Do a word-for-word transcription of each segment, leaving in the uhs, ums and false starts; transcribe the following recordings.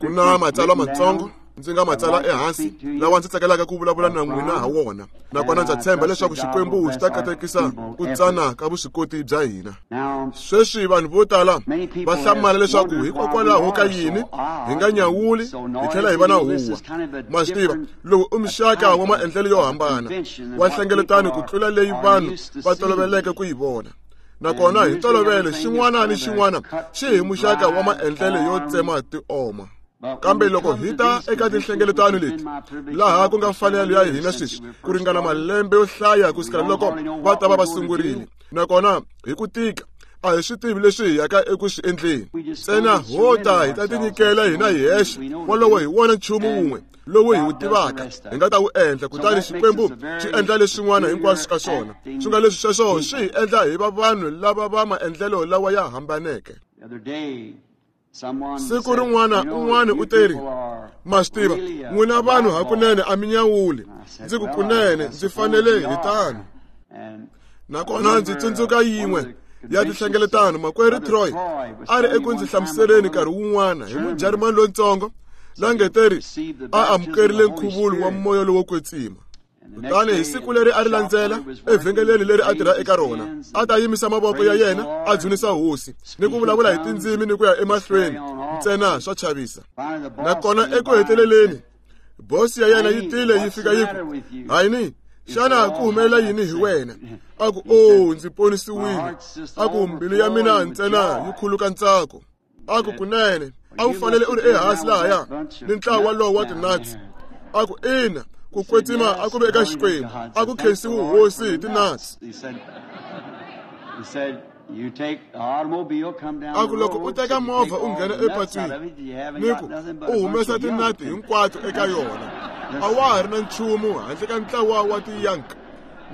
Ku na matsalwa matsongo ndzi nga matsala ehansi lawa ndzi tsakelaka ku vulavula na n'wina ha wona, nakona ndza tshemba leswaku Xikwembu xi ta katekisa ku tsana ka vuswikoti bya hina. Sweswi vanhu vo tala va hlamala leswaku hikokwalaho ka yini hi nga nyawuli hi tlhela hi va na huwa. Ma swi tiva, lowu i muxaka wa maendlelo yo hambana wa nhlengeletano ku tlula leyi vanhu va toloveleke ku yi vona. Nakona hi ntolovelo xin'wana ni xin'wana xi hi muxaka wa maendlelo yo tsema tioma. Kambe loko hi ta eka tinhlengeletano leti, laha ku nga mfanelo ya hina sweswi ku ringana malembe yo hlaya kusukela loko va ta va va sungurile, nakona hi ku tika a hi swi tivi leswi hi yaka eku swi endleni. Ntsena ho ta hi ta tinyikela hina hi hexe, wolowo hi wona nchumu wun'we lowu hi wu tivaka hi nga ta wu endla, kutani Xikwembu xi endla leswin'wana hinkwaswo ka swona. Swi nga leswi sweswo swi hi endla hi va vanhu lava va maendlelo lawa ya hambaneke. Siku rin'wana un'wana u teri, ma swi tiva, n'wina vanhu hakunene a mi nyawuli. Ndzi ku kunene ndzi fanele hi tano. Nakona ndzi tsundzuka yin'we ya tinhlengeletano, makwerhu Troy a ri eku ndzi hlamuseleni nkarhi wun'wana hi Mujarimani lontsongo la nge teri a amukerile nkhuvulo wa moya lowo kwetsima. Kutani hi siku leri a ri landzela evhengeleni leri a tirha eka rona, a ta yimisa mavoko ya yena a dzunisa hosi ni ku vulavula hi tindzimi ni ku ya emahlweni, ntsena swa chavisa. Nakona eku heteleleni bosi ya yena yi tile yi fika yi ku, hayini, xana ku humelela yini hi wena? A ku, o ndzi ponisiwile. A ku, mbilu ya mina ntsena yi khuluka ntsako. A ku, kunene a wu fanele u ri ehansi lahaya ni ntlawa lowu wa tinatsi. A ku, ina, ku kwetsima a ku ve eka Xikwembu, a ku khensiwi hosi hi tinatsi. A ku loko u teka movha u nghena epatwini ni ku u humesa tinati hinkwato eka yona, a wa ha ri na nchumu handle ka ntlawa wa tiyank.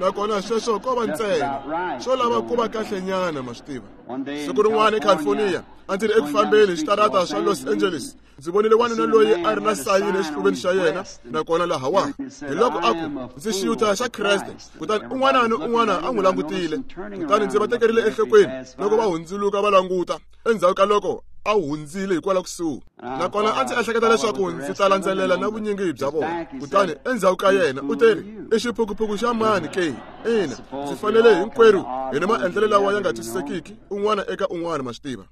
Nakona sweswo ko va ntsena swo lava ku va kahlenyana, ma swi tiva. Siku rin'wana eCalifornia a ndzi ri eku fambeni hi switarata swa Los Angeles, ndzi vonile wanuna loyi a ri na sayini exifuveni xa yena, nakona lahawa hi loko a ku, ndzi xiyuta xa Kreste. Kutani un'wana ni un'wana a n'wi langutile, kutani ndzi va tekerile enhlokweni loko va hundzuluka va languta endzhaku ka loko a hundzile hikwalaho kusuhi. Nakona a ndzi ehleketa leswaku ndzi ta landzelela na vunyingi bya vona. Kutani endzhaku ka yena u teri, i xiphukuphuku xa mani ke? Ina, ndzi fanele hinkwerhu hi ni maendlelo lawa ya nga twisisekiki un'wana eka un'wana, ma swi tiva.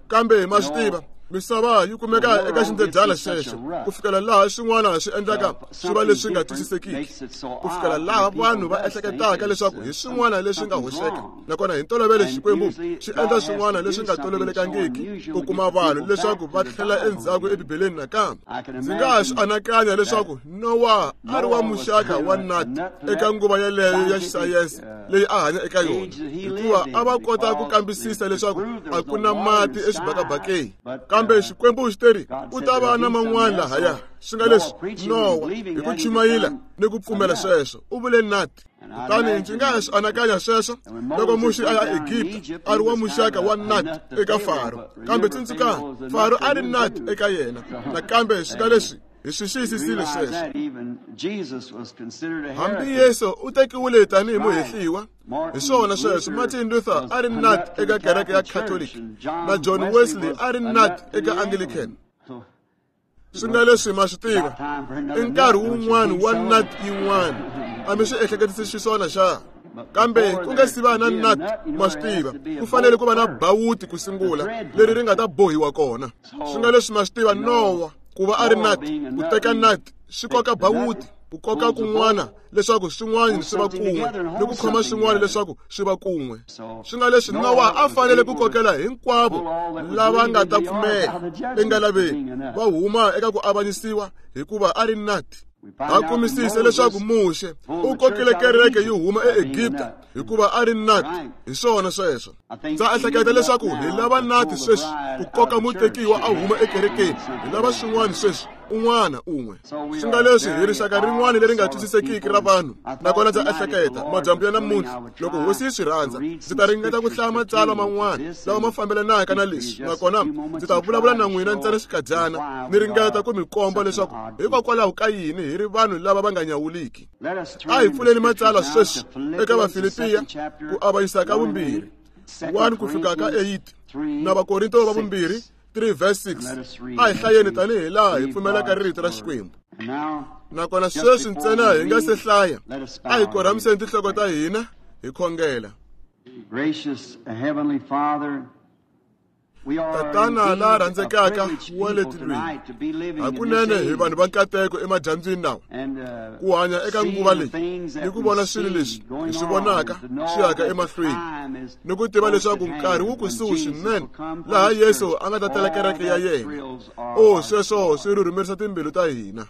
Kambe ma swi tiva, misava yi kumeka eka xindzedyana xexo ku fikela laha swin'wana swi endlaka swi va leswi nga twisisekiki, ku fikela laha vanhu va ehleketaka leswaku hi swin'wana leswi nga hoxeka. Nakona hi ntolovelo Xikwembu xi endla swin'wana leswi nga tolovelekangiki ku kuma vanhu leswaku va tlhela endzhaku eBibeleni nakambe. Ndzi nga swi anakanya leswaku Nowa a ri wa muxaka wa nut eka nguva yeleyo ya xisayense leyi a hanya eka yona, hikuva a va kota ku kambisisa leswaku a ku na mati exibakabakeni. Kambe Xikwembu xi teri ku ta va na man'wana lahaya. Swi nga leswi Nowa hi ku chumayela ni ku pfumela sweswo u vule nut. Kutani ndzi nga swi anakanya sweswo loko Muxe a ya Egipta a ri wa muxaka wa nut eka Faro. Kambe tsundzukani, Faro a ri nut eka yena. Nakambe swi nga leswi hi swi xiyisisile sweswo. Hambi Yesu u tekiwile tanihi muhehliwa, hi swona sweswo. Martin Luther a ri nut eka kereke ya Catholic, na John Wesley a ri nut eka Anglican. Swi nga leswi ma swi tiva, i nkarhi wun'wana wa nut yin'wana. A mi swi ehleketisi xiswona xa? Kambe ku nga si va na nut, ma swi tiva, ku fanele ku va na bawuti ku sungula leri ri nga ta bohiwa kona. Swi nga leswi ma swi tiva, Nowa ku va a ri nut, ku teka nut swi koka bawuti, ku koka kun'wana leswaku swin'wana swi va kun'we, ni ku khoma swin'wana leswaku swi va kun'we. Swi nga leswi Nowa a fanele ku kokela hinkwavo lava nga ta pfumela engalaveni va huma eka ku avanyisiwa, hikuva a ri nut. Ha kumisise leswaku Muxe u kokile kereke yi huma eEgipta hikuva a ri nut. Hi swona sweswo. Ndza ehleketa leswaku hi lava nut sweswi ku koka mutekiwa a huma ekerekeni. Hi lava swin'wana sweswi, un'wana un'we. Swi nga leswi hi rixaka rin'wana leri nga twisisekiki ra vanhu. Nakona ndza ehleketa madyambu ya namuntlha, loko hosi yi swi rhandza, ndzi ta ringeta ku hlaya matsalwa man'wana lawa ma fambelanaka na leswi. Nakona ndzi ta vulavula na n'wina ntsena xikadyana, ni ringeta ku mi komba leswaku hikokwalaho ka yini hi ri vanhu lava va nga nyawuliki. A hi pfuleni matsalwa sweswi eka Vafilipiya ku avanyisa ka vumbirhi one ku fika ka eight, na Vakorinto va vumbirhi three verse six. A hi hlayeni tanihi laha hi pfumelaka rito ra Xikwembu. Nakona sweswi ntsena hi nga se hlaya, a hi korhamiseni tinhloko ta hina hi khongela. Gracious Heavenly Father, Tatana la rhandzekaka wa le tilweni, hakunene hi vanhu va nkateko emadyambyini lawa, ku hanya eka nguva leyi ni ku vona swilo leswi hi swi vonaka swi yaka emahlweni, ni ku tiva leswaku nkarhi wu kusuhi swinene laha Yesu a nga ta tela kereke ya yena. O sweswo swi rhurhumerisa timbilu ta hina.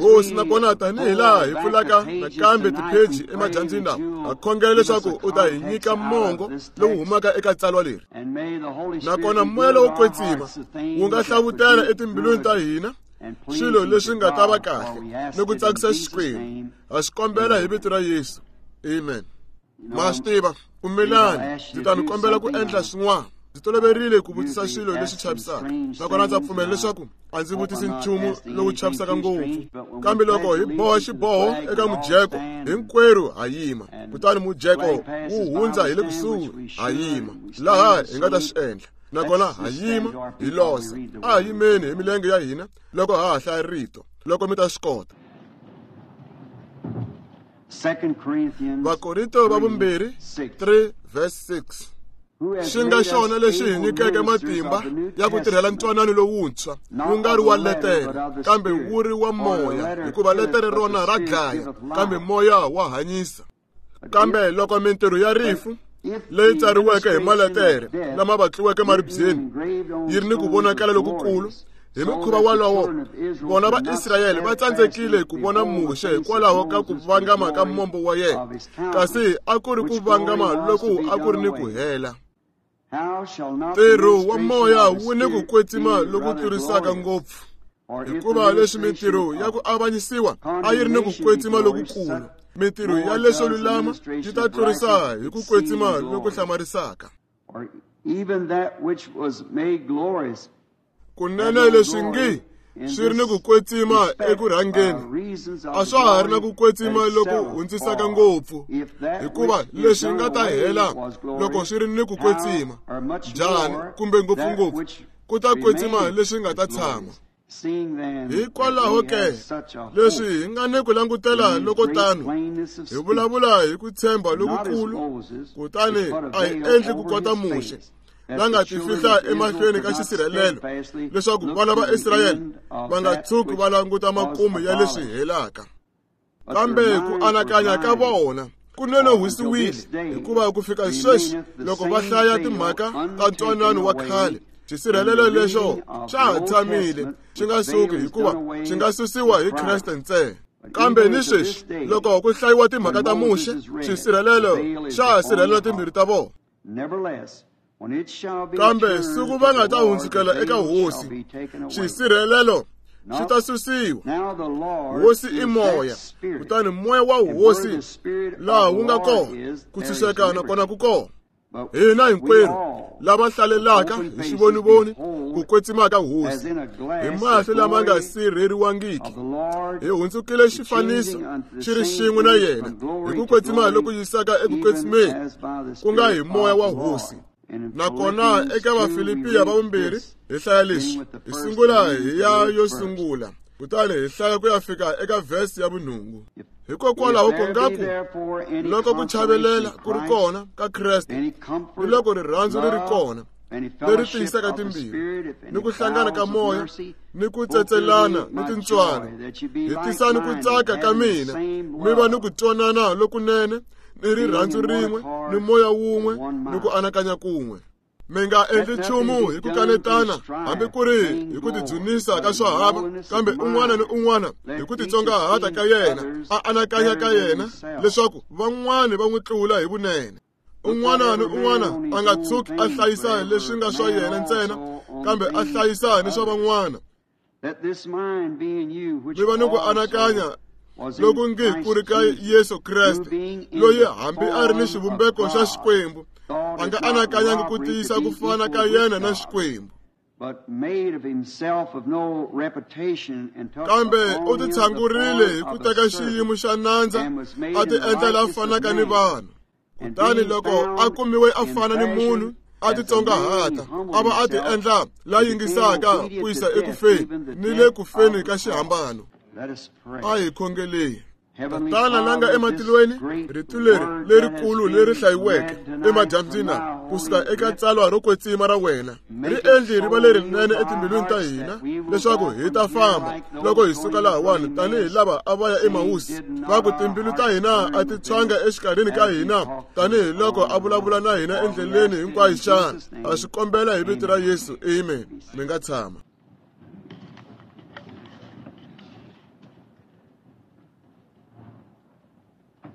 Hosi, nakona tanihi laha hi pfulaka nakambe tipheji emadyambyini lawa, ha khongela leswaku u ta hi nyika mongo lowu humaka eka tsalwa leri. Nakona moya lowo kwetsima wu nga hlavutela etimbilwini ta hina swilo leswi nga ta va kahle ni ku tsakisa Xikwembu. Ha swi kombela hi vito ra Yesu. Amen. Ma swi tiva, pfumelani ndzi ta mi kombela ku endla swin'wana. Ndzi toloverile ku vutisa swilo leswi chavisaka, nakona ndza pfumela leswaku a ndzi vutisi nchumu lowu chavisaka ngopfu. Kambe loko hi boha xiboho eka mujeko, hinkwerhu ha yima, kutani mujeko wu hundza hi le kusuhi, ha yima laha hi nga ta swi endla. Nakona ha yima hi losa. A hi yimeni hi milenge ya hina loko ha ha hlaya rito, loko mi ta swi kota. Vakorinto va vumbirhi three verse six. Xi nga xona lexi hi nyikeke matimba ya ku tirhela ntwanano lowuntshwa, wu nga ri wa letere, kambe wu ri wa moya, hikuva letere rona ra dlaya, kambe moya wa hanyisa. Kambe loko mintirho ya rifu leyi tsariweke hi maletere lama vatliweke maribyeni yi ri ni ku vonakala lokukulu, hi mukhuva wolowo vona va Israyele va tsandzekile ku vona Muxe hikwalaho ka ku vangama ka mombo wa yena, kasi a ku ri ku vangama loku a ku ri ni ku hela. Ntirho wa moya wu ni ku kwetsima loku tlurisaka ngopfu, hikuva leswi mintirho ya ku avanyisiwa a yi ri ni ku kwetsima lokukulu, mintirho ya leswo lulama yi ta tlurisa hi ku kwetsima loku hlamarisaka. Kunene leswi ngi swi ri ni ku kwetsima eku rhangeni, a swa ha ri na ku kwetsima loku hundzisaka ngopfu, hikuva leswi nga ta hela loko swi ri ni ku kwetsima, njhani kumbe ngopfungopfu ku ta kwetsima leswi nga ta tshama. Hikwalaho ke leswi hi nga ni ku langutela loko tano, hi vulavula hi ku tshemba lokukulu, kutani a hi endli ku kota Muxe la nga tifihla emahlweni ka xisirhelelo, leswaku vana va Israyele va nga tshuki va languta makumu ya leswi helaka. Kambe ku anakanya ka vona kunene hwisiwile, hikuva ku fika sweswi loko va hlaya timhaka ta ntwanano wa khale, xisirhelelo lexo xa ha tshamile xi nga suki, hikuva xi nga susiwa hi Kreste ntsena. Kambe ni sweswi loko ku hlayiwa timhaka ta Muxe, xisirhelelo xa ha sirhelela timbilu ta vona. Kambe siku va nga ta hundzukela eka Hosi, xisirhelelo xi ta susiwa. Hosi i moya, kutani moya wa Hosi laha wu nga kona, ku tshunxeka nakona ku kona. Hina hinkwerhu lava hlalelaka hi xivonivoni ku kwetsima ka Hosi, hi mahlo lama nga sirheriwangiki, hi hundzukile xifaniso xi ri xin'we na yena hi ku kwetsima loku yisaka eku kwetsimeni, ku nga hi moya wa Hosi. Nakona eka Vafilipiya va vumbirhi hi hlaya leswi, hi sungula hi ya yo sungula, kutani hi hlaya ku ya fika eka vhesi ya vunhungu. Hikokwalaho ku nga ku loko ku chavelela ku ri kona ka Kreste, ni loko rirhandzu ri ri kona leri tiyisaka timbilu, ni ku hlangana ka moya, ni ku tsetselana ni tintswalo, hi tisani ku tsaka ka mina, mi va ni ku twanana lokunene, ni rirhandzu rin'we, ni moya wun'we, ni ku anakanya kun'we. Mi nga endli nchumu hi ku kanetana, hambi ku ri hi ku tidzunisa ka swahava, kambe un'wana ni un'wana hi ku titsongahata ka yena, a anakanya ka yena leswaku van'wani va n'wi tlula hi vunene. Un'wana ni un'wana a nga tshuki a hlayisa leswi nga swa yena ntsena, kambe a hlayisa ni swa van'wana. Mi va ni ku anakanya loku ngi ku ri ka Yesu Kreste, loyi hambi a ri ni xivumbeko xa Xikwembu, a nga anakanyangi ku tiyisa ku fana ka yena na Xikwembu. Kambe u titshangurile hi ku teka xiyimo xa nandza, a ti endla la fanaka ni vanhu. Kutani loko a kumiwe a fana ni munhu, a titsongahata a va a ti endla la yingisaka ku yisa ekufeni ni le ku feni ka xihambano. A hi khongeleni. Tatana la nga ematilweni, rito leri lerikulu leri hlayiweke emadyambyini kusuka eka tsalwa ro kwetsima ra wena ri endli ri va lerinene etimbilwini ta hina leswaku hi ta famba loko hi suka lahawani tanihi lava a va ya eMawusi, va ku timbilu ta hina a ti tshwanga exikarhini ka hina tanihi loko a vulavula na hina endleleni hinkwayo xana. A swi kombela hi vito ra Yesu, amen. Mi nga tshama.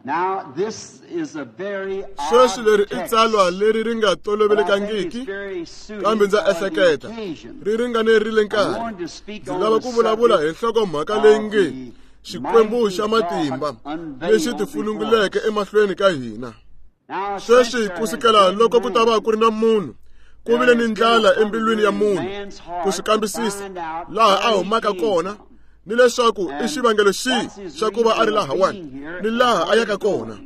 Now this is a very sweswi leri i tsalwa leri ri nga tolovelekangiki, kambe ndza ehleketa ri ringanerile nkarhi. Ndzi lava ku vulavula hi nhlokomhaka leyi nge Xikwembu xa matimba lexi tifununguleke emahlweni ka hina. Sweswi kusukela loko ku ta va ku ri na munhu, ku vile ni ndlala embilwini ya munhu ku swi kambisisa laha a humaka kona ni leswaku i xivangelo xihi xa ku va a ri lahawani ni laha a yaka kona.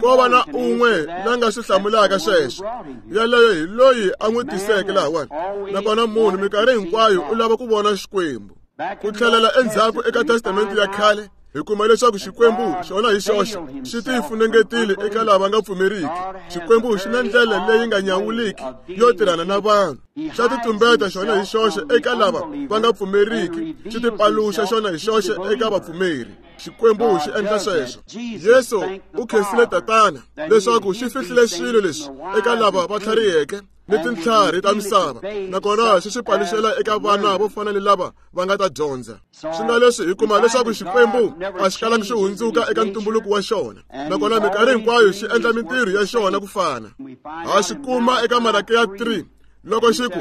Ko va na un'we la nga swi hlamulaka sweswo, yaleyo hi loyi a n'wi tiseke lahawani. Nakona munhu minkarhi hinkwayo u lava ku vona Xikwembu. Ku tlhelela endzhaku eka Testamente ya khale, hi kuma leswaku Xikwembu xona hi xoxe xi tifunengetile eka lava nga pfumeriki. Xikwembu xi na ndlela leyi nga nyawuliki yo tirhana na vanhu. Xa titumbeta xona hi xoxe eka lava va nga pfumeriki, xi tipaluxa xona hi xoxe eka vapfumeri. Xikwembu xi endla sweswo. Yesu u khensile Tatana leswaku xi fihlile swilo leswi eka lava va tlhariheke ni tintlhari ta misava, nakona xi swi paluxela eka vana vo fana ni lava va nga ta dyondza. Swi nga leswi hi kuma leswaku Xikwembu a xi kalangi xi hundzuka eka ntumbuluko wa xona, nakona minkarhi hinkwayo xi endla mintirho ya xona ku fana. Ha xi kuma eka Malakiya three loko xi ku,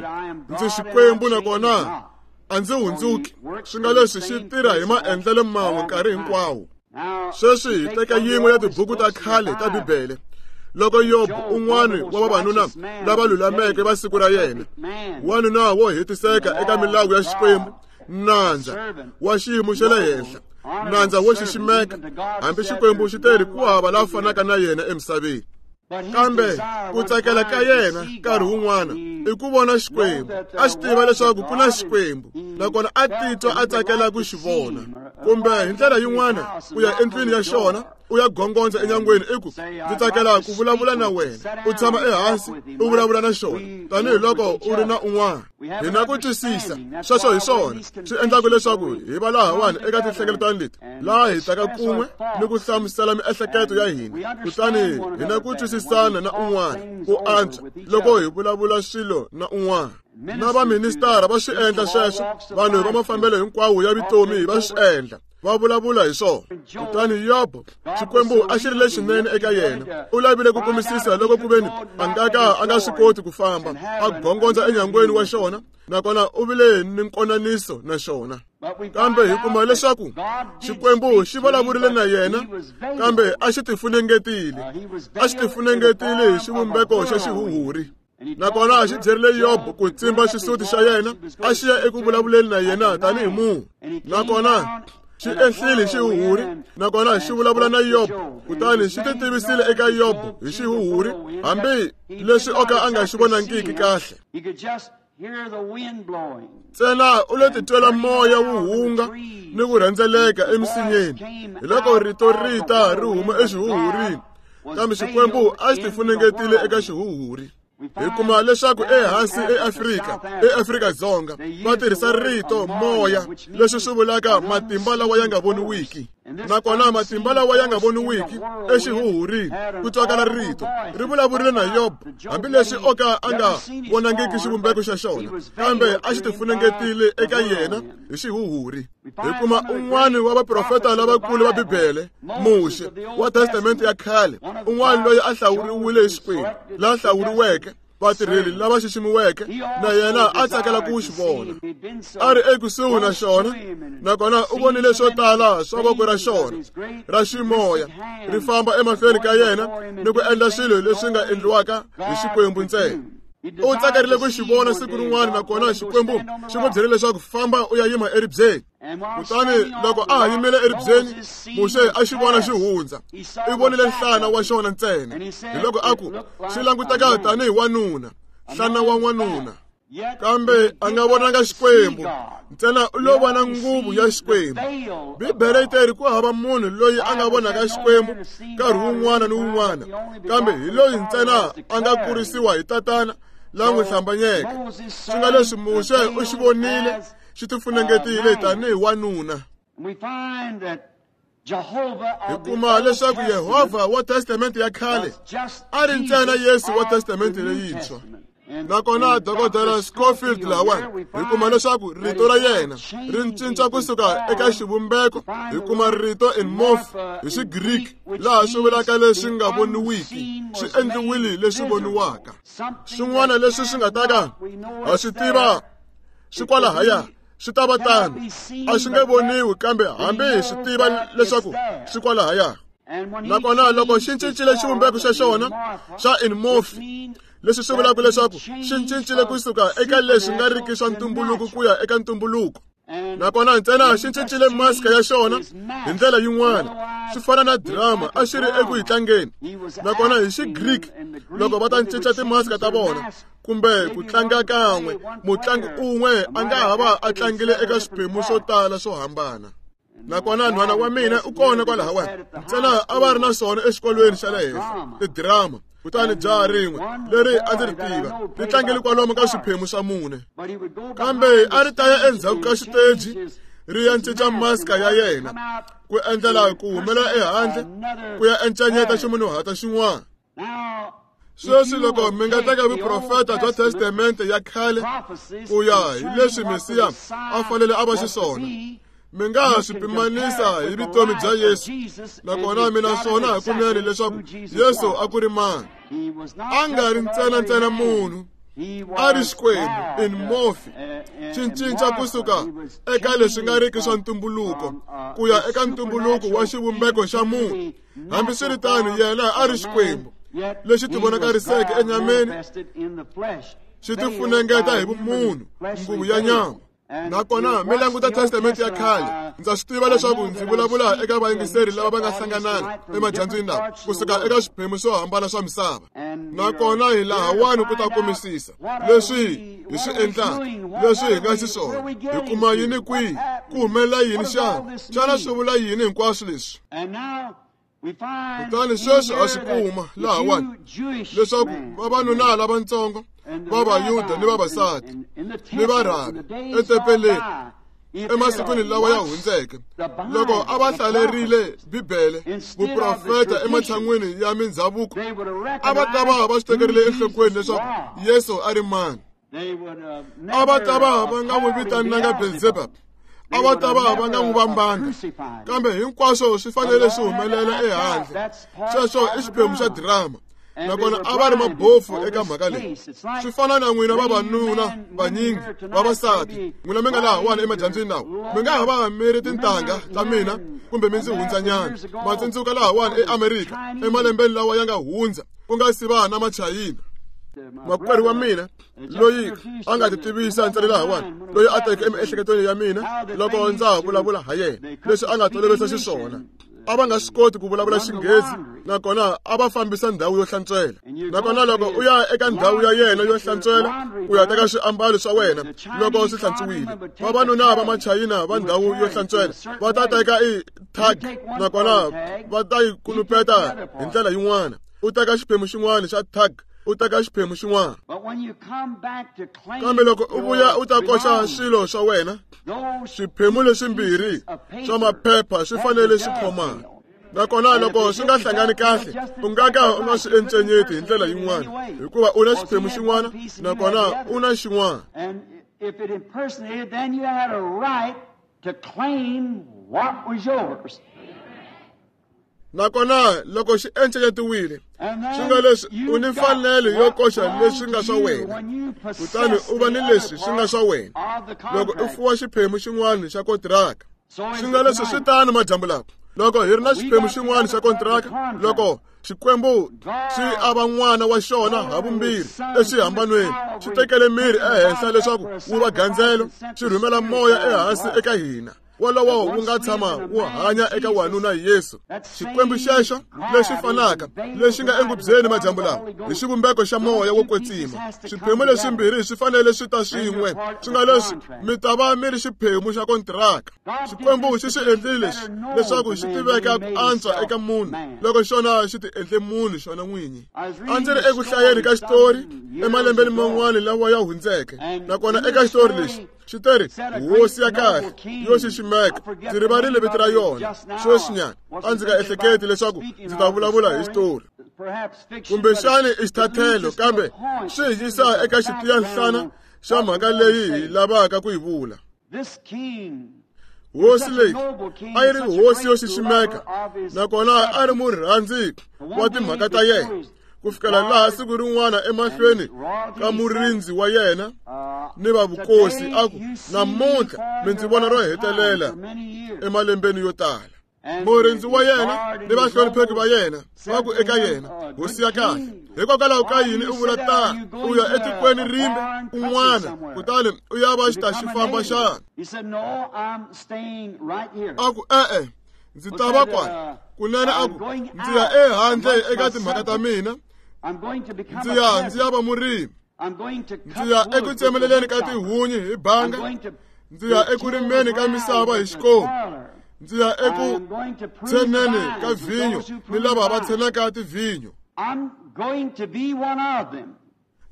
ndzi Xikwembu nakona a ndzi hundzuki. Swi nga leswi xi tirha hi maendlelo man'we nkarhi hinkwawo. Sweswi hi teka yin'we ya tibuku ta khale ta Bibele. Loko Yobo, un'wana wa vavanuna lava lulameke va siku ra yena, wanuna wo hetiseka eka milawu ya Xikwembu, nandza wa xiyimo xa le henhla, nandza wo xiximeka, hambi Xikwembu xi te ri ku hava la fanaka na yena emisaveni. Kambe ku tsakela ka yena nkarhi wun'wana i ku vona Xikwembu. A xi tiva leswaku ku na Xikwembu, nakona a titwa a tsakela ku xi vona. Kumbe hi ndlela yin'wana u ya endlwini ya xona, u ya gongondza enyangweni i ku, ndzi tsakela ku vulavula na wena. U tshama ehansi u vulavula na xona tanihiloko u ri na un'wana. Hi na ku twisisa sweswo hi swona swi endlaka leswaku hi va lahawani eka tinhlengeletano leti, laha hi taka kun'we ni ku hlamusela miehleketo ya hina, kutani hi na ku twisisana na un'wana ku antswa loko hi vulavula swilo na un'wana. Na vaministara va swi endla sweswo, vanhu va mafambelo hinkwawo ya vutomi va swi endla, va vulavula hi swona. Kutani Yobo, Xikwembu a xi ri lexinene eka yena. U lavile ku kumisisa loko ku veni a nga ka a nga swi koti ku famba, a gongondza enyangweni wa xona, nakona u vile ni nkonaniso na xona. Kambe hi kuma leswaku Xikwembu xi vulavurile na yena, kambe a xi tifunengetile. A xi tifunengetile hi xivumbeko xa xihuhuri. Nakona xi byerile Yobo ku tsimba xisuti xa yena, a xi ya eku vulavuleni na yena tanihi munhu. Nakona xi ehlile xihuhuri, nakona xi vulavula na Yobo, kutani xi titivisile eka Yobo hi xihuhuri, hambi leswi o ka a nga xi vonangiki kahle. Ntsena u lo titwela moya wu hunga ni ku rhendzeleka emisinyeni, hi loko rito ri ta ri huma exihuhurini, kambe Xikwembu a xi tifunengetile eka xihuhuri. Hi kuma leswaku ehansi eAfrika, eAfrika-Dzonga, va tirhisa rito moya, leswi swi vulaka matimba lawa ya nga voniwiki. Nakona matimba lawa ya nga voniwiki exihuhurini ku twakala rito ri vulavurile na Yobo, hambileswi o ka a nga vonangiki xivumbeko xa xona, kambe a xi tifunengetile eka yena hi xihuhuri. Hi kuma un'wana wa vaprofeta lavakulu va Bibele, Muxe wa Testamente ya khale, un'wana loyi a hlawuriwile hi Xikwembu, la hlawuriweke, vatirheli lava xiximiweke, na yena a tsakela ku xi vona. A ri ekusuhi na xona, nakona u vonile swo tala swa voko ra xona ra ximoya ri famba emahlweni ka yena ni ku endla swilo leswi nga endliwaka hi Xikwembu ntsena. U tsakarile ku xi vona siku rin'wana, nakona Xikwembu xi n'wi byerile leswaku famba u ya yima eribyeni. Kutani loko a ha yimile eribyeni, Muxe a xi vona xi hundza. I vonile nhlana wa xona ntsena. Hi loko a ku, xi languteka tanihi wanuna, nhlana wa n'wanuna. Kambe a nga vonanga Xikwembu, ntsena u lo vona nguvu ya Xikwembu. Bibele yi teri ku hava munhu loyi a nga vonaka Xikwembu nkarhi wun'wana ni wun'wana, kambe hi loyi ntsena a nga kurisiwa hi tatana la n'wi hlambanyeke. Swi nga leswi Muxe u xi vonile xi tifunengetile tanihi wanuna. Hi kuma leswaku Yehovha wa Testamente ya khale a ri ntsena Yesu wa Testamente leyintshwa. Nakona Dokodela Scofield lawani hi kuma leswaku rito ra yena ri cinca kusuka eka xivumbeko. Hi kuma rito in morph hi Xigriki laha swi vulaka leswi nga voniwiki swi endliwile leswi voniwaka. Swin'wana leswi swi nga ta ka ha swi tiva swi kwalahaya swi ta va tano, a swi nge voniwi, kambe hambi hi swi tiva leswaku swi kwalahaya. Nakona loko xi cincile xivumbeko xa xona xa in morph, leswi swi vulaka leswaku xi cincile kusuka eka leswi nga riki swa ntumbuluko ku ya eka ntumbuluko. Nakona ntsena xi cincile maska ya xona hi ndlela yin'wana, swi fana na drama a xi ri eku yi tlangeni. Nakona hi Xigriki loko va ta cinca timaska ta vona kumbe ku tlanga kan'we, mutlangi un'we a nga ha va a tlangile eka swiphemu swo tala swo hambana. Nakona nhwana wa mina u kona kwalahawani, ntsena a va ri na swona exikolweni xa le henhla tidrama. Kutani jaha rin'we leri a ndzi ri tiva ri tlangele kwalomu ka swiphemu swa mune, kambe a ri ta ya endzhaku ka xiteji ri ya cinca maska ya yena ku endlela ku humela ehandle ku ya encanyeta ximunhuhata xin'wana. Sweswi loko mi nga teka vuprofeta bya Testamente ya khale ku ya hi leswi Mesiya a fanele a va xiswona, mi nga ha swi pimanisa hi vutomi bya Yesu. Nakona mina swona hakunene leswaku Yesu a ku ri mani. A nga ri ntsena ntsena munhu, a ri Xikwembu in morph, xi cinca kusuka eka leswi nga riki swa ntumbuluko ku ya eka ntumbuluko wa xivumbeko xa munhu. Hambiswiritano yena a ri Xikwembu lexi tivonakariseke enyameni, xi tifunengeta hi vumunhu, nguvu ya nyama. Nakona mi languta Testamente ya khale, ndza swi tiva leswaku ndzi vulavula eka vayingiseri lava va nga hlanganana emadyambyini lawa kusuka eka swiphemu swo hambana swa misava. Nakona hi lahawani ku ta kumisisa leswi hi swi endlaka, leswi hi nga xiswona, hi kuma yini kwihi, ku humelela yini xana, xana swi vula yini hinkwaswo leswi. Kutani sweswi ha swi kuma lahawani leswaku vavanuna lavatsongo va Vayuda ni vavasati ni varhabi etempeleni emasikwini lawa ya hundzeke, loko a va hlalerile Bibele, vuprofeta ematshan'wini ya mindzhavuko, a va ta va va swi tekerile enhlokweni leswaku Yesu a ri mani. A va ta va va nga n'wi vitananga Belzebub, a va ta va va nga n'wi vambanga, kambe hinkwaswo swi fanele swi humelela ehandle. Sweswo i xiphemu xa drama. Nakona a va ri mabofu eka mhaka leyi. Swi fana na n'wina vavanuna vanyingi, vavasati, n'wina mi nga lahawani emadyambyini lawa, mi nga ha va mi ri tintangha ta mina kumbe mi ndzi hundzanyana. Ma tsundzuka lahawani eAmerika emalembeni lawa ya nga hundza, ku nga si va na Machayina. Makwerhu wa mina loyi a nga ti tivisa ntsena lahawani, loyi a teke emiehleketweni ya mina loko ndza ha vulavula ha yena, leswi a nga tolovisa xiswona. A va nga swi koti ku vulavula Xinghezi, nakona a va fambisa ndhawu yo hlantswela. Nakona loko u ya eka ndhawu ya yena yo hlantswela ku ya teka swiambalo swa wena loko swi hlantswiwile, vavanuna va Machayina va ndhawu yo hlantswela va ta teka i tag, nakona va ta yi kunupeta hi ndlela yin'wana. U teka xiphemu xin'wana xa tag, u teka xiphemu xin'wana. Kambe loko u vuya u ta koxa swilo swa wena, swiphemu leswimbirhi swa maphepha swi fanele swi khomana. Nakona loko swi nga hlangani kahle, u nga ka u nga swi encenyeti hi ndlela yin'wana, hikuva u na xiphemu xin'wana nakona u na xin'wana. Nakona loko xi encenyetiwile, swi nga leswi u ni mfanelo yo koxa leswi nga swa wena, kutani u va ni leswi swi nga swa wena loko u fuwa xiphemu xin'wana xa kontiraka. Swi nga leswi swi tano madyambu lawa, loko hi ri na xiphemu xin'wana xa kontiraka, loko Xikwembu xi ava n'wana wa xona ha vumbirhi exihambanweni, xi tekele miri ehenhla leswaku wu va gandzelo, xi rhumela moya ehansi eka hina. wolowo wu nga tshama wu hanya eka wanuna Yesu. Xikwembu xexo lexi fanaka lexi nga engubyeni madyambu lawa hi xivumbeko xa moya wo kwetsima. Swiphemu leswimbirhi swi fanele swi ta swin'we, swi nga leswi mi ta va mi ri xiphemu xa kontiraka. Xikwembu xi swi endlile leswi leswaku xi tiveka ku antswa eka munhu loko xona xi ti endle munhu xona n'winyi. A ndzi ri eku hlayeni ka xitori emalembeni man'wana lawa ya hundzeke, nakona eka xitori lexi xi teri hosi ya kahle yo xiximeka. Ndzi rivarile vito ra yona sweswinyana, a ndzi nga ehleketi leswaku ndzi ta vulavula hi xitori kumbexani i xithathelo, kambe swi hi yisa eka xitiyanhlana xa mhaka leyi hi lavaka ku yi vula. Hosi leyi a yi ri hosi yo xiximeka, nakona a ri murhandzi wa timhaka ta yena, ku fikela laha siku rin'wana emahlweni ka murindzi wa yena ni va vukosi a ku, namuntlha mi ndzi vona ro hetelela emalembeni yo tala. Murindzi wa yena ni vahlonipheki va yena va ku eka yena, hosi ya kahle, hikokwalaho ka yini u vula tano? U ya etikweni rimbe kun'wana kutani u ya va xitaxifamba xana? A ku, e-e, ndzi ta va kwala. Kunene a ku, ndzi ya ehandle eka timhaka ta mina, ndzi ya ndzi ya va murimi, ndzi ya eku tsemeleleni ka tihunyi hi banga, ndzi ya eku rimeni ka misava hi xikomu, ndzi ya eku tsheneni ka vhinyo ni lava va tshenaka tivhinyo.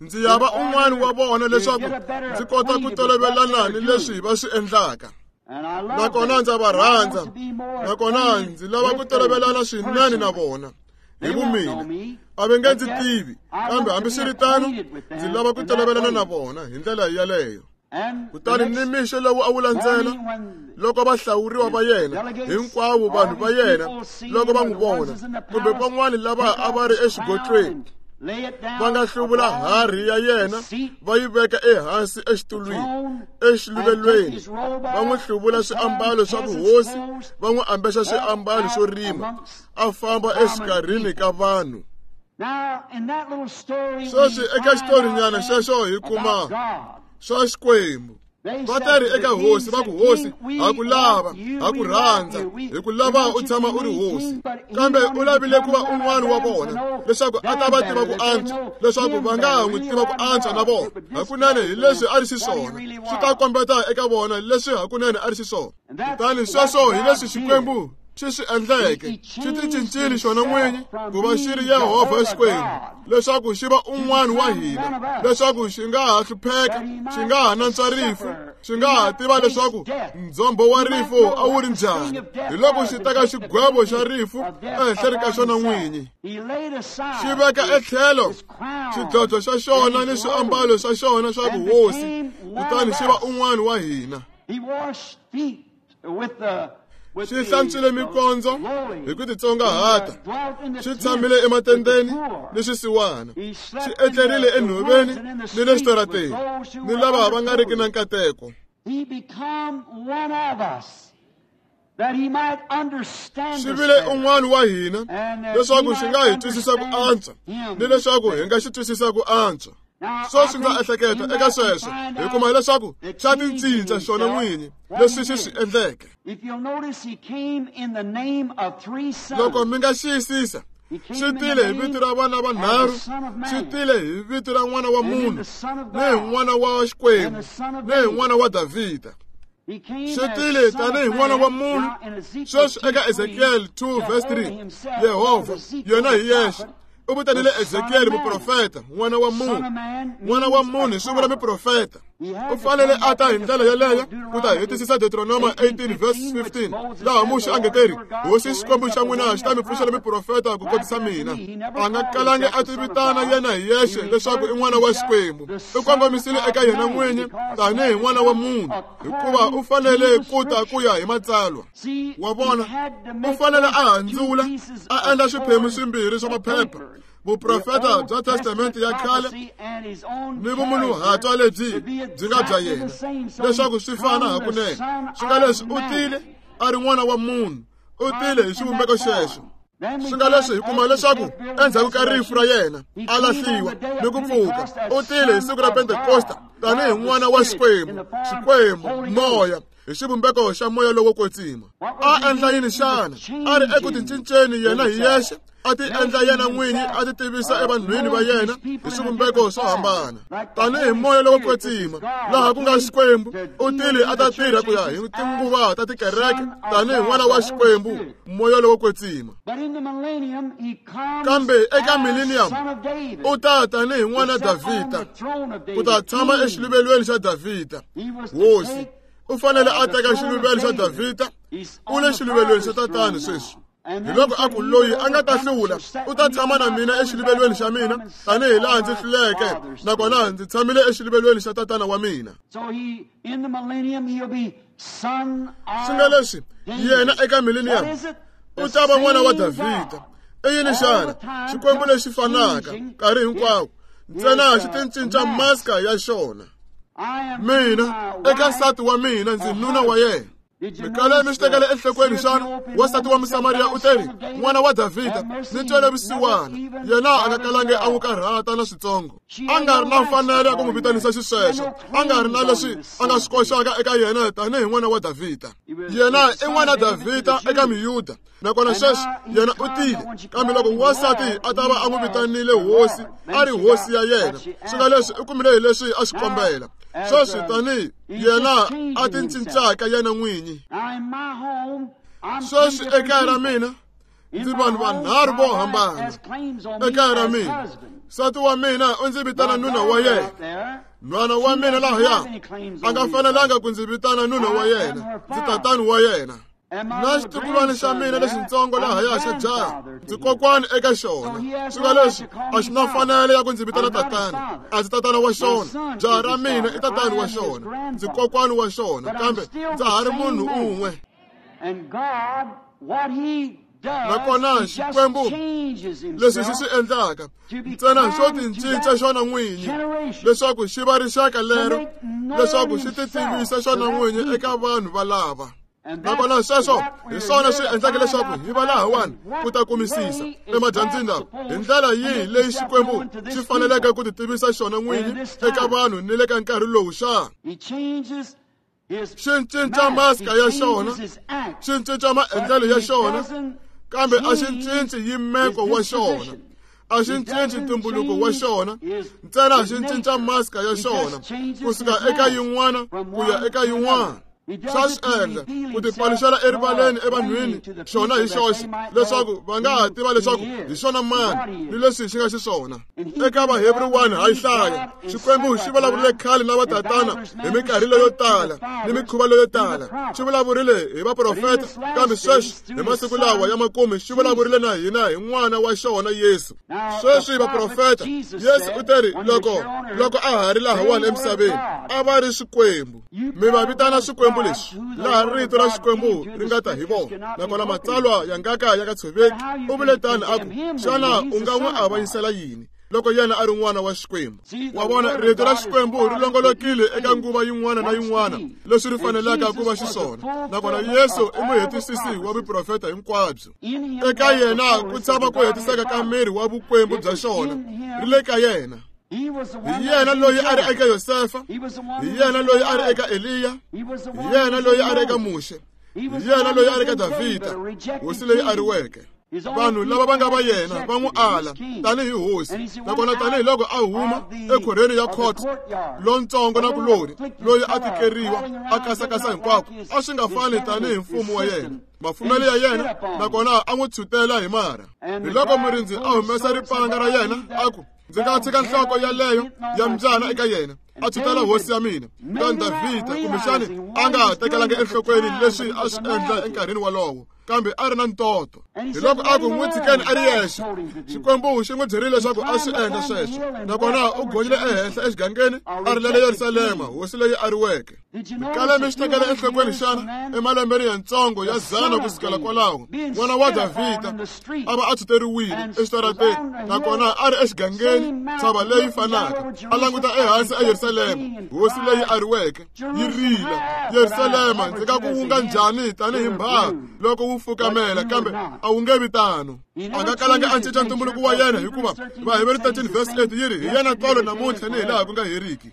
Ndzi ya va un'wana wa vona leswaku ndzi kota ku tolovelana ni leswi va swi endlaka. Nakona ndza va rhandza, nakona ndzi lava ku tolovelana swinene na vona hi vumina. A va nge ndzi tivi, kambe hambiswiritano ndzi lava ku tolovelana na vona hi ndlela yaleyo. Kutani ni mixo lowu a wu landzela, loko va hlawuriwa va yena hinkwavo vanhu va yena loko va n'wi vona, kumbe van'wani lava a va ri exigodlweni, va nga hluvula harhi ya yena va yi veka ehansi exitulwini exiluvelweni, va n'wi hluvula swiambalo swa vuhosi, va n'wi ambexa swiambalo swo rima, a famba exikarhini ka vanhu. Sweswi eka xitorinyana xexo hi kuma swa Xikwembu. Va teri eka hosi va ku, hosi, ha ku lava, ha ku rhandza, hi ku lava u tshama u ri hosi. Kambe u lavile ku va un'wana wa vona leswaku a ta va tiva ku antswa, leswaku va nga ha n'wi tiva ku antswa na vona. Hakunene hi leswi a ri xiswona, swi ta kombeta eka vona leswi hakunene a ri xiswona. Kutani sweswo hi leswi Xikwembu xi swi endleke, xi ti cincile xona n'winyi ku va xi ri Yehovha Xikwembu, leswaku xi va un'wana wa hina, leswaku xi nga ha hlupheka, xi nga ha nantswa rifu, xi nga ha tiva leswaku ndzhombo wa rifu a wu ri njhani. Hi loko xi teka xigwevo xa rifu ehenhleni ka xona n'winyi, xi veka etlhelo xidlodlo xa xona ni swiambalo swa xona swa vuhosi, kutani xi va un'wana wa hina. Xi hlantswile mikondzo hi ku titsongahata, xi tshamile ematendeni ni swisiwana, xi etlerile enhoveni ni le xitarateni ni lava va nga riki na nkateko. Xi vile un'wana wa hina leswaku xi nga hi twisisa ku antswa ni leswaku hi nga xi twisisa ku antswa. Sweswi ndza ehleketa eka sweswo hi kuma leswaku xa ticinca xona n'winyi leswi xi swi endleke. Loko mi nga xiyisisa, xi tile hi vito ra vana vanharhu, xi tile hi vito ra n'wana wa munhu, ni hi n'wana wa Xikwembu, ni hi n'wana wa Davhida. Xi tile tanihi n'wana wa munhu. Sweswi eka Ezekiel two verse three, Yehovha yena hi yexe u vitanile Ezekiel muprofeta, n'wana wa munhu. N'wana wa munhu swi vula muprofeta. U fanele a ta hi ndlela yeleyo ku ta hetisisa Deuteronoma eighteen verse fifteen, laha Muxe a nge teri, hosi Xikwembu xa n'wina xi ta mi pfuxela muprofeta ku kotisa mina. A nga kalangi a ti vitana yena hi yexe leswaku i n'wana wa Xikwembu. U kongomisile eka yena n'winyi tanihi n'wana wa munhu, hikuva u fanele ku ta ku ya hi matsalwa. Wa vona, u fanele a handzula a endla swiphemu swimbirhi swa maphepha, vuprofeta bya testamente ya khale ni vumunhuhatwa lebyi byi nga bya yena, leswaku swi fana hakunene. Swi nga leswi u tile a ri n'wana wa munhu, u tile hi xivumbeko xexo. Swi nga leswi hi kuma leswaku endzhaku ka rifu ra yena a lahliwa ni ku pfuka, u tile hi siku ra Pentekosta tanihi n'wana wa Xikwembu, Xikwembu moya hi xivumbeko xa moya lowo kwetsima. A endla yini xana? A ri eku tincinceni yena hi yexe, a ti endla yena n'winyi, a ti tivisa evanhwini va yena hi swivumbeko swo hambana. Tanihi moya lowo kwetsima, laha ku nga Xikwembu, u tile a ta tirha ku ya hi tinguva ta tikereke tanihi n'wana wa Xikwembu, moya lowo kwetsima. Kambe eka millennium u ta tanihi n'wana Davhida, ku ta tshama exiluvelweni xa Davhida. Hosi u fanele a teka xiluvelo xa Davhida, u le xiluvelweni xa tatani sweswi. Hi loko a ku loyi a nga ta hlula u ta tshama na mina exiluvelweni xa mina tanihi laha ndzi hluleke, nakona ndzi tshamile exiluvelweni xa tatana wa mina. Swi nga leswi yena eka millennium u ta va n'wana wa Davhida. I yini xana? Xikwembu lexi fanaka nkarhi hinkwawo, ntsena xi ti cinca maska ya xona. Mina eka nsati wa mina ndzi nuna wa yena. Mikale mi swi tekela enhlokweni xana? Wansati wa Musamariya u teri, n'wana wa Davhida, ni twele vusiwana. Yena a nga kalangi a n'wi karhata na switsongo. A nga ri na mfanelo ya ku n'wi vitanisa xisweswo, a nga ri na leswi a nga swi koxaka eka yena tanihi n'wana wa Davhida. Yena i n'wana Davhida eka Miyuda, nakona sweswi yena u tile. Kambe loko wansati a ta va a n'wi vitanile hosi, a ri hosi ya yena, swi nga leswi u kumile hi leswi a swi kombela. Sweswi tanihi yena a ti cincaka yena n'winyi. Sweswi ekaya ra mina ndzi vanhu vanharhu vo hambana. Ekaya ra mina nsati wa mina u ndzi vitana nuna wa yena. Nhwana wa mina lahaya a nga fanelanga ku ndzi vitana nuna wa yena, ndzi tatani wa yena. Na xitukulwana xa mina lexitsongo lahaya xa jaha, ndzi kokwani eka xona. Swi nga leswi a xi na mfanelo ya ku ndzi vitana tatana, a ndzi tatana wa xona. Jaha ra mina i tatani wa xona, ndzi kokwani wa xona, kambe ndza ha ri munhu un'we. Nakona Xikwembu leswi xi swi endlaka ntsena xo ti cinca xona n'winyi leswaku xi va rixaka lero, leswaku xi ti tivisa xona n'winyi eka vanhu valava. Nakona sweswo hi swona swi endlaka leswaku hi va lahawani ku ta kumisisa emadyambyini lawa hi ndlela yihi leyi Xikwembu xi faneleke ku ti tivisa xona n'winyi eka vanhu ni le ka nkarhi lowu xana. Xi cinca maska ya xona, xi cinca maendlelo ya xona, kambe a xi cinci yimeko wa xona, a xi cinci ntumbuluko wa xona, ntsena xi cinca maska ya xona kusuka eka yin'wana ku ya eka yin'wana. Swa swi endla ku tipaluxela erivaleni evanhwini xona hi xoxe, leswaku va nga ha tiva leswaku hi xona mani ni leswi xi nga xiswona. Eka Vahebrew one ha yi hlaya, Xikwembu xi vulavurile khale na vatatana hi minkarhi leyo tala ni mikhuva leyo tala. Xi vulavurile hi vaprofeta, kambe sweswi hi masiku lawa ya makume xi vulavurile na hina hi n'wana wa xona Yesu. Sweswi vaprofeta, Yesu u teri loko loko a ha ri lahawani emisaveni a va ri swikwembu. Mi va vitana swikwembu leswi, laha rito ra Xikwembu ri nga ta hi vona, nakona matsalwa ya nga ka ya nga tshoveki. U vule tani a ku, xana u nga n'wi avanyisela yini loko yena a ri n'wana wa Xikwembu? Wa vona, rito ra Xikwembu ri longolokile eka nguva yin'wana na yin'wana leswi ri fanelaka ku va xiswona, nakona Yesu i muhetisisi wa vuprofeta hinkwabyo. Eka yena ku tshama ku hetiseka ka miri wa vukwembu bya xona, ri le ka yena. Hi yena loyi a ri eka Yosefa, hi yena loyi a ri eka Eliya, hi yena loyi a ri eka Muxe, hi yena loyi a ri eka Davhida, hosi leyi a riweke. Vanhu lava va nga va yena va n'wi ala tanihi hosi, nakona tanihiloko a huma ekhorhweni ya court lontsongo na kulori loyi a tikeriwa a kasakasa hinkwako, a swi nga fani tanihi mfumo wa yena, mafumelo ya yena, nakona a n'wi tshutela hi marha. Hi loko murindzi a humesa ripanga ra yena a ku, ndzi nga tshika nhloko yaleyo ya mbyana eka yena, a tshutela hosi ya mina. Kutani Davhida kumbexani a nga tekelanga enhlokweni leswi a swi endla enkarhini wolowo, kambe a ri na ntoto. Hi loko a ku n'wi tshikeni a ri yexe. Xikwembu xi n'wi byerile leswaku a swi endla sweswo, nakona u gonyile ehenhla exigangeni a rilela Yerusalema, hosi leyi a riweke. Mikale mi swi tekela enhlokweni xana? Emalembeni yantsongo ya dzana kusukela kwalaho, n'wana wa Davhida a va a tshuteriwile exitarateni, nakona a ri exigangeni, ntshava leyi fanaka, a languta ehansi eYerusalema, hosi leyi a riweke, yi rila, Yerusalema, ndzi nga ku wunga njhani tanihi mbhaha loko wu fukamela kambe a wu nge vi tano. A nga kalanga a cinca ntumbuluko wa yena hikuva Vaheberi thirteen verse eight yi ri hi yena tolo namuntlha ni hilaha ku nga heriki.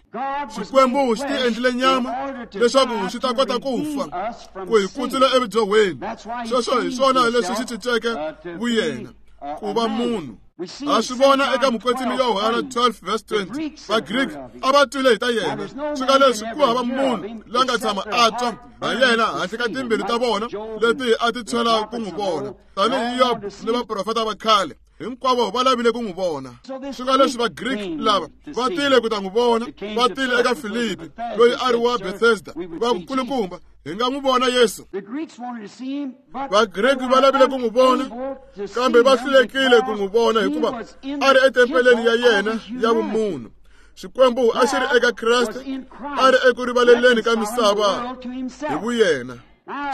Xikwembu xi ti endlile nyama leswaku xi ta kota ku fa ku hi kutsula evudyohweni. Sweswo hi swona leswi xi cinceke vuyena ku va munhu. Ha swi vona eka mukwetsimi Yohana twelve verse twenty. Vagriki a va twile hi ta yena. Swi nga leswi ku hava munhu la nga tshama a twa ha yena handle ka timbilu ta vona leti a ti tshwela ku n'wi vona. Tanihi Yobo ni vaprofeta va khale hinkwavo va lavile ku n'wi vona. Swi nga leswi Vagriki lava va tile ku ta n'wi vona, va tile eka Filipi loyi a ri wa Bethesda. Va kulukumba hi nga n'wi vona Yesu. Vagriki va lavile ku n'wi vona kambe va hlulekile ku n'wi vona hikuva a ri etempeleni ya yena ya vumunhu. Xikwembu a xi ri eka Kreste, a ri eku rivaleleni ka misava hi vuyena.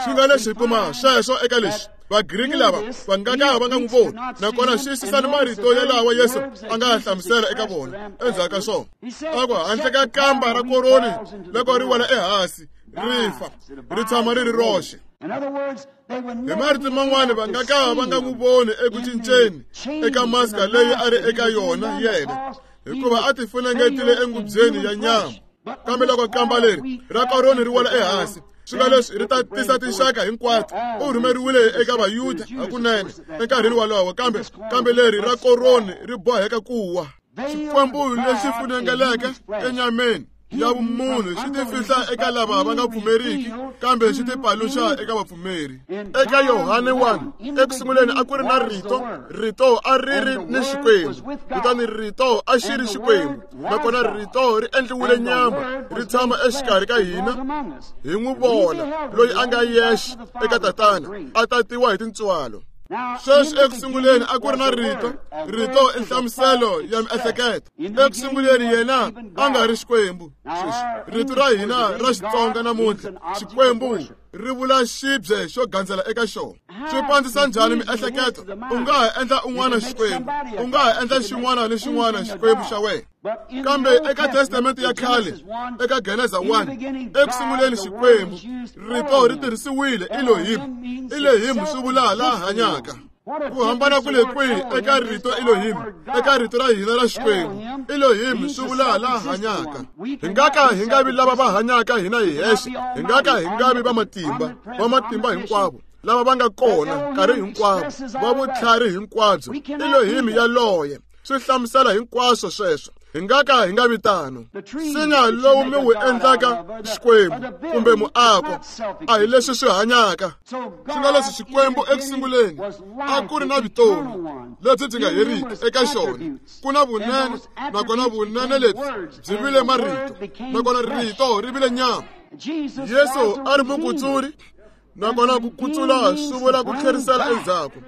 Swi nga leswi hi kuma sweswo eka lexi Vagriki lava va nga ka va nga n'wi voni, nakona xiyisisani marito yalawa Yesu a nga hlamusela eka vona endzhaku ka swona. A ku handle ka kamba ra koroni loko ri wela ehansi ri fa ri tshama ri ri roxe. Hi marito man'wani va nga ka va nga n'wi voni eku cinceni eka maska leyi a ri eka yona yena, hikuva a ti funengetile engubyeni ya nyama. Kambe loko kamba leri ra koroni ri wela ehansi, swi nga leswi ri ta tisa tinxaka hinkwato. U rhumeriwile eka Vayuda hakunene enkarhini wolowo, kambe kambe leri ra koroni ri boheka ku wa. Xikwembu lexi funengeleke enyameni ya vumunhu xi ti fihla eka lava va nga pfumeriki, kambe xi ti paluxa eka vapfumeri. Eka Yohane one, eku sunguleni a ku ri na Rito, Rito a ri ri ni Xikwembu, kutani Rito a xi ri Xikwembu, nakona Rito ri endliwile nyama, ri tshama exikarhi ka hina. Hi n'wi vona loyi a nga yexe eka Tatana, a tatiwa hi tintswalo. Sweswi eku sunguleni a ku ri na Rito, Rito i nhlamuselo ya miehleketo. Eku sunguleni yena a nga ri Xikwembu. Sweswi rito ra hina ra Xitsonga namuntlha, Xikwembu, ri vula xibye xo gandzela eka xona. Swi pandzisa njhani miehleketo? U nga ha endla un'wana Xikwembu, u nga ha endla xin'wana ni xin'wana Xikwembu xa wena. Kambe eka Testamente ya khale, eka Geneza one, eku sunguleni Xikwembu, Rito ri tirhisiwile Elohim. Elohim swi vula la hanyaka. Ku hambana ku le kwihi eka rito Elohim, eka rito ra hina ra Xikwembu? Elohim swi vula la hanyaka. Hi nga ka hi nga vi lava va hanyaka hina hi hexe, hi nga ka hi nga vi va matimba, va matimba hinkwavo, lava va nga kona nkarhi hinkwavo, va vutlhari hinkwabyo. Elohim yaloye swi hlamusela hinkwaswo sweswo. Hi nga ka hi nga vi tano. Nsinya lowu mi wu endlaka Xikwembu kumbe muako a hi leswi swi hanyaka. Swi nga leswi Xikwembu eku sunguleni a ku ri na vutomi lebyi byi nga heriki eka xona. Ku na vunene, nakona vunene lebyi byi vile marito, nakona rito ri vile nyama. Yesu a ri mukutsuri, nakona ku kutsula swi vula ku tlherisela endzhaku.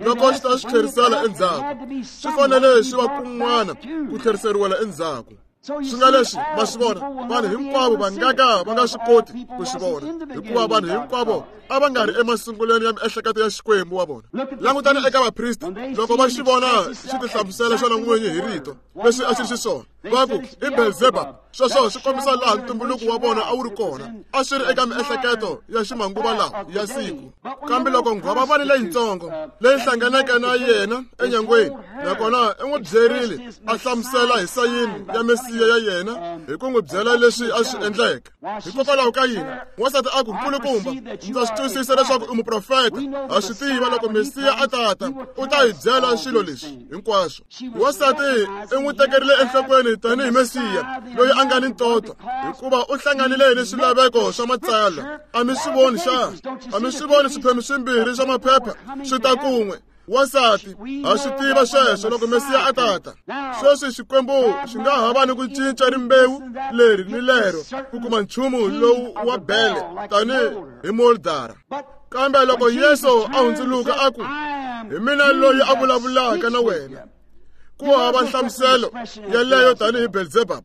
Loko xi ta xi tlherisela endzhaku, swi fanele swi va kun'wana ku tlheriseriwela endzhaku. Swi nga leswi ma swi vona, vanhu hinkwavo va nga ka va nga swi koti ku swi vona, hikuva vanhu hinkwavo a va nga ri emasungulweni ya miehleketo ya Xikwembu wa vona. Langutani eka vaprista, loko va xi vona xi ti hlamusela xona n'winyi hi rito leswi a xi ri xiswona, va ku i Belzebub. Sweswo swi kombisa laha ntumbuluko wa vona a wu ri kona, a swi ri eka miehleketo ya ximanguva lawa ya siku. Kambe loko nghwavavani leyitsongo leyi hlanganeke na yena enyangweni, nakona i n'wi byerile a hlamusela hi sayini ya Mesiya ya yena hi ku n'wi byela leswi a swi endleke. Hikokwalaho ka yini wansati a ku, nkulukumba, ndza swi twisisa leswaku i muprofeta. Ha swi tiva loko Mesiya a tata u ta hi byela swilo leswi hinkwaswo. Wansati i n'wi tekerile enhlokweni tanihi Mesiya loyi a nga ni ntoto, hikuva u hlanganile ni swilaveko swa matsalwa. A mi swi voni xana? A mi swi voni swiphemu swimbirhi swa maphepha swi ta kun'we? Wansati ha swi tiva sweswo loko Mesiya a tata. Sweswi Xikwembu xi nga ha va ni ku cinca rimbewu leri ni lero ku kuma nchumu lowu wa bele tanihi hi moldara. Kambe loko Yesu a hundzuluka a ku, hi mina loyi a vulavulaka na wena, ku hava nhlamuselo yeleyo tanihi Belzebub.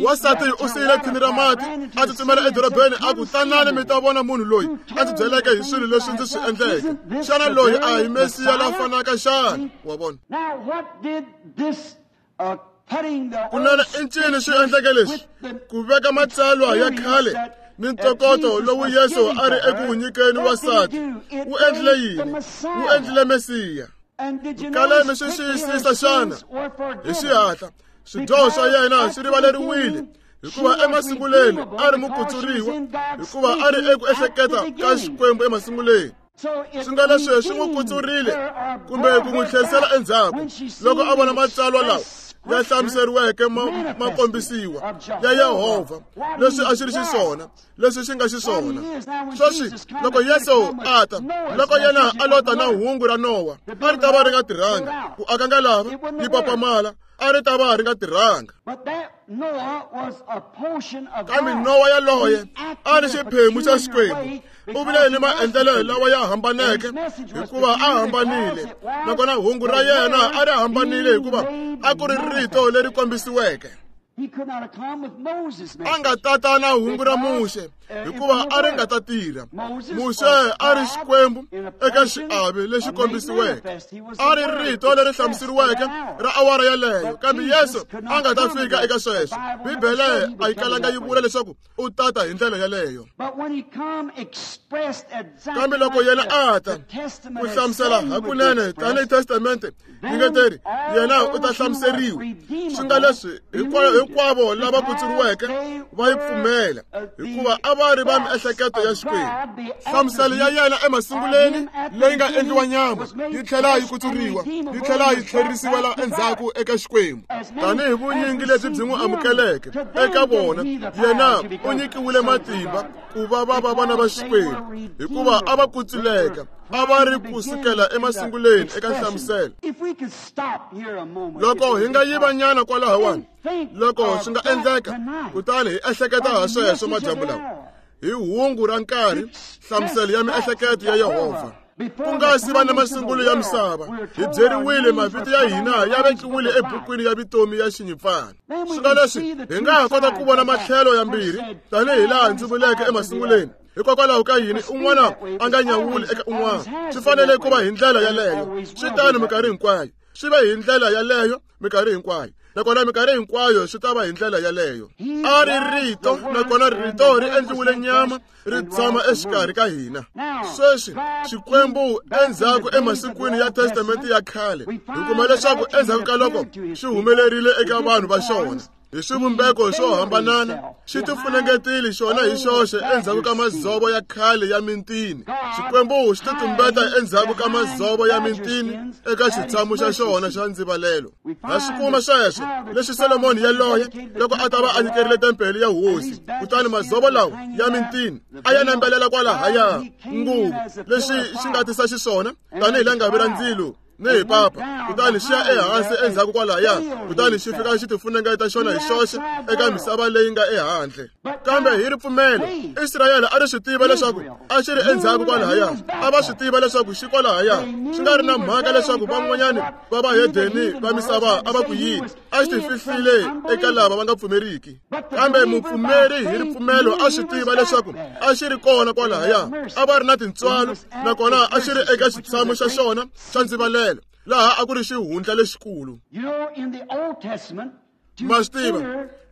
Wansati u siyile thini ra mati a tsutsumela edorobeni a ku, tanani mi ta vona munhu loyi a ndzi byeleke hi swilo leswi ndzi swi endleke. Xana loyi a hi Mesiya la fanaka xana? Wa vona? Kunene i ncini swi endleke leswi? Ku veka matsalwa ya khale Ni ntokoto lowu Yesu a ri eku wu nyikeni wansati wu endlile yini? Wu endlile Mesiya. Kale mi swi xiyisisa xana? Hi xihatla swidyoho swa yena swi rivaleriwile, hikuva emasunguleni a ri mukutsuriwa, hikuva a ri eku ehleketa ka Xikwembu emasunguleni. Swi nga leswi swi n'wi kutsurile kumbe ku n'wi tlherisela endzhaku loko a vona matsalwa lawa ya hlamuseriweke ma kombisiwa ya Yehovha, leswi a xi ri xiswona, leswi xi nga xiswona. Sweswi loko Yesu a ta, loko yena a lota na hungu ra Nowa, a ri ta va ri nga tirhanga ku aka ngalava yi papamala, a ri ta va ri nga tirhanga. Kambe Nowa yaloye a ri xiphemu xa Xikwembu. U vile ni maendlelo lawa ya hambaneke hikuva a hambanile, nakona hungu ra yena a ri hambanile hikuva a ku ri rito leri kombisiweke. A nga tata na hungu ra Muxe hikuva a ri nga ta tirha. Muxe a ri Xikwembu eka xiave lexi kombisiweke, a ri rito leri hlamuseriweke ra awara yaleyo, kambe Yesu a nga ta fika eka sweswo. Bibele a yi kalanga yi vula leswaku u tata hi ndlela yaleyo. Kambe loko yena a ta ku hlamusela hakunene tanihi testamente yi nga teri, yena u ta hlamuseriwa. Swi nga leswi hinkwavo lava kutsuriweke va yi pfumela, hikuva a va ri va miehleketo ya Xikwembu. Hlamuselo ya yena emasunguleni leyi nga endliwa nyama yi tlhela yi kutsuriwa, yi tlhela yi tlherisiwela endzhaku eka Xikwembu. Tanihi vunyingi lebyi byi n'wi amukeleke eka vona, yena u nyikiwile matimba ku va va va vana va Xikwembu, hikuva a va kutsuleka, a va ri kusukela emasunguleni eka nhlamuselo. Loko hi nga yiva nyana kwalahawani, loko swi nga endleka, kutani hi ehleketa ha sweswo madyambu lawa, hi hungu ra nkarhi, nhlamuselo ya miehleketo ya Yehovha. Ku nga si va na masungulo ya misava, hi byeriwile mavito ya hina ya vekiwile ebukwini ya vutomi ya Xinyimpfana. Swi nga leswi hi nga ha kota ku vona matlhelo ya mbirhi tanihi laha ndzi vuleke emasunguleni. Hikokwalaho ka yini un'wana a nga nyawuli eka un'wana? Swi fanele ku va hi ndlela yaleyo. Swi tano minkarhi hinkwayo. Swi va hi ndlela yaleyo minkarhi hinkwayo, nakona minkarhi hinkwayo swi ta va hi ndlela yaleyo. A ri rito, nakona rito ri endliwile nyama, ri tshama exikarhi ka hina. Sweswi Xikwembu endzhaku emasikwini ya Testamente ya khale, hi kuma leswaku endzhaku ka loko xi humelerile eka vanhu va xona hi swivumbeko swo hambanana, xi tifunengetile xona hi xoxe endzhaku ka madzovo ya khale ya mintini. Xikwembu xi titumbeta endzhaku ka madzovo ya mintini eka xitshamo xa xona xa ndzivalelo. Ha swi kuma sweswo leswi Solomoni yaloye loko a ta va a nyikerile tempele ya hosi, kutani madzovo lawa ya mintini a ya nambelela kwalahaya nguvu, leswi xi nga tisa xiswona tanihi langavi ra ndzilo ni hi papa, kutani xi ya ehansi endzhaku kwalaya, kutani xi fika xi tifunengeta xona hi xoxe eka misava leyi nga ehandle. Kambe hi ripfumelo Israyele a ri swi tiva leswaku a xi ri endzhaku kwalahaya, a va swi tiva leswaku xi kwalahaya, swi nga ri na mhaka leswaku van'wanyani va vahedeni va misava a va ku yini, a xi tifihlile eka lava va nga pfumeriki. Kambe mupfumeri hi ripfumelo a swi tiva leswaku a xi ri kona kwalahaya, a va ri na tintswalo, nakona a xi ri eka xitshamo xa xona xa ndzivalelo, laha a ku ri xihundla lexikulu. Ma swi tiva,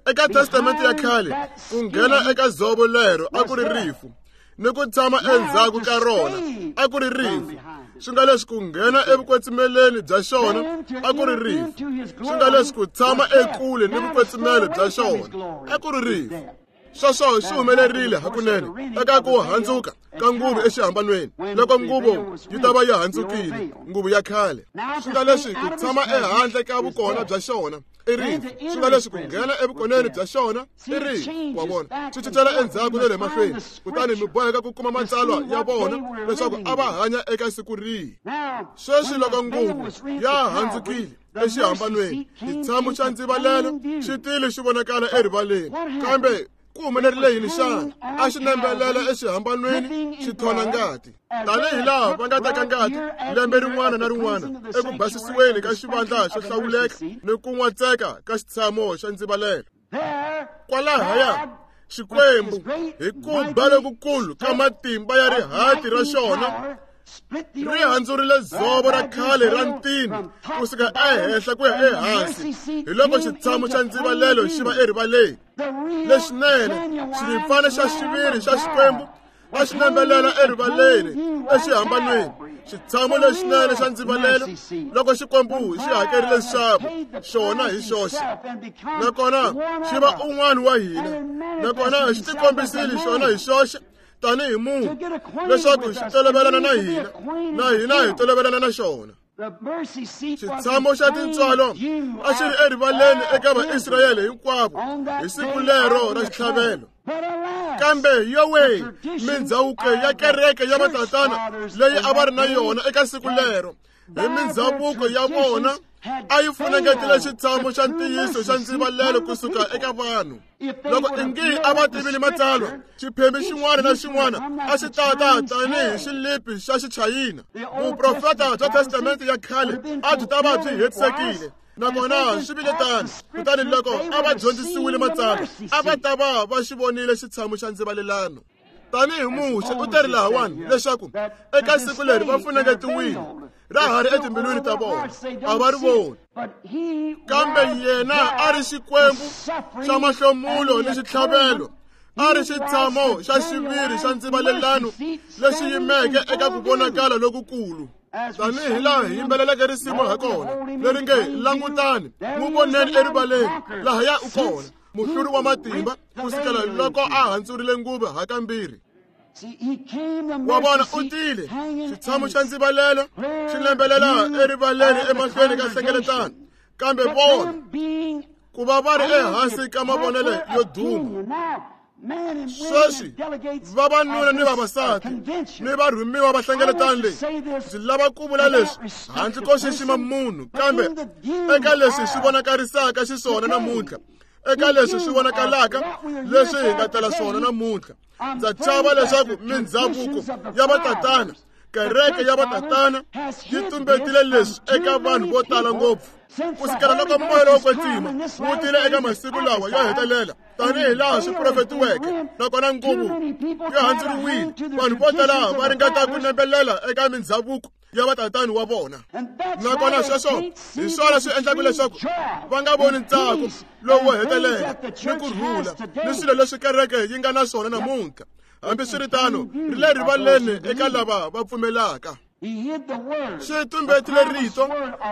eka Testamente ya khale ku nghena eka dzovo lero a ku ri rifu, ni ku tshama endzhaku ka rona a ku ri rifu. Swi nga leswi ku nghena evukwetsimeleni bya xona a ku ri rifu. Swi nga leswi ku tshama ekule ni vukwetsimelo bya xona a ku ri rifu. Sweswo swi humelerile hakunene eka ku handzuka ka nguvu exihambanweni, loko nguvu yi ta va yi handzukile, nguvu ya khale. Swi nga leswi ku tshama ehandle ka vukona bya xona i rifu. Swi nga leswi ku nghena evukoneni bya xona i rifu. Wa vona, swi cincela endzhaku na le mahlweni, kutani mi boheka ku kuma matsalwa ya vona leswaku a va hanya eka siku rihi. Sweswi loko nguvu ya handzukile exihambanweni, xitshamo xa ndzivalelo xi tile xi vonakala erivaleni. Kambe ku humelerile yini xana? A xi nambelela exihambanweni xi thona ngati, tanihi laha va nga teka ngati lembe rin'wana na rin'wana eku basisiweni ka xivandla xo hlawuleka ni ku n'watseka ka xitshamo xa ndzivalelo. Kwalahaya Xikwembu hi ku ba lokukulu ka matimba ya rihati ra xona Ri handzurile dzovo ra khale ra ntini kusuka ehenhla ku ya ehansi, hi loko xitshamo xa ndzivalelo xi va erivaleni. Lexinene xirimpfana xa xiviri xa Xikwembu a xi nambelela erivaleni exihambanweni. Xitshamo lexinene xa ndzivalelo loko Xikwembu xi hakerile nxavo xona hi xoxe, nakona xi va un'wana wa hina, nakona xi tikombisile xona hi xoxe tanihi munhu leswaku xi tolovelana na hina, na hina hi tolovelana na xona. Xitshamo xa tintswalo a xi ri erivaleni eka Vaisrayele hinkwavo hi siku lero ra xitlhavelo. Kambe yowe, mindzhavuko ya kereke ya vatatana leyi a va ri na yona eka siku lero, hi mindzhavuko ya vona a yi funengetile xitshamo xa ntiyiso xa ndzivalelo kusuka eka vanhu. Loko ingi a va tivile matsalwa, xiphemu xin'wana na xin'wana a xi tata tanihi xilipi xa xichayina. Vuprofeta bya Testamente ya khale a byi ta va byi hetisekile, nakona swi vile tano. Kutani loko a va dyondzisiwile matsalwa, a va ta va va xi vonile xitshamo xa ndzivalelano. Tanihi Muxe u teri lahawani leswaku eka siku leri va funengetiwile, ra ha ri etimbilwini ta vona, a va ri voni. Kambe yena a ri Xikwembu xa mahlomulo ni xitlhavelo, a ri xitshamo xa xiviri xa ndzivalelano lexi yimeke eka ku vonakala lokukulu. Tanihi laha hi yimbeleleke risimu ha kona leri nge langutani n'wi voneni erivaleni, lahaya u kona muhluri wa matimba kusukela loko a handzurile nguva hakambirhi. Wa vona u tile xitshamo xa ndzivalelo xi lembelela erivaleni emahlweni ka nhlengeletano, kambe vona ku va va ri ehansi ka mavonelo yo duma. Sweswi vavanuna ni vavasati ni varhumiwa va hlengeletano leyi, ndzi lava ku vula leswi handle ko xixima munhu, kambe eka leswi swi vonakarisaka xiswona namuntlha, eka leswi swi vonakalaka leswi hi nga tala swona namuntlha, ndza chava leswaku mindzhavuko ya vatatana, kereke ya vatatana yi tumbetile leswi eka vanhu vo tala ngopfu. Kusukela loko moya lowo kwetsima wu tile eka masiku lawa yo hetelela tanihi laha swi profetiweke, nakona nguvu yi handzuriwile, vanhu vo tala va ringeta ku nembelela eka mindzhavuko ya vatatani wa vona. Nakona sweswo hi swona swi endlaka leswaku va nga voni ntsako lowu wo hetelela ni ku rhula ni swilo leswi kereke yi nga na swona namuntlha. Hambiswiritano, ri le rivaleni eka lava va pfumelaka. Xi tumbetile rito,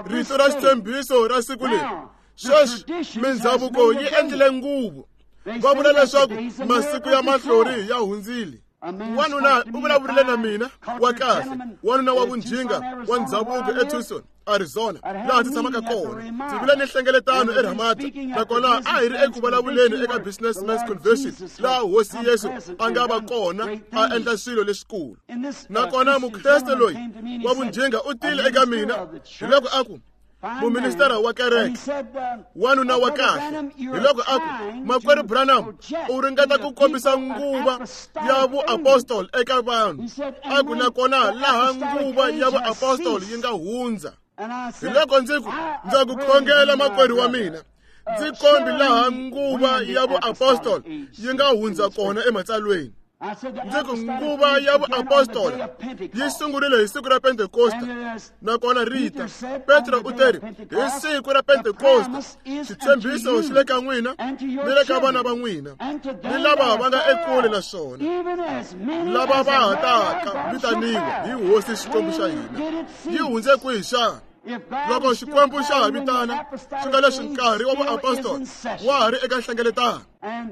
rito ra xitshembiso ra siku leri. Sweswi mindzhavuko yi endlile nguvu. Va vula leswaku masiku ya mahlori ya hundzile. Wanuna u vulavurile na mina wa kahle, wanuna wa vunjhinga wa ndzhavuko eTucson, Arizona, laha ndzi tshamaka kona. Ndzi vile ni nhlengeletano eRamada, nakona a hi ri eku vulavuleni eka Businessmen's Convention laha Hosi Yesu a nga va kona a endla swilo leswikulu. Nakona mukreste loyi wa vunjhinga u tile eka mina hi loko a ku, muministara wa kereke, wanuna wa kahle, hi loko a ku, Makwerhu Branham, u ringeta ku kombisa nguva ya vuapostoli eka vanhu. A ku nakona laha nguva ya vuapostoli yi nga hundza. Hi loko ndzi ku, ndza ku khongela makwerhu wa mina, ndzi kombi laha nguva ya vuapostoli yi nga hundza kona ematsalweni. Ndzi ku nguva ya vuapostola yi sungurile hi siku ra Pentekosta, nakona rita Petro u teri hi siku ra Pentekosta xitshembiso xi le ka n'wina ni le ka vana va n'wina ni lava va nga ekule na swona, lava va ha taka vitaniwa hi Hosi Xikwembu xa hina. Yi hundze kwihi xana? Loko Xikwembu xa ha vitana, swi nga leswi nkarhi wa vuapostola wa ha ri eka nhlengeletano.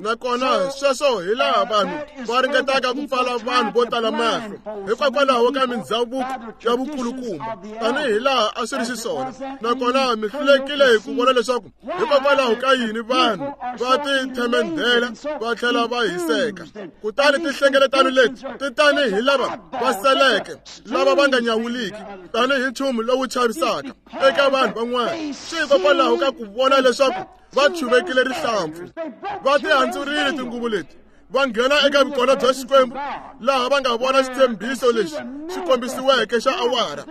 Nakona sweswo hi laha vanhu va ringetaka ku pfala vanhu vo tala mahlo hikokwalaho ka mindzhavuko ya vukulukumba, tanihi laha a swi ri xiswona. Nakona mi hlulekile hi ku vona leswaku hikokwalaho ka yini vanhu va tithemendhela va tlhela va hiseka. Kutani tinhlengeletano leti ti tanihi lava va seleke, lava va nga nyawuliki, tanihi nchumu lowu chavisaka eka vanhu van'wana. Swi hikokwalaho ka ku vona leswaku va chuvekile rihlampfu, va tihandzurile tinguvu leti, va nghena eka vukona bya Xikwembu laha va nga vona xitshembiso lexi xi kombisiweke xa awara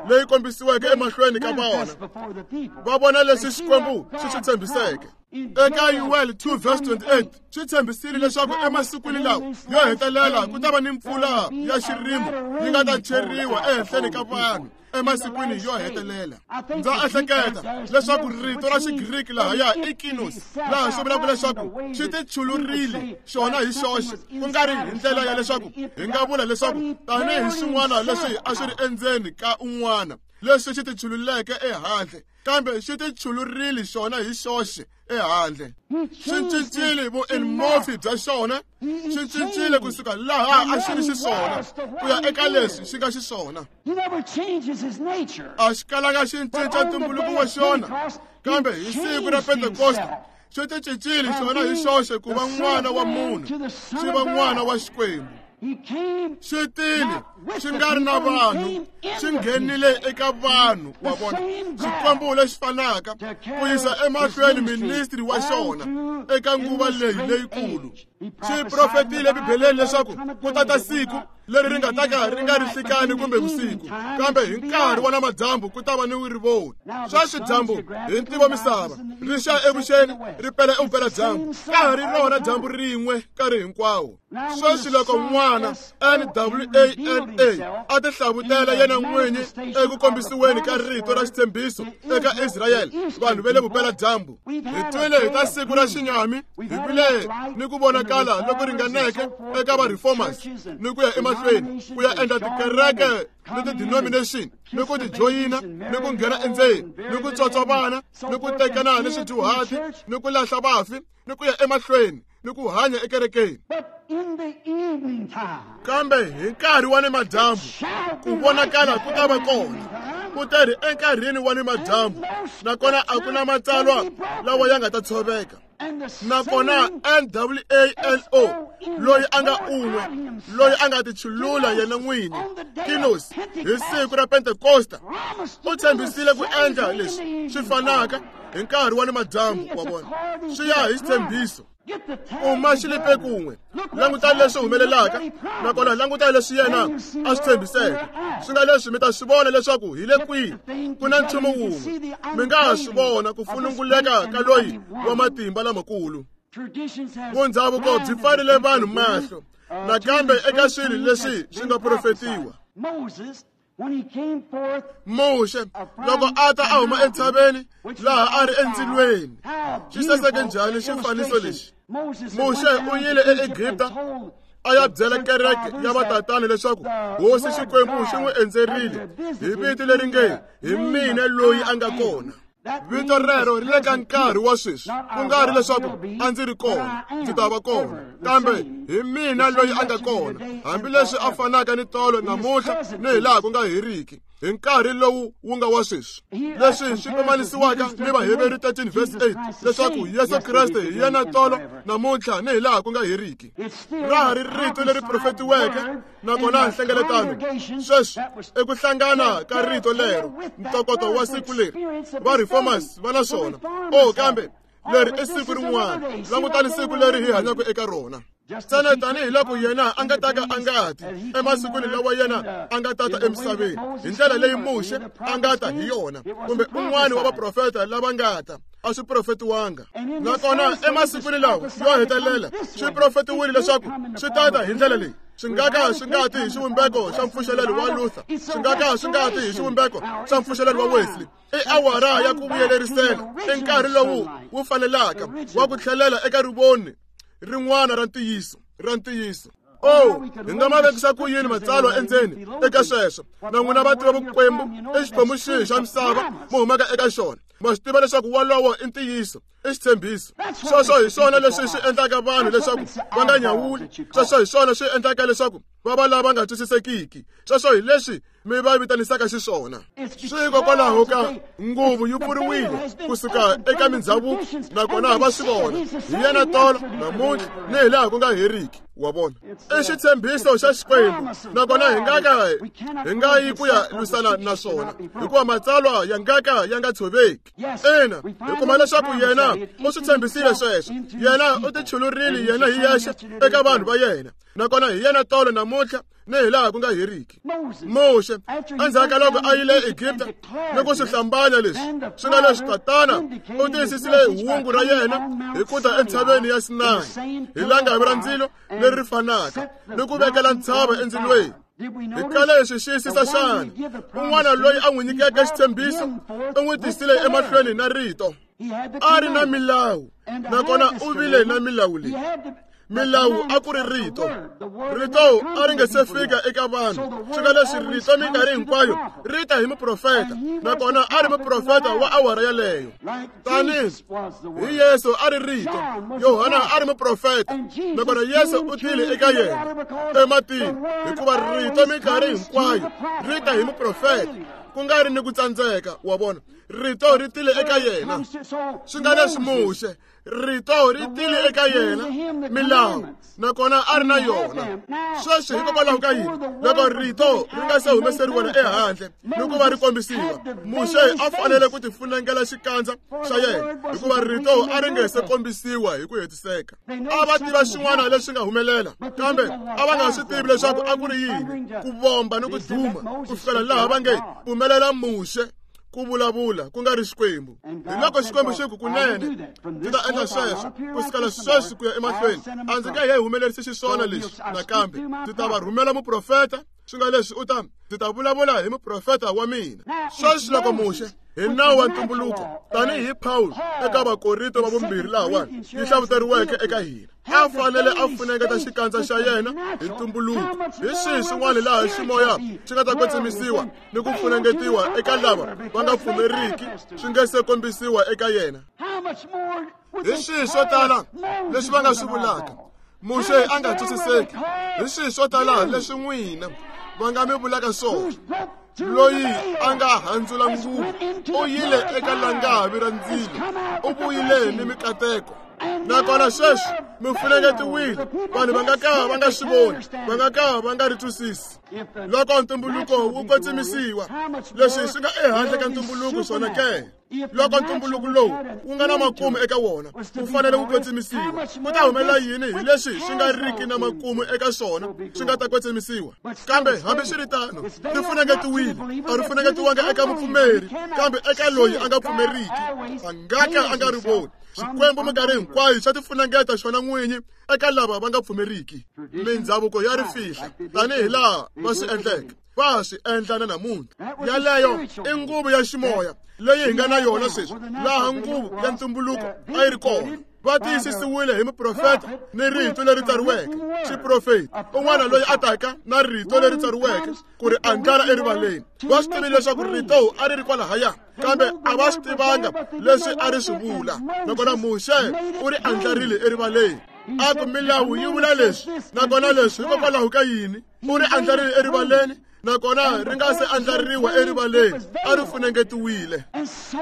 leyi kombisiweke emahlweni ka vona. Va vona leswi Xikwembu xi swi tshembiseke. Eka Yoel two verse twenty-eight swi tshembisile leswaku emasikwini lawa yo hetelela ku ta va ni mpfula ya xirimo yi nga ta cheriwa ehenhleni ka vanhu emasikwini yo hetelela. Ndza ehleketa leswaku rito ra Xigriki lahaya i kinos, laha swi vulaka leswaku xi tichulurile xona hi xoxe, ku nga ri hi ndlela ya leswaku hi nga vula leswaku tanihi swin'wana leswi a swi ri endzeni ka un'wana leswi xi tichululeke ehandle, kambe xi tichulurile xona hi xoxe ehandle. Xi cincile vuenmorphi bya xona, xi cincile kusuka laha a xi ri xiswona ku ya eka leswi xi nga xiswona. A xi kalanga xi cinca ntumbuluko wa xona, kambe hi siku ra Pentekosta xi ticincile xona hi xoxe ku va n'wana wa munhu, xi va n'wana wa Xikwembu. Xi tile xi nga ri na vanhu, xi nghenile eka vanhu wa vona. Xikwembu lexi fanaka ku yisa emahlweni ministry wa xona eka nguva leyi leyikulu. Xi profetile Bibeleni leswaku ku ta ta siku leri ri nga ta ka ri nga ri nhlikani kumbe vusiku, kambe hi nkarhi wa namadyambu ku ta va ni rivoni. Sweswi dyambu hi ntivo misava ri xa evuxeni ri pela evupeladyambu, ka ha ri rona dyambu rin'we nkarhi hinkwawo. Sweswi loko n'wana N W A N A a tihlavutela yena n'winyi eku kombisiweni ka rito ra xitshembiso eka Israyele, vanhu va le vupeladyambu, hi twile hi ta siku ra xinyami, hi vile ni ku vonakala loku ringaneke eka va reformers ni ku ya emahlweni ku ya endla tikereke ni ti-denomination ni ku ti joyina ni ku nghena endzeni ni ku tswatswa vana ni ku tekana ni swidyuhati ni ku lahla vafi ni ku ya emahlweni ni ku hanya ekerekeni. Kambe hi nkarhi wa nimadyambu ku vonakala ku ta va kona, ku teri enkarhini wa nimadyambu, nakona a ku na matsalwa lawa ya nga ta tshoveka. Nakona N W A N O loyi a nga un'we, loyi a nga tichulula yena n'wini kinos hi siku ra Pentekosta, u tshembisile ku endla leswi swi fanaka hi nkarhi wa nimadyambu wa vona. Swi ya hi xitshembiso. Uma xi lipe kun'we, langutani leswi humelelaka, nakona langutani leswi yena a swi tshembiseke. Swi nga leswi mi ta swi vona leswaku hi le kwihi ku na nchumu wun'we. Mi nga ha swi vona ku fununguleka ka loyi wa matimba lamakulu. Vundhavuko byi pfarile vanhu mahlo nakambe eka swilo leswi swi nga profetiwa. Muxe loko a ta a huma entshaveni laha a ri endzilweni, xi saseke njhani xifaniso lexi? Muxe u yile eEgipta a ya byela kereke ya vatatana leswaku Hosi Xikwembu xi n'wi endzerile hi vito leri nge hi mina loyi a nga kona. Vito rero ri le ka nkarhi wa sweswi, ku nga ri leswaku a ndzi ri kona, ndzi ta va kona, kambe hi mina loyi a nga kona, hambileswi a fanaka ni tolo namuntlha ni hi laha ku nga heriki, hi nkarhi lowu wu nga wa sweswi. Leswi swi pimanisiwaka ni Vaheberi thirteen verse eight leswaku Yesu Kreste hi yena tolo namuntlha ni hi laha ku nga heriki. Ra ha ri rito leri profetiweke, nakona nhlengeletano sweswi i ku hlangana ka rito lero, ntokoto wa siku leri va reformers va na swona. O kambe leri i siku rin'wana, langutani siku leri hi hanyaka eka rona. Ntsena tanihiloko yena a nga ta ka a nga ti emasikwini lawa yena a nga tata emisaveni hi ndlela leyi Muxe a nga ta hi yona, kumbe un'wana wa vaprofeta lava nga ta, a swi profetiwanga. Nakona emasikwini lawa yo hetelela swi profetiwile leswaku swi tata hi ndlela leyi. Swi nga ka swi nga ti hi xivumbeko xa mpfuxelelo wa Luther, swi nga ka swi nga ti hi xivumbeko xa mpfuxelelo wa Wesley. I awara ya ku vuyelerisela, i nkarhi lowu wu fanelaka wa ku tlhelela eka rivoni rin'wana ra ntiyiso, ra ntiyiso. Oh, hi nga ma vekisa ku yini matsalwa endzeni eka sweswo? Na n'wina va tiva vukwembu i xiphemu xihi xa misava mi humaka eka xona. Ma swi tiva leswaku wolowo i ntiyiso, i xitshembiso. Sweswo hi swona leswi swi endlaka vanhu leswaku va nga nyawuli. Sweswo hi swona swi endlaka leswaku va va lava nga twisisekiki. Sweswo hi leswi mi va vitanisaka xiswona. Swi hikokwalaho ka nguvu yi pfuriwile kusuka eka mindzhavuko, nakona va swi vona hi yena tolo namuntlha ni hi laha ku nga heriki. Wa vona, i xitshembiso xa Xikwembu, nakona hi nga ka hi nga yi ku ya lwisana na swona, hikuva matsalwa ya nga ka ya nga tshoveki. Ina, hi kuma leswaku yena u swi tshembisile sweswo. Yena u tichulurile yena hi yexe eka vanhu va yena, nakona hi yena tolo namuntlha ni hi laha ku nga heriki. Muxe, endzhaku ka loko a yile Egipta ni ku swi hlambanya leswi swi nga leswi, tatana u tiyisisile hungu ra yena hi ku ta entshaveni ya Sinayi hi langavi ra ndzilo leri fanaka ni ku vekela ntshava endzilweni. Hi kale hi swi xiyisisa xana? Un'wana loyi a n'wi nyikeke xitshembiso u n'wi tisile emahlweni na rito. A ri na milawu, nakona u vile na milawu leyi. Milawu a ku ri rito. Rito a ri nga se fika eka vanhu. Swi nga leswi rito minkarhi hinkwayo ri ta hi muprofeta, nakona a ri muprofeta wa awara yaleyo. Tanihi hi Yesu a ri rito, Yohana a ri muprofeta, nakona Yesu u tile eka yena ematini, hikuva rito minkarhi hinkwayo ri ta hi muprofeta, ku nga ri ni ku tsandzeka. Wa vona, rito ri tile eka yena. Swi nga leswi Muxe, rito ri tile eka yena, milawu, nakona a ri na yona. Sweswi hikokwalaho ka yini? Loko rito ri nga se humeseriwa ehandle ni ku va ri kombisiwa, Muxe a fanele ku tifunengela xikandza xa yena, hikuva rito a ri nge se kombisiwa hi ku hetiseka. A va tiva xin'wana lexi nga humelela, kambe a va nga swi tivi leswaku a ku ri yini, ku vomba ni ku duma, ku fikela laha va nge pfumelela Muxe ku vulavula ku nga ri Xikwembu. Hi loko Xikwembu xi ku kunene ndzi ta endla sweswo, ku sukela sweswi ku ya emahlweni a ndzi nge he humelerisi xiswona lexi nakambe. Ndzi ta va rhumela muprofeta, swi nga leswi u ta ndzi ta vulavula hi muprofeta wa mina. Sweswi loko Muxe hi nawu wa ntumbuluko, tanihi Paul eka Vakorinto va vumbirhi lahawani yi hlavuteriweke eka hina, a fanele a funengeta xikandza xa yena hi ntumbuluko. Hi swihi swin'wana laha ximoya xi nga ta kwetsimisiwa ni ku funengetiwa eka lava va nga pfumeriki swi nge se kombisiwa eka yena? Hi swihi swo tala leswi va nga swi vulaka? Muxe a nga twisiseki. Hi swihi swo tala leswi n'wina va nga mi vulaka swona? Loyi a nga handzula nguvu u yile eka langavi ra ndzilo, u vuyile ni mikateko. Nakona sweswi mi funengetiwile, vanhu va nga ka va nga swi voni, va nga ka va nga ri twisisi. Loko ntumbuluko wu kwetsimisiwa, leswi swi nga ehandle ka ntumbuluko swona ke? Loko ntumbuluko lowu wu nga na makumu eka wona wu fanele wu kwetsimisiwa, ku ta humelela yini hi leswi swi nga riki na makumu eka swona swi nga ta kwetsimisiwa? Kambe hambiswiritano ri funengetiwile, a ri funengetiwanga eka mupfumeri, kambe eka loyi a nga pfumeriki a nga ka a nga ri voni. Xikwembu minkarhi hinkwayo xa tifunengeta xona n'winyi eka lava va nga pfumeriki. Mindhavuko ya ri fihla tanihi laha va swi endleke, va swi endla na namuntlha. Yaleyo i nguvu ya ximoya leyi hi nga na yona sweswi, laha nguvu ya ntumbuluko a yi ri kona. Va tiyisisiwile hi muprofeta ni rito leri tsariweke. Xiprofeta un'wana loyi a taka na rito leri tsariweke ku ri andlala erivaleni. Va swi tivile leswaku rito a ri ri kwalahaya, kambe a va swi tivanga leswi a ri swi vula. Nakona Muxe u ri andlarile erivaleni. A ku milawu yi vula leswi, nakona leswi hikokwalaho ka yini? U ri andlarile erivaleni, nakona ri nga se andlariwa erivaleni, a ri funengetiwile.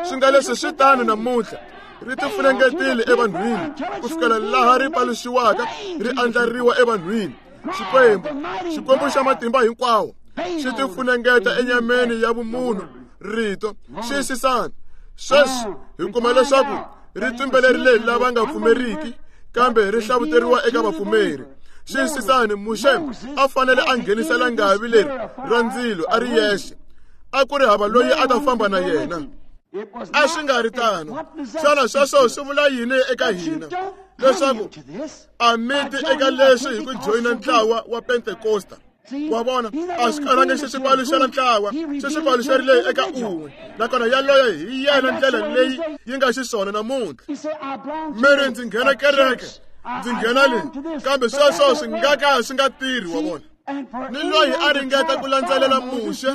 Swi nga leswi swi tano namuntlha, ri tifunengetile evanhwini ku fikela laha ri paluxiwaka, ri andlariwa evanhwini. Xikwembu, Xikwembu xa matimba hinkwawo, xi tifunengeta enyameni ya vumunhu rito. Xiyisisani sweswi, hi kuma leswaku ri tumbelerile lava nga pfumeriki, kambe ri hlavuteriwa eka vapfumeri. Xiyisisani, Muxe a fanele a nghenisa langavi leri ra ndzilo a ri yexe, a ku ri hava loyi a ta famba na yena. A swi nga ri tano. Xana sweswo swi vula yini eka hina? Leswaku a mi ti eka leswi hi ku joyina ntlawa wa Pentekosta. Wa vona, a swi kalanga xi swi paluxela ntlawa, xi swi paluxerile eka un'we, nakona yaloyo hi yena ndlela leyi yi nga xiswona namuntlha. Mi ri ndzi nghena kereke, ndzi nghena leyi, kambe sweswo swi nga ka swi nga tirhi. Wa vona, ni loyi a ringeta ku landzelela Muxe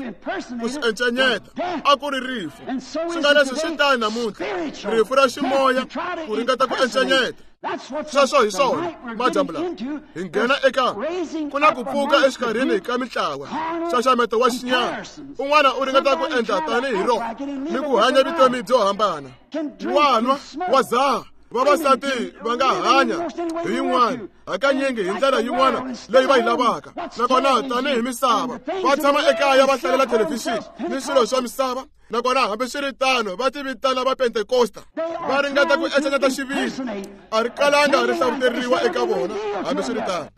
ku swi encenyeta, a ku ri rifu. Swi nga leswi swi tani namuntlha, rifu ra ximoya ku ringeta ku encenyeta. Sweswo hi swona madyambu lawa hi nghena eka ku na ku pfuka exikarhini ka mitlawa, nxaxameto wa xinyama. Un'wana u ringeta ku endla tanihi rona ni ku hanya vutomi byo hambana, wa nwa, wa dzaha, Vavasati va nga hanya hi yin'wana hakanyingi hi ndlela yin'wana leyi va yi lavaka nakona tanihi misava va tshama ekaya va hlalela thelevhixini ni swilo swa misava nakona hambiswiritano va ti vitana va Pentekosta va ringeta ku encenyeta xiviri a ri kalanga ri hlavuteriwa eka vona hambiswiritano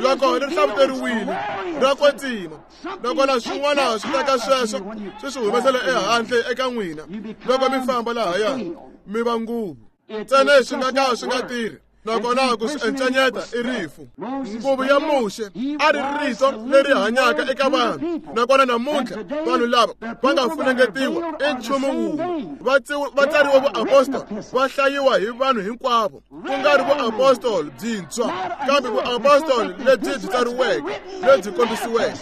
loko ri hlavuteriwile ra kwetsima nakona swin'wana swi teka sweswo swi swi humesela ehandle eka n'wina loko mi famba lahaya mi va nguvu ntsena swi nga ka swi nga tirhi nakona ku swi encenyeta i rifu. Nguvu ya Muxe a ri rito leri hanyaka eka vanhu nakona namuntlha vanhu lava va nga funengetiwa i nchumu wun'we va tsariwe vuapostoli va hlayiwa hi vanhu hinkwavo ku nga ri vuapostoli byintshwa kambe vuapostoli lebyi byi tsariweke lebyi kombisiweke.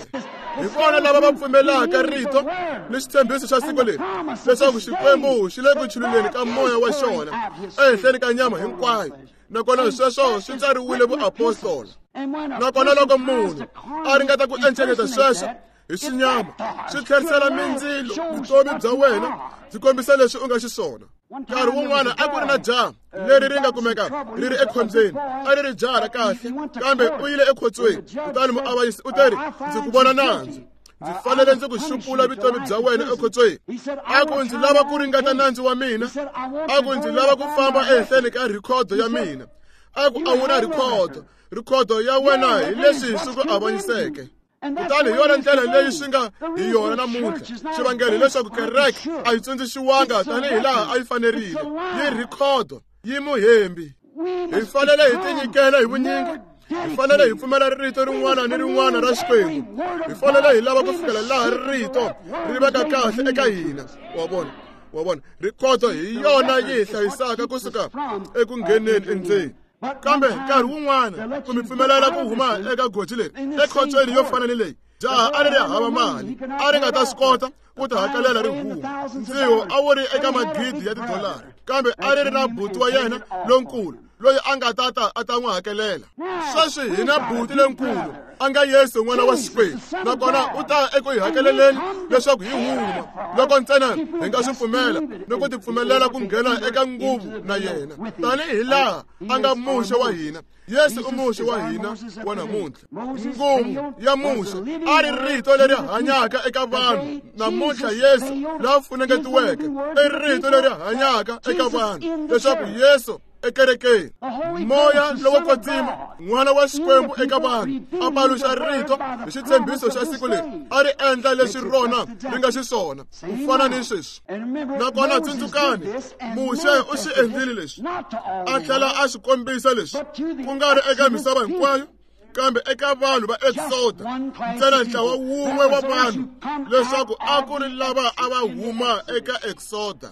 Hi vona lava va pfumelaka rito ni xitshembiso xa siku leri leswaku Xikwembu xi le ku chululeni ka moya wa xona ehenhleni ka nyama hinkwayo nakona sweswo swi tsariwile vuapostola. Nakona loko munhu a ringeta ku encenyeta sweswo hi xinyama swi tlherisela mindzilo vutomi bya wena byi kombisa leswi u nga xiswona. Nkarhi wun'wana a ku ri na jaha leri ri nga kumeka ri ri ekhombyeni a ri ri jaha ra kahle kambe u yile ekhotsweni kutani muavanyisi u teri ndzi ku vona nandzu ndzi fanele ndzi ku xupula vutomi bya wena ekhotsweni. A ku ndzi lava ku ringeta nandzu wa mina a ku ndzi lava ku famba ehenhleni ka rhikhodo ya mina a ku a wu na rhikhodo rhikhodo ya wena hi leswi swi ku avanyiseke. Kutani hi yona ndlela leyi swi nga hi yona namuntlha xivangelo hileswaku kereke a yi tsundzuxiwanga tanihi laha a yi fanerile yi rhikhodo yi muhembi. Hi fanele hi tinyikela hi vunyingi hi fanele hi pfumela rito rin'wana ni rin'wana ra Xikwembu hi fanele hi lava ku fikela laha rito ri veka kahle eka hina. Wa vona wa vona rhikhodo hi yona yi hi hlayisaka kusuka eku ngheneni endzeni. Kambe nkarhi wun'wana ku mi pfumelela ku huma eka goji leri ekhotsweni yo fana ni leyi jaha a ri ri hava mali a ri nga ta swi kota ku ti hakelela ri huma ndziho a wu ri eka magidi ya tidolara kambe a ri ri na buti wa yena lonkulu loyi a nga ta ta a ta n'wi hakelela. Sweswi hi na buti lenkulu a nga Yesu n'wana wa Xikwembu nakona u ta eku hi hakeleleni leswaku hi huma loko ntsena hi nga swi pfumela ni ku tipfumelela ku nghena eka nguvu na yena tanihi laha a nga Muxe wa hina. Yesu i Muxe wa hina wa namuntlha. Nguvu ya Muxe a ri rito leri hanyaka eka vanhu namuntlha Yesu la funengetiweke i rito leri hanyaka eka vanhu leswaku Yesu ekerekeni moya lowo kwetsima n'wana wa Xikwembu eka vanhu a paluxa rito hi xitshembiso xa siku leri a ri endla leswi rona ri nga xiswona ku fana ni sweswi. Nakona tsundzukani Muxe u swi endlile leswi a tlhela a swi kombisa leswi ku nga ri eka misava hinkwayo kambe eka vanhu va Exoda ntsena ntlawa wun'we wa vanhu leswaku a ku ri lava a va huma eka Exoda.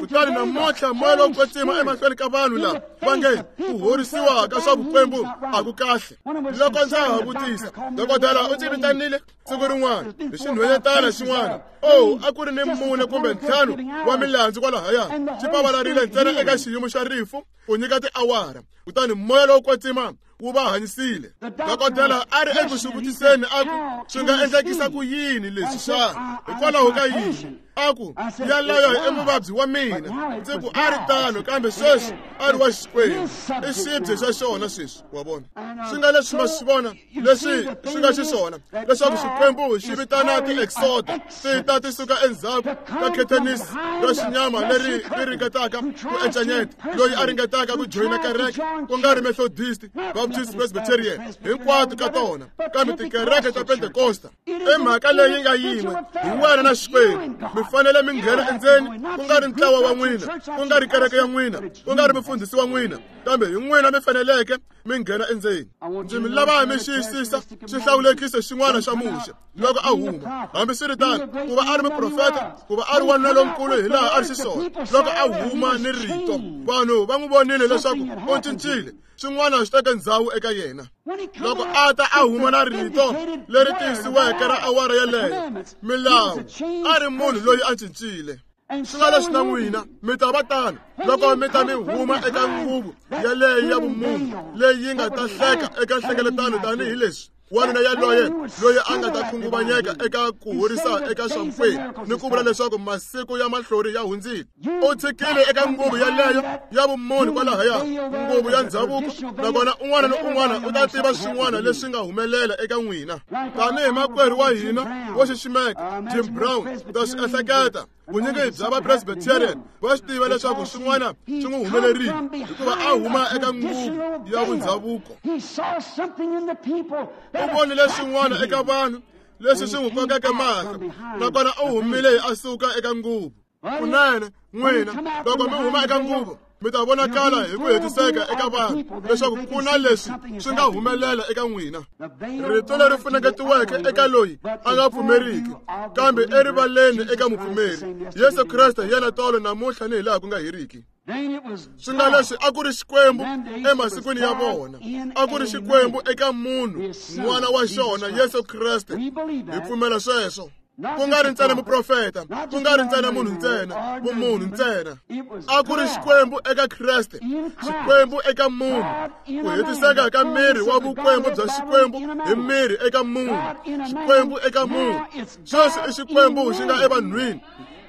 Kutani namuntlha moya lowo kwetsima emahlweni ka vanhu lava va nge ku horisiwa ka swa vukwembu a ku kahle. Loko ndza ha vutisa dokodela u ndzi vitanile siku rin'wana hi xinhwanyetana xin'wana o a ku ri ni mune kumbe ntlhanu wa milandzu kwalahaya xi pavalarile ntsena eka xiyimo xa rifu ku nyika tiawara kutani moya lowo kwetsima wu va hanyisile. Dokodela a ri eku swi vutiseni a ku swi nga endlekisa ku yini leswi xana hikwalaho ka yini a ku yaloyo i muvabyi wa mina ndzi ku a ri tano kambe sweswi a ri wa Xikwembu i xibye xa xona sweswi. Wa vona swi nga leswi ma swi vona leswi swi nga xiswona leswaku Xikwembu xi vitana ti-exoda ti ta ti suka endzhaku ka khethenisi ra xinyama leri ri ringetaka ku encenyeta loyi a ringetaka ku joyina kereke ku nga ri Methodist, Baptist, Presbyterian hinkwato ka tona kambe tikereke ta Pentekosta i mhaka leyi nga yin'we hi wena na Xikwembu. Mi fanele mi nghena endzeni ku nga ri ntlawa wa n'wina ku nga ri kereke ya n'wina ku nga ri mufundhisi wa n'wina kambe hi n'wina mi faneleke mi nghena endzeni. Ndzi mi lava mi xiyisisa xihlawulekiso xin'wana xa Muxe loko a huma hambiswiritano ku va a ri muprofeta ku va a ri wanuna lonkulu hi laha a ri xiswona loko a huma ni rito vanhu va n'wi vonile leswaku u cincile swin'wana swi teke ndzhawu eka yena. Loko a ta a huma na rito leri tiyisiweke ra awara yeleyo milawu a ri munhu loyi a cincile. Swi nga leswi na n'wina mi ta va tano loko mi ta mi huma eka nguvu yaleyo ya vumunhu leyi yi nga ta hleka eka nhlengeletano tanihileswi Wanuna yaloye loyi a nga ta khunguvanyeka eka ku horisa eka swa vukwembu ni ku vula leswaku masiku ya mahlori ya hundzile. U tshikile eka nguvu yaleyo ya vumunhu kwalahaya, nguvu ya ndzhavuko, nakona un'wana ni un'wana u ta tiva swin'wana leswi nga humelela eka n'wina. Tanihi makwerhu wa hina wo xiximeka Jim Brown, ta swi ehleketa vunyingi bya va Presbyterian va swi tiva leswaku swin'wana swi n'wi humelerile hikuva a huma eka nguvu ya vundzhavuko. U vonile swin'wana eka vanhu leswi swi n'wi kokeke mahlo, nakona u humile a suka eka nguvu. Kunene n'wina loko mi huma eka nguvu mi ta vonakala hi ku hetiseka eka vanhu leswaku ku na leswi swi nga humelela eka n'wina. Rito leri funengetiweke eka loyi a nga pfumeriki, kambe erivaleni eka mupfumeri, Yesu Kreste hi yena tolo namuntlha ni hi laha ku nga heriki. Swi nga leswi a ku ri Xikwembu emasikwini ya vona, a ku ri Xikwembu eka munhu n'wana wa xona Yesu Kreste. Hi pfumela sweswo. Ku nga ri ntsena muprofeta, ku nga ri ntsena munhu ntsena, vumunhu ntsena. A ku ri Xikwembu eka Kreste, Xikwembu eka munhu, ku hetiseka ka miri wa vukwembu bya Xikwembu hi miri eka munhu, Xikwembu eka munhu. Sweswi i Xikwembu xi nga evanhwini,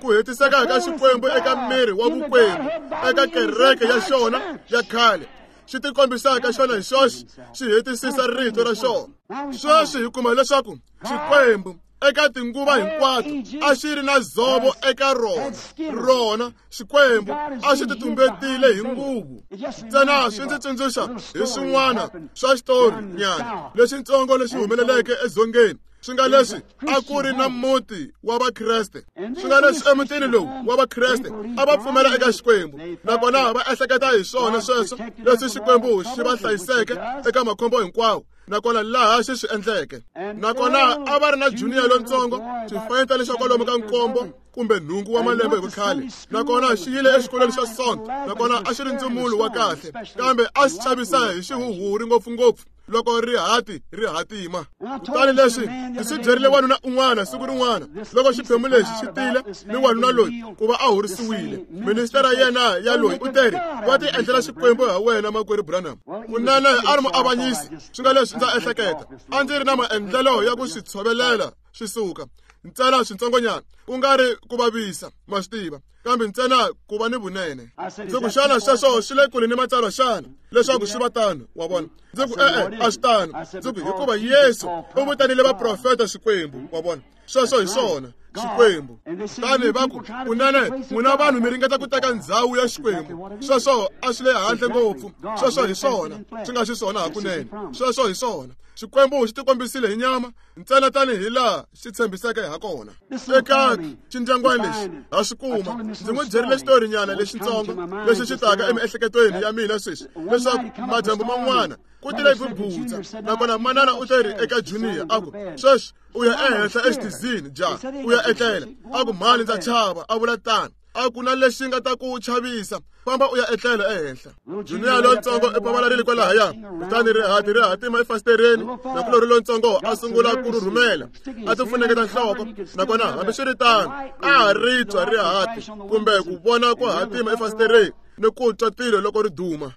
ku hetiseka ka Xikwembu eka miri wa vukwembu eka kereke ya xona ya khale, xi tikombisaka xona hi xoxe, xi hetisisa rito ra xona. Sweswi hi kuma leswaku Xikwembu eka tinguva hinkwato a xi ri na dzovo eka rona, rona Xikwembu a xi titumbetile hi nguvu. Ntsena swi ndzi tsundzuxa hi swin'wana swa xitori nyana lexitsongo lexi humeleleke edzongeni. Swi nga leswi a ku ri na muti wa Vakreste. Swi nga leswi emutini lowu wa Vakreste a va pfumela eka Xikwembu, nakona va ehleketa hi swona sweswo leswi Xikwembu xi va hlayiseke eka makhombo hinkwawo, nakona laha xi swi endleke. Nakona a va ri na junior lontsongo, xifanyetana lexa kwalomu ka nkombo kumbe nhungu wa malembe hi vukhale, nakona xi yile exikolweni xa Sonto, nakona a xi ri ndzumulo wa kahle, kambe a xi chavisa hi xihuhuri ngopfungopfu loko rihati ri hatima. Kutani leswi ndzi swi byerile wanuna un'wana siku rin'wana loko xiphemu lexi xi tile ni wanuna loyi ku va a horisiwile. Ministera yena ya loyi u teri, va ti endlela Xikwembu ha wena makwerhu Branham. Kunene a ri muavanyisi. Swi nga leswi ndza ehleketa a ndzi ri na maendlelo ya ku swi tshovelela swi suka ntsena switsongonyana, ku nga ri ku vavisa, ma swi tiva, kambe ntsena ku va ni vunene. Ndzi ku xana sweswo swi le kule ni matsalwa xana leswaku swi va tano? Wa vona? Ndzi ku e-e, a swi tano. Ndzi ku hikuva Yesu u vitanile vaprofeta Xikwembu. Wa vona? Sweswo hi swona, Xikwembu. Tani va ku kunene n'wina vanhu mi ringeta ku teka ndzhawu ya Xikwembu. Sweswo a swi le handle ngopfu. Sweswo hi swona, swi nga xiswona hakunene. Sweswo hi swona. Xikwembu xi tikombisile hi nyama ntsena tanihi laha xi tshembiseke ha kona. Eka xindyangwana lexi ha swi kuma. Ndzi n'wi byerile xitorinyana lexitsongo lexi xi taka emiehleketweni ya mina sweswi, leswaku madyambu man'wana ku tile bubutsa, nakona manana u teri eka Junior a ku, sweswi u ya ehenhla exitizini ja u ya etlela. A ku mhani ndza chava, a vula tano. A ku na lexi nga ta ku chavisa, famba u ya etlela ehenhla. Junior lontsongo i pavalarile kwalahaya, kutani rihati ri hatima efasitereni, nakulorhi lontsongo a sungula ku rhurhumela, a ti funengeta nhloko, nakona hambiswiritano a ha ri twa rihati kumbe ku vona ku hatima efasitereni ni ku twa tilo loko ri duma.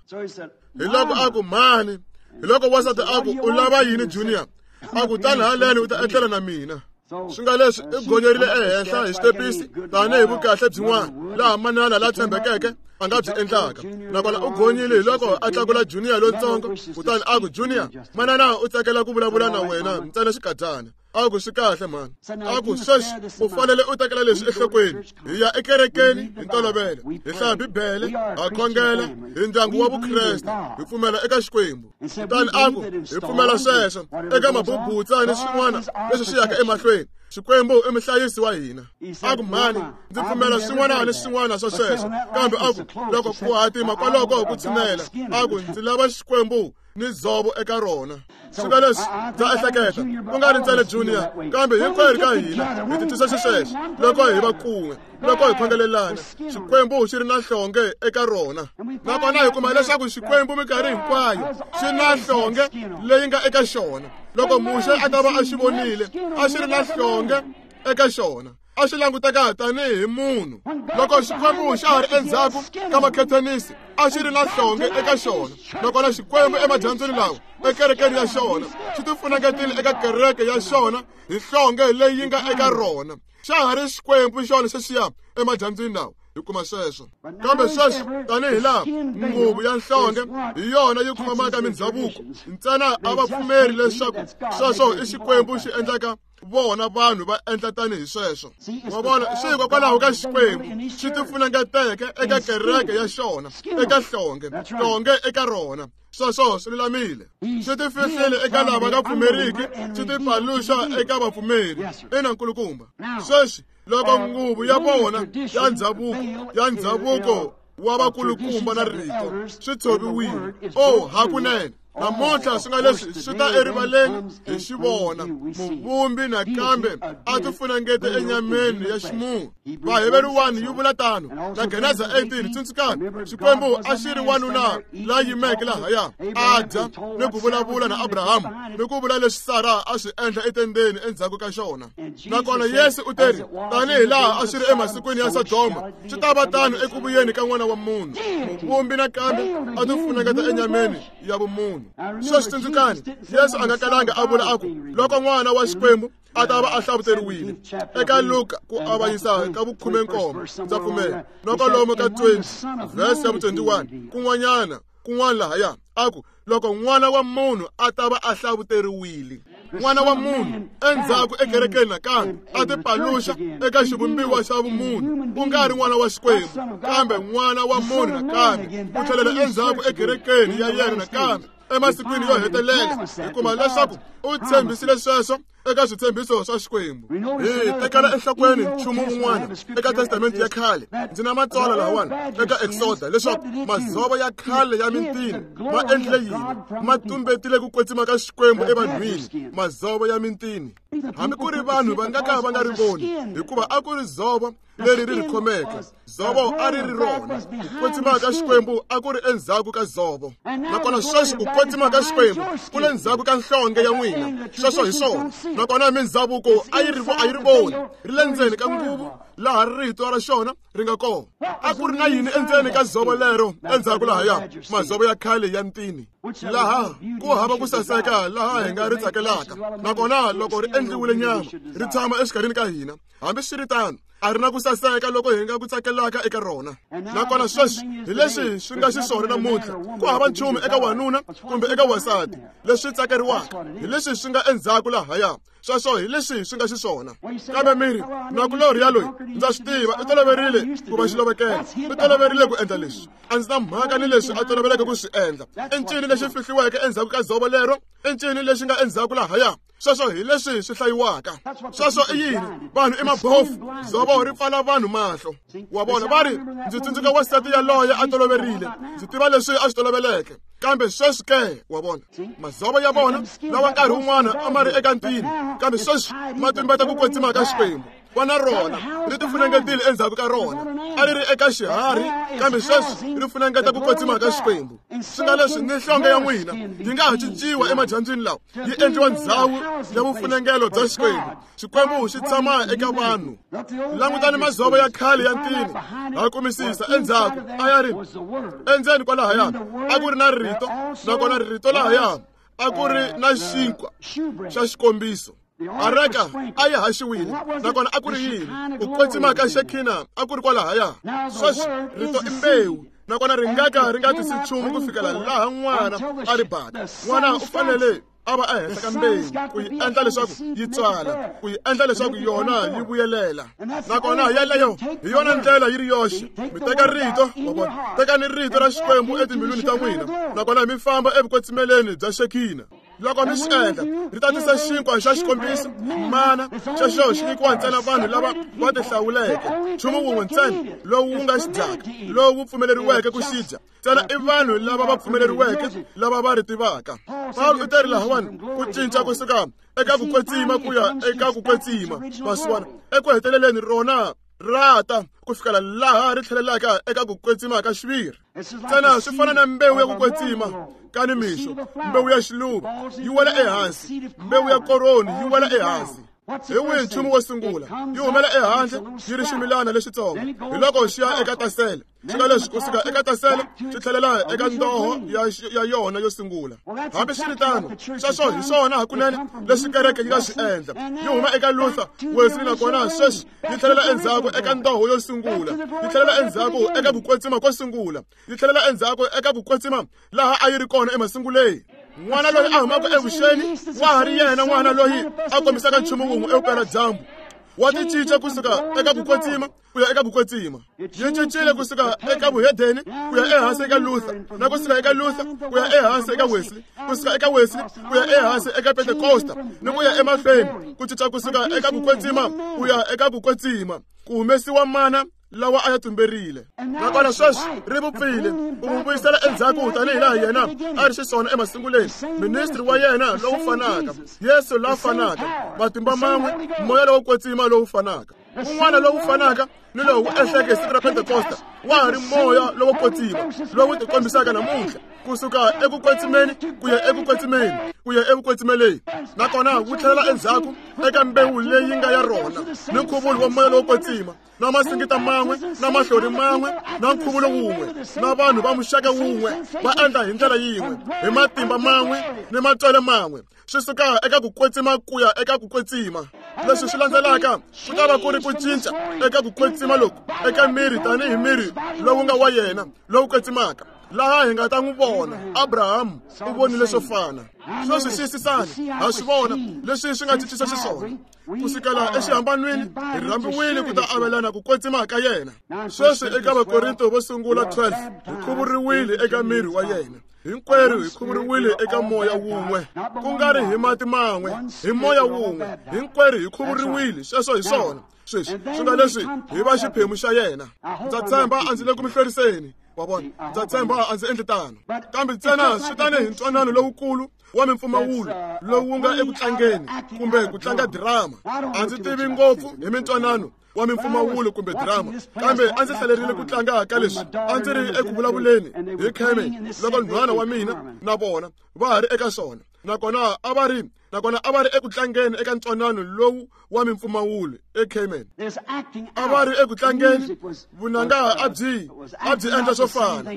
Hi loko a ku mhani, hi loko wansati a ku u lava yini Junior? A ku tani haleni u ta etlela na mina. Swi nga leswi i gonyerile ehenhla hi xitepisi tanihi vukahle byin'wana laha manana la tshembekeke a nga byi endlaka, nakona u gonyile. Hi loko a tlakula Junior lontsongo, kutani a ku, Junior, manana u tsakela ku vulavula na wena ntsena xikadyana. A ku swi kahle mhani. A ku sweswi u fanele u tekela leswi enhlokweni. Hi ya ekerekeni hi ntolovelo, hi hlaya Bibele, ha khongela, hi ndyangu wa Vukreste, hi pfumela eka Xikwembu. Kutani a ku hi pfumela sweswo eka mabubutsa ni swin'wana leswi swi yaka emahlweni. Xikwembu i muhlayisi wa hina. A ku mhani, ndzi pfumela swin'wana ni swin'wana swa sweswo, kambe a ku loko ku hatima kwaloko ku tshinela, a ku ndzi lava Xikwembu ni dzovo eka rona. Swi nga leswi ndza ehleketa ku nga ri ntsena Junior, kambe hinkwerhu ka hina hi titwisa xisweswo loko hi va kun'we, loko hi khongelelana. Xikwembu xi ri na nhlonge eka rona, nakona hi kuma leswaku Xikwembu minkarhi hinkwayo xi na nhlonge leyi nga eka xona. Loko Muxe a ta va a xi vonile, a xi ri na nhlonge eka xona. A xi languteka tanihi munhu. Loko Xikwembu xa ha ri endzhaku ka makhethenisi, a xi ri na nhlonge eka xona. Nakona Xikwembu emadyambyini lawa ekerekeni ya xona xi tifunengetile eka kereke ya xona hi nhlonge leyi yi nga eka rona. Xa ha ri Xikwembu xona xexiya emadyambyini lawa. Hi kuma sweswo. Kambe sweswi tanihi laha nguvu ya nhlonge hi yona yi khomaka mindhavuko ntsena, a va pfumeri leswaku sweswo i Xikwembu xi endlaka vona vanhu va endla tanihi sweswo. Wa vona, swi hikokwalaho ka Xikwembu xi tifunengeteke eka kereke ya xona, eka nhlonge, nhlonge eka rona. Sweswo swi lulamile. Xi tifihlile eka lava nga pfumeriki, xi tipaluxa eka vapfumeri. Ina nkulukumba. Sweswi loko nguvu ya vona ya ndzhavuko ya ndzhavuko wa vakulukumba na rito swi tshoviwile, o hakunene namuntlha swi nga leswi swi ta erivaleni hi xi vona. Muvumbi nakambe a tifunengete enyameni ya ximunhu. Vaheveru one yi vula tano na Geneza eighteen. Tsundzukani, Xikwembu a xi ri wanuna la yimeke lahaya a dya ni ku vulavula na Abrahamu ni ku vula leswi Sara a swi endla etendeni endzhaku ka xona. Nakona Yesu u teri, tanihi laha a swi ri emasikwini ya Sodoma, swi ta va tano eku vuyeni ka N'wana wa Munhu. Muvumbi nakambe a tifunengeta enyameni ya vumunhu. Sweswi tsundzukani, Yesu a nga kalanga a vula a ku loko N'wana wa Xikwembu a ta va a hlavuteriwile. Eka Luka ku avanyisa ka vukhume nkombo, ndza pfumela, loko lomu ka twenty verse ya vu twenty-one kun'wanyana kun'wana lahaya, a ku loko N'wana wa Munhu a ta va a hlavuteriwile. N'wana wa Munhu endzhaku ekerekeni nakambe a tipaluxa eka xivumbiwa xa vumunhu, ku nga ri N'wana wa Xikwembu kambe N'wana wa Munhu nakambe ku tlhelela endzhaku ekerekeni ya yena nakambe emasikwini yo hetelela. Hi kuma leswaku u tshembisile sweswo eka switshembiso swa Xikwembu. Hi tekela enhlokweni nchumu wun'wana eka Testamente ya khale. Ndzi na matsalwa lahawani eka Exoda leswaku madzovo ya khale ya mintini ma endlile yini, ma tumbetile ku kwetsima ka Xikwembu evanhwini. Madzovo ya mintini, hambi ku ri vanhu va nga ka va nga ri voni, hikuva a ku ri dzovo leri ri ri khomeke. Dzovo a ri ri rona. Ku kwetsima ka Xikwembu a ku ri endzhaku ka dzovo. Nakona sweswi ku kwetsima ka Xikwembu ku le ndzhaku ka nhlonge ya n'wina. Sweswo hi swona. Nakona mindhavuko a yi ri a yi ri voni, ri le ndzeni ka nguvu laha rito ra xona ri nga kona. A ku ri na yini endzeni ka dzovo lero endzhaku lahaya? Madzovo ya khale ya ntini, laha ku hava ku saseka laha hi nga ri tsakelaka. Nakona loko ri endliwile nyama, ri tshama exikarhini ka hina. Hambiswiritano, a ri na ku saseka loko hi nga ku tsakelaka eka rona. Nakona sweswi hi leswi swi nga xiswona namuntlha. Ku hava nchumu eka wanuna kumbe eka wansati leswi tsakeriwaka, hi leswi swi nga endzhaku lahaya. Sweswo hi leswi swi nga xiswona. Kambe miri nakulorhi ya loyi, ndza swi tiva i toloverile ku va xilovekela, i toloverile ku endla leswi. A ndzi na mhaka ni leswi a toloveleke ku swi endla. I ncini lexi fihliweke endzhaku ka dzovo lero? I ncini lexi nga endzhaku lahaya? Sweswo hi leswi swi hlayiwaka. Sweswo i yini? Vanhu i mabofu. Dzovo ri pfala vanhu mahlo. Wa vona, va ri, ndzi tsundzuka wansati yaloye a toloverile, ndzi tiva leswi a swi toloveleke. Kambe sweswi ke, wa vona, madzovo ya vona lawa nkarhi wun'wana a ma ri eka ntini, kambe sweswi ma tumbeta ku kwetsima ka Xikwembu. Va na rona ri tifunengetile endzhaku ka rona. A ri ri eka xiharhi, kambe sweswi ri funengeta ku kwetsima ka Xikwembu. Swi nga leswi ni nhlonge ya n'wina yi nga ha cinciwa emadyambyini lawa, yi endliwa ndzhawu ya vufunengelo bya Xikwembu. Xikwembu xi tshama eka vanhu. Langutani madzovo ya khale ya ntini, ha kumisisa endzhaku a ya ri endzeni kwalahaya a ku ri na rito, nakona rito lahaya a ku ri na xinkwa xa xikombiso. Areka a yi haxiwile, nakona a ku ri yini? Ku kwetsima ka Shekinah a ku ri kwalahaya. Sweswi rito i mbewu, nakona ri nga ka ri nga tisi nchumu ku fikela laha n'wana a ri baka. N'wana u fanele a va ehenhla ka mbewu ku yi endla leswaku yi tswala, ku yi endla leswaku yona yi vuyelela. Nakona yeleyo hi yona ndlela yi ri yoxe. Mi teka rito, wa vona, tekani rito ra Xikwembu etimbilwini ta n'wina, nakona mi famba evukwetsimeleni bya Shekinah. Loko mi swi endla, ri ta tisa xinkwa xa xikombiso, mana xexo xi nyikiwa ntsena vanhu lava va tihlawuleke. Nchumu wun'we ntsena lowu wu nga xi dyaka, lowu wu pfumeleriweke ku xi dya ntsena i vanhu lava va pfumeleriweke, lava va ri tivaka. Pawulo u teri lahawani ku cinca kusuka eka ku kwetsima ku ya eka ku kwetsima, masiwana eku heteleleni rona ra ta ku fikela laha ri tlhelelaka eka ku kwetsima ka xiviri. Ntsena swi fana na mbewu ya ku kwetsima ka nimixo, mbewu ya xiluva yi wela ehansi, mbewu ya koroni yi wela ehansi. Hi wihi nchumu wo sungula? Yi humela ehandle yi ri ximilana lexitsongo, hi loko xi ya eka tasele. Swi nga leswi kusuka eka tasele swi tlhelela eka ndoho ya ya yona yo sungula. Hambiswiritano, sweswo hi swona hakunene leswi kereke yi nga swi endla. Yi huma eka Luther, Wesley, nakona sweswi yi tlhelela endzhaku eka ndoho yo sungula. Yi tlhelela endzhaku eka ku kwetsima ko sungula. Yi tlhelela endzhaku eka ku kwetsima laha a yi ri kona emasunguleni. N'wana loyi a humaka evuxeni wa ha ri yena n'wana loyi a kombisaka nchumu wun'we evupeladyambu. Wa ti cinca kusuka eka ku kwetsima ku ya eka ku kwetsima. Yi cincile kusuka eka vuhedeni ku ya ehansi eka Luther, na kusuka eka Luther ku ya ehansi eka Wesley, kusuka eka Wesley ku ya ehansi eka Pentecosta, ni ku ya emahlweni, ku cinca kusuka eka ku kwetsima ku ya eka ku kwetsima, ku humesiwa mana lawa a ya tumberile. Nakona sweswi ri vupfile, u n'wi vuyisela endzhaku tanihi laha yena a ri xiswona emasunguleni. Ministri wa yena lowu fanaka, Yesu la fanaka, matimba man'we, moya lowo kwetsima lowu fanaka, un'wana lowu fanaka ni lowu ehleke hi siku ra Pentecosta, wa ha ri moya lowo kwetsima lowu tikombisaka namuntlha, kusuka eku kwetsimeni ku ya eku kwetsimeni ku ya evukwetsimeleni. Nakona wu tlhelela endzhaku eka mbewu leyi nga ya rona ni nkhuvulo wa moya lowo kwetsima, na masingita man'we, na mahlori man'we, na nkhuvulo wun'we, na vanhu va muxaka wun'we va endla hi ndlela yin'we, hi matimba man'we ni matswele man'we. Swi suka eka ku kwetsima ku ya eka ku kwetsima. Leswi swi landzelaka ku ta va ku ri ku cinca eka ku kwetsima loku eka miri tanihi miri lowu nga wa yena lowu kwetsimaka, laha hi nga ta n'wi vona. Abraham u vonile swo fana. Sweswi xiyisisani, ha swi vona leswi swi nga cincisa xiswona. Kusukela exihambanweni hi rhambiwile ku ta avelana ku kwetsima ka yena. Sweswi eka Vakorinto vo sungula twelve hi khuvuriwile eka miri wa yena. Hinkwerhu hi khuvuriwile eka moya wun'we, ku nga ri hi mati man'we, hi moya wun'we. Hinkwerhu hi khuvuriwile, sweswo hi swona. Sweswi swi nga leswi hi va xiphemu xa yena. Ndza tshemba a ndzi le ku mi hlweriseni, wa vona. Ndza tshemba a ndzi endli tano, kambe ntsena swi tanihi ntwanano lowukulu wa mimpfumawulo lowu nga eku tlangeni kumbe ku tlanga drama. A ndzi tivi ngopfu hi mintwanano wa mimpfumawulo kumbe drama, kambe a ndzi hlalerile ku tlanga ka leswi. A ndzi ri eku vulavuleni hi Carmen loko nhwana wa mina na vona va ha ri eka swona, nakona a va ri nakona a va ri eku tlangeni eka ntwanano lowu wa mimpfumawulo eCayman. A va ri eku tlangeni, vunanga a byi a byi endla swo fana.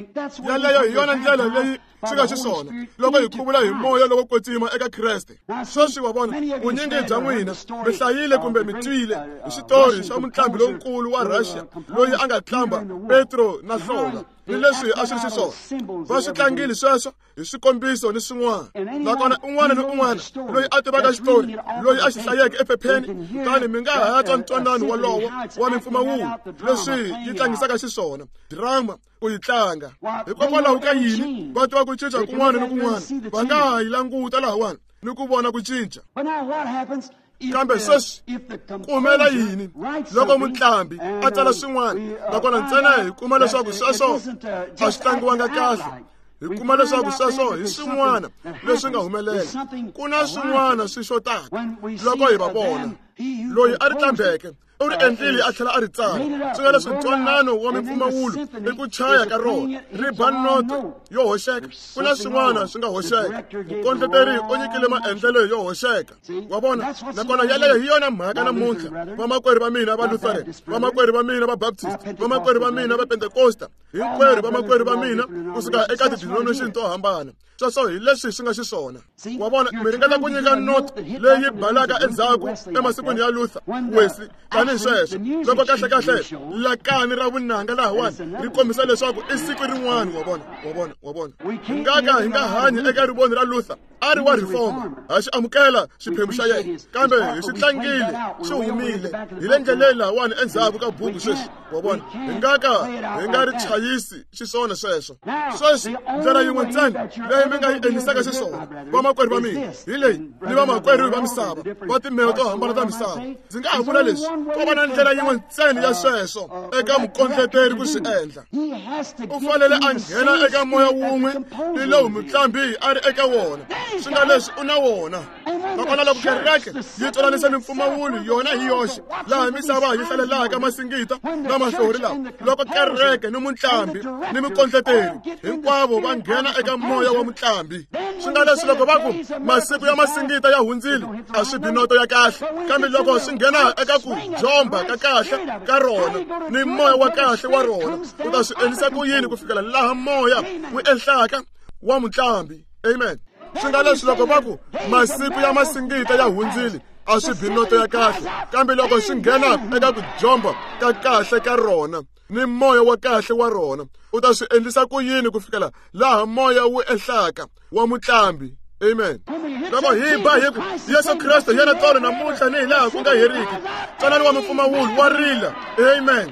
Yaleyo hi yona ndlela leyi swi nga xiswona loko hi khuvula hi moya lowo kwetsima eka Kreste. Sweswi wa vona, vunyingi bya n'wina mi hlayile kumbe mi twile hi xitori xa mutlambi lonkulu wa Russia loyi a nga tlamba Petro na Hlonga, ni leswi a swi ri xiswona. Va swi tlangile sweswo hi swikombiso ni swin'wana. Nakona un'wana ni un'wana loyi a tivaka xitori, loyi a xi hlayeke ephepheni, kutani mi nga ha twa ntwanano wolowo wa mimpfumawulo leswi yi tlangisaka xiswona drama ku yi tlanga. Hikokwalaho ka yini va tiva ku cinca kun'wana ni kun'wana, va nga ha yi languta lahawani ni ku vona ku cinca. Kambe sweswi ku humelela yini loko mutlambi a tsala swin'wana, nakona ntsena hi kuma leswaku sweswo a swi tlangiwanga kahle? Hi kuma leswaku sweswo hi swin'wana leswi nga humelela. Ku na swin'wana swi xotaka loko hi va vona. Loyi a ri tlambeke u ri endlile a tlhela a ri tsala. Swi nga leswi ntwanano wa mimpfumawulo i ku chaya ka rona, ri ba noto yo hoxeka. Ku na swin'wana swi nga hoxeka. Mukondleteri u nyikile maendlelo yo hoxeka, wa vona. Nakona yaleyo hi yona mhaka namuntlha. Vamakwerhu va mina va Lutheran, vamakwerhu va mina va Baptist, vamakwerhu va mina va Pentecosta, hinkwerhu vamakwerhu va mina kusuka eka ti-denomination to hambana. Sweswo hi leswi swi nga xiswona, wa vona. Mi ringeta ku nyika noto leyi balaka endzhaku emasikwini ya Luther, Wesley, tanihi sweswo, loko kahlekahle lakani ra vunanga lahawani ri kombisa leswaku i siku rin'wana, wa vona, wa vona, wa vona. Hi nga ka hi nga hanyi eka rivoni ra Luther, a ri wa reformer, ha xi amukela xiphemu xa yena, kambe hi xi tlangile, xi humile hi le ndleleni lahawani endzhaku ka buku sweswi, wa vona. Hi nga ka hi nga ri chayisi xiswona sweswo. Sweswi ndlela yin'we ntsena leyi mi nga yi endlisaka xiswona, vamakwerhu va mina, hi leyi ni vamakwerhu va misava va timbewu to hambana ta misava. Ndzi nga ha vula leswi, Ko va na ndlela yin'we ntsena ya sweswo eka mukondleteri ku swi endla. U fanele a nghena eka moya wun'we ni lowu mutlambi a ri eka wona. Swi nga leswi u na wona. Nakona loko kereke yi twananisa mimpfumawulo yona hi yoxe, laha misava yi hlalelaka masingita na mahlori lawa, loko kereke ni mutlambi ni mukondleteri hinkwavo va nghena eka moya wa mutlambi. Swi nga leswi loko va ku masiku ya masingita ya hundzile, a swi bi noto ya kahle, kambe loko swi nghena eka ku jomba ka kahle ka rona ni moya wa kahle wa rona, u ta swi endlisa ku yini ku fikela laha moya wu ehlaka wa mutlambi? Amen. Swi nga leswi loko va ku masiku ya masingita ya hundzile, a swi bi noto ya kahle, kambe loko swi nghena eka ku jomba ka kahle ka rona ni moya wa kahle wa rona, u ta swi endlisa ku yini ku fikela laha moya wu ehlaka wa mutlambi? Amen. Loko hi ba hi ku Yesu Kriste yena tolo namuntlha ni hi laha ku nga heriki, twanani wa mimpfumawulo wa rila. Amen.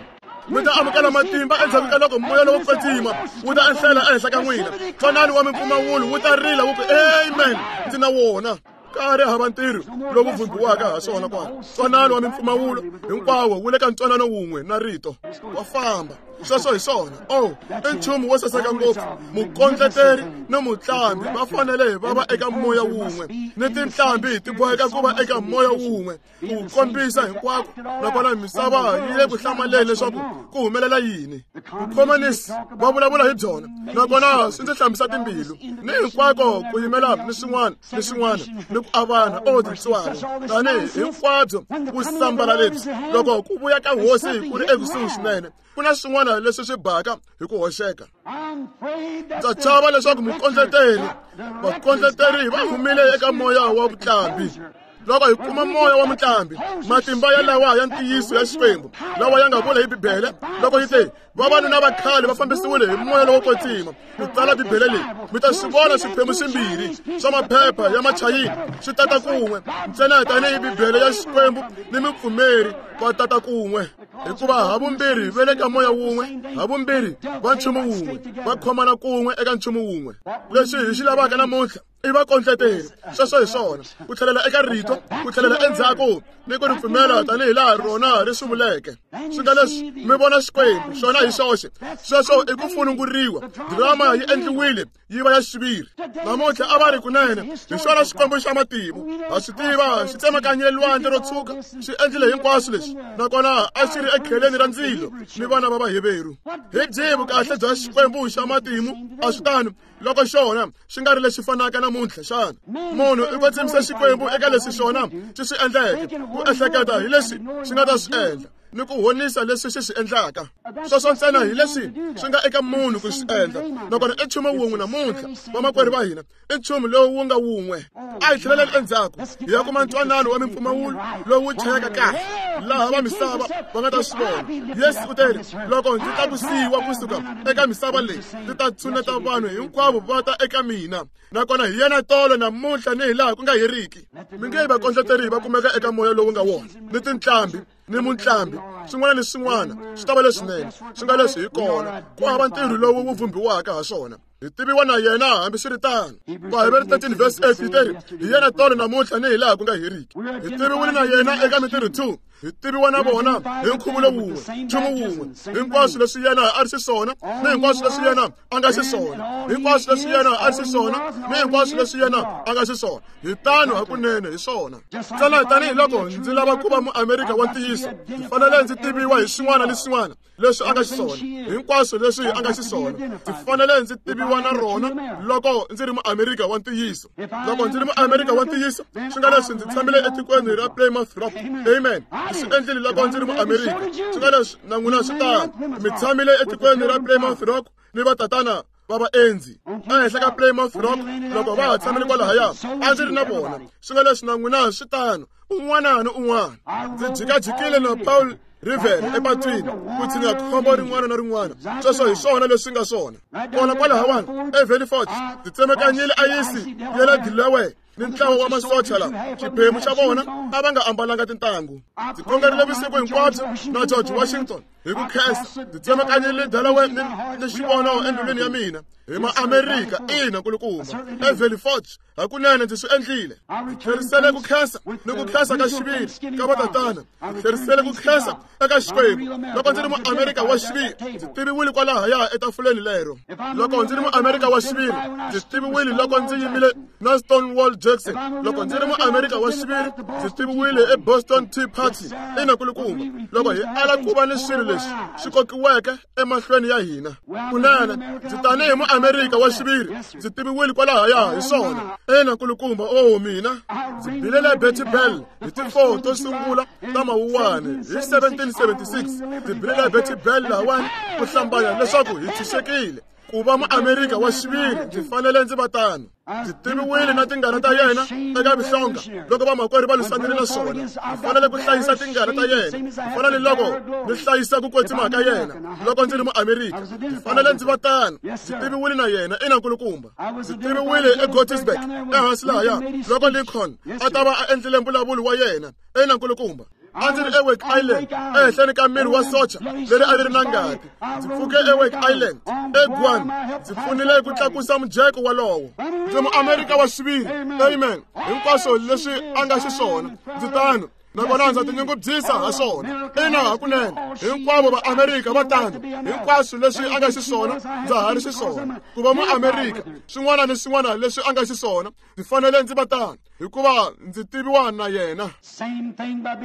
Mi ta amukela matimba endzhaku ka loko moya lowo kwetsima wu ta ehlela ehenhla ka n'wina. Twanani wa mimpfumawulo wu ta rila wu ku amen, ndzi na wona. Ka ri hava ntirho lowu vhumbiwaka ha swona kwala. Ntwanano wa mimpfumawulo hinkwawo wu le ka ntwanano wun'we na rito wa famba. Sweswo hi swona. Oh, i nchumu wo saseka ngopfu. Mukondleteri ni mutlambi va fanele va va eka moya wun'we, ni tinhlambi ti boheka ku va eka moya wun'we ku kombisa hinkwako. Nakona misava yi le ku hlamaleni leswaku ku humelela yini. Vukhomanisi va vulavula hi byona, nakona swi ndzi hlambisa timbilu ni hinkwako ku yimela ni swin'wana ni swin'wana ni ku avana. O tintswalo tanihi hinkwabyo ku sambala lebyi loko ku vuya ka hosi ku ri ekusuhi swinene, ku na swin'wana leswi swi baka hi ku hoxeka. Ndza chava leswaku mukondleteri vakondleteri va humile eka moya wa vutlambi. Loko hi kuma moya wa mutlambi, matimba ya lawa ya ntiyiso ya Xikwembu lawa ya nga vula hi Bibele loko yi te vavanuna va khale va fambisiwile hi moya lowo kwetsima ku tsala Bibele leyi, mi ta swi vona swiphemu swimbirhi swa maphepha ya machayini swi tata kun'we ntsena tanihi Bibele ya Xikwembu ni mupfumeri va tata kun'we, hikuva havumbirhi va le ka moya wun'we, havumbirhi va nchumu wun'we, va khomana kun'we eka nchumu wun'we. Leswi hi xi lavaka namuntlha i vakondleteri. Sweswo hi swona, ku tlhelela eka rito, ku tlhelela endzhaku ni ku ri pfumela tanihi laha rona ri swi vuleke. Swi nga leswi mi vona Xikwembu xona hi xoxe. Sweswo i ku fununguriwa. Drama yi endliwile yi va ya xiviri. Namuntlha a va ri kunene hi xona Xikwembu xa matimu. Ha swi tiva xi tsemakanyile lwandle ro tshuka, xi endlile hinkwaswo leswi, nakona a xi ri ekheleni ra ndzilo ni vana va Vaheveru. Hi byihi vukahle bya Xikwembu xa matimu? A swi tano loko xona xi nga ri lexi fanaka namuntlha xana? Munhu i kwetsimisa Xikwembu eka leswi xona xi swi endleke, ku ehleketa hi leswi xi nga ta swi endla ni ku honisa leswi xi swi endlaka. Sweswo ntsena hi leswi swi nga eka munhu ku swi endla. Nakona i nchumu wun'we namuntlha, vamakwerhu va hina, i nchumu lowu wu nga wun'we. A hi tlheleleni endzhaku hi ya kuma ntwanano wa mimpfumawulo lowu chayaka kahle laha va misava va nga ta swi vona. Yesu u teri, loko ndzi tlakusiwa kusuka eka misava leyi, ndzi ta tshuneta vanhu hinkwavo va ta eka mina. Nakona hi yena tolo namuntlha ni hi laha ku nga heriki. Mi nge vakondleteri va kumeka eka moya lowu nga wona ni tinhlambi ni mutlambi, swin'wana ni swin'wana swi ta va leswinene. Swi nga leswi hi kona ku hava ntirho lowu wu vhumbiwaka ha swona. Hi tiviwa na yena hambiswiritano. Vaheveri thirteen verse eight yi teri hi yena tolo namuntlha ni hi laha ku nga heriki. Hi tiviwile na yena eka mintirho two. Hi tiviwa na vona hi nkhuvulo wun'we, nchumu wun'we. Hinkwaswo leswi yena a ri xiswona ni hinkwaswo leswi yena a nga xiswona, hinkwaswo leswi yena a ri xiswona ni hinkwaswo leswi yena a nga xiswona, hi tano hakunene hi swona. Ntsena tanihiloko ndzi lava ku va muamerika wa ntiyiso, ndzi fanele ndzi tiviwa hi swin'wana ni swin'wana leswi a nga xiswona, hinkwaswo leswi a nga xiswona, ndzi fanele ndzi tiviwa na rona loko ndzi ri muamerika wa ntiyiso. Loko ndzi ri muamerika wa ntiyiso, swi nga leswi ndzi tshamile etikweni ra Plymouth Rock. Amen. Swi endlile loko ndzi ri muamerika. Swi nga leswi na n'wina swi tano. Mi tshamile etikweni ra Plymouth Rock ni vatatana va vaendzi ehenhla ka Plymouth Rock loko va ha tshamile kwalahaya, a ndzi ri na vona. Swi nga leswi na n'wina swi tano, un'wana ni un'wana. Ndzi jikajikile na Paul River epatwini ku tshinya khombo rin'wana na rin'wana. Sweswo hi swona leswi nga swona. Kona kwalahawani eValley Forge ndzi tsemakanyile ayisi ya le Delaware ni ntlawa wa masocha lawa xiphemu xa vona a va nga ambalanga tintangu. Ndzi khongerile vusiku hinkwabyo na George Washington Hi ku khensa ndzi tsemakanyile Delaware ni ni xivono endlwini ya mina hi ma-Amerika. Ina nkulukumba, eValley Forge hakunene ndzi swi endlile. Ndzi tlherisele ku khensa ni ku khensa ka xiviri ka vatatana. Ndzi tlherisele ku khensa eka Xikwembu. Loko ndzi ri mu-Amerika wa xiviri, ndzi tiviwile kwalahaya etafuleni lero. Loko ndzi ri mu-Amerika wa xiviri, ndzi tiviwile loko ndzi yimile na Stonewall Jackson. Loko ndzi ri mu-Amerika wa xiviri, ndzi tiviwile eBoston Tea Party. Ina nkulukumba, loko hi ala ku va ni swilo leswi swi kokiweke emahlweni ya hina, kunene ndzi tanihi mu-Amerika wa xiviri, ndzi tiviwile kwalahaya hi swona. Ina nkulukumba, o mina ndzi bilele Betty Bell hi ti-four to sungula ta Mawuwani hi seventeen seventy-six. Ndzi bilele Betty Bell lahawani ku hlambanya leswaku hi tshunxekile. Ku va mu-Amerika wa xiviri ndzi fanele ndzi va tano. Ndzi tiviwile na tingana ta yena eka vihlonga loko vamakwerhu va lwisanile na swona. Ndzi fanele ku hlayisa tingana ta yena ku fana ni loko ni hlayisa ku kwetsima ka yena loko ndzi ri mu-Amerika. Ndzi fanele ndzi va tano. Ndzi tiviwile na yena. Ina nkulukumba, ndzi tiviwile eGettysburg ehansi lahaya loko Lincoln a ta va a endlile mbulavulo wa yena. Ina nkulukumba, a ndzi ri eWake Island ehenhleni ka miri wa socha leri a ri ri na ngati. Ndzi pfuke eWake Island eGuam, ndzi pfunile ku tlakusa mujeko walowo. Ndzi mu-Amerika wa xiviri. Amen. Hinkwaswo leswi a nga xiswona ndzi tano, nakona ndza tinyungubyisa ha swona. Ina hakunene, hinkwavo va-Amerika va tano. Hinkwaswo leswi a nga xiswona ndza ha ri xiswona. Ku va mu-Amerika, swin'wana ni swin'wana leswi a nga xiswona ndzi fanele ndzi va tano, hikuva ndzi tiviwa na yena.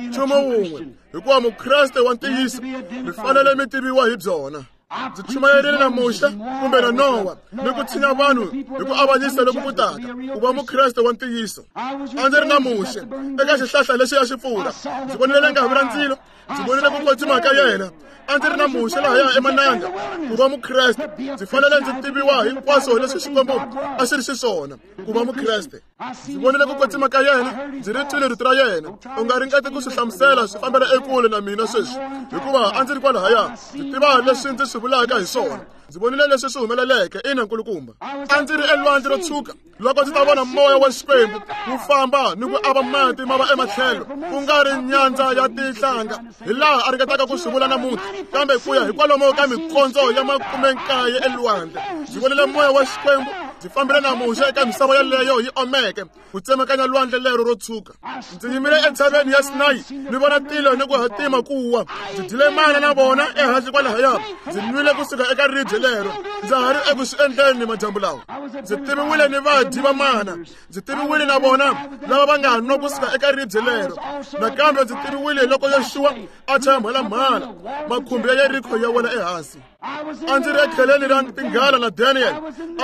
Nchumu wun'we, hikuva mukreste wa ntiyiso mi fanele mi tiviwa hi byona. Ndzi chumayerile na Muxe kumbe na Nowa ni ku tshinya vanhu hi ku avanyisa loku ku taka. Ku va mukreste wa ntiyiso, a ndzi ri na Muxe eka xihlahla lexi ya xi pfula. Ndzi vonile ngavi ra ndzilo, ndzi vonile ku kwetsima ka yena. A ndzi ri na Muxe lahaya emananga. Ku va mukreste ndzi fanele ndzi tiviwa hinkwaswo leswi Xikwembu a xi ri xiswona. Ku va mukreste, ndzi vonile ku kwetsima ka yena, ndzi ri twile rito ra yena. U nga ringeti ku swi hlamusela, swi fambela ekule na mina sweswi, hikuva a ndzi ri kwalahaya. Ndzi tiva leswi ndzi swi vulaka hi swona. Ndzi vonile leswi swi humeleleke. Ina nkulukumba, a ndzi ri elwandle ro tshuka loko ndzi ta vona moya wa Xikwembu wu famba ni ku ava mati ma va ematlhelo, ku nga ri nyandza ya tinhlanga hi laha a ringetaka ku swi vula namuntlha, kambe ku ya hi kwalomo ka mikondzo ya makumenkaye elwandle. Ndzi vonile moya wa Xikwembu. Ndzi fambile na Muxe eka misava yaleyo yi omeke ku tsemakanya lwandle lero ro tshuka. Ndzi yimile entshaveni ya Sinayi ni vona tilo ni ku hatima ku wa. Ndzi dyile mana na vona ehansi kwalahaya. Ndzi nwile kusuka eka ribye lero. Ndza ha ri eku swi endleni madyambu lawa. Ndzi tiviwile ni vadyi va mana. Ndzi tiviwile na vona lava va nga nwa kusuka eka ribye lero. Nakambe ndzi tiviwile loko Yoxuwa a chaya mhalamhala, makhumbi ya Yeriko ya wela ehansi. A ndzi ri ekheleni ra tinghala na Daniel.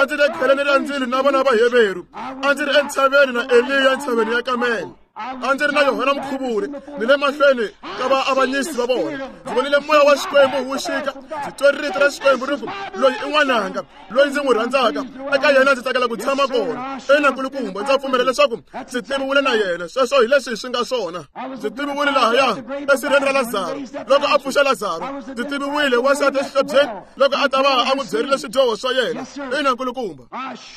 A ndzi ri ekheleni ra ndzilo na vana va Heveru. A ndzi ri entshaveni na Eliya entshaveni ya Kamele. A ndzi ri na Yohana Mukhuvuri ni le mahlweni ka vaavanyisi va vona. Ndzi vonile moya wa Xikwembu wu xika. Ndzi twe rito ra Xikwembu ri ku, loyi i n'wananga, loyi ndzi n'wi rhandzaka, eka yena ndzi tsakela ku tshama kona. Ina nkulukumba, ndza pfumela leswaku ndzi tiviwile na yena. Sweswo hi leswi swi nga swona. Ndzi tiviwile lahaya esirheni ra Lazaro loko a pfuxa Lazaro. Ndzi tiviwile wansati exihlobyeni loko a ta va a n'wi byerile swidyoho swa yena. Ina nkulukumba,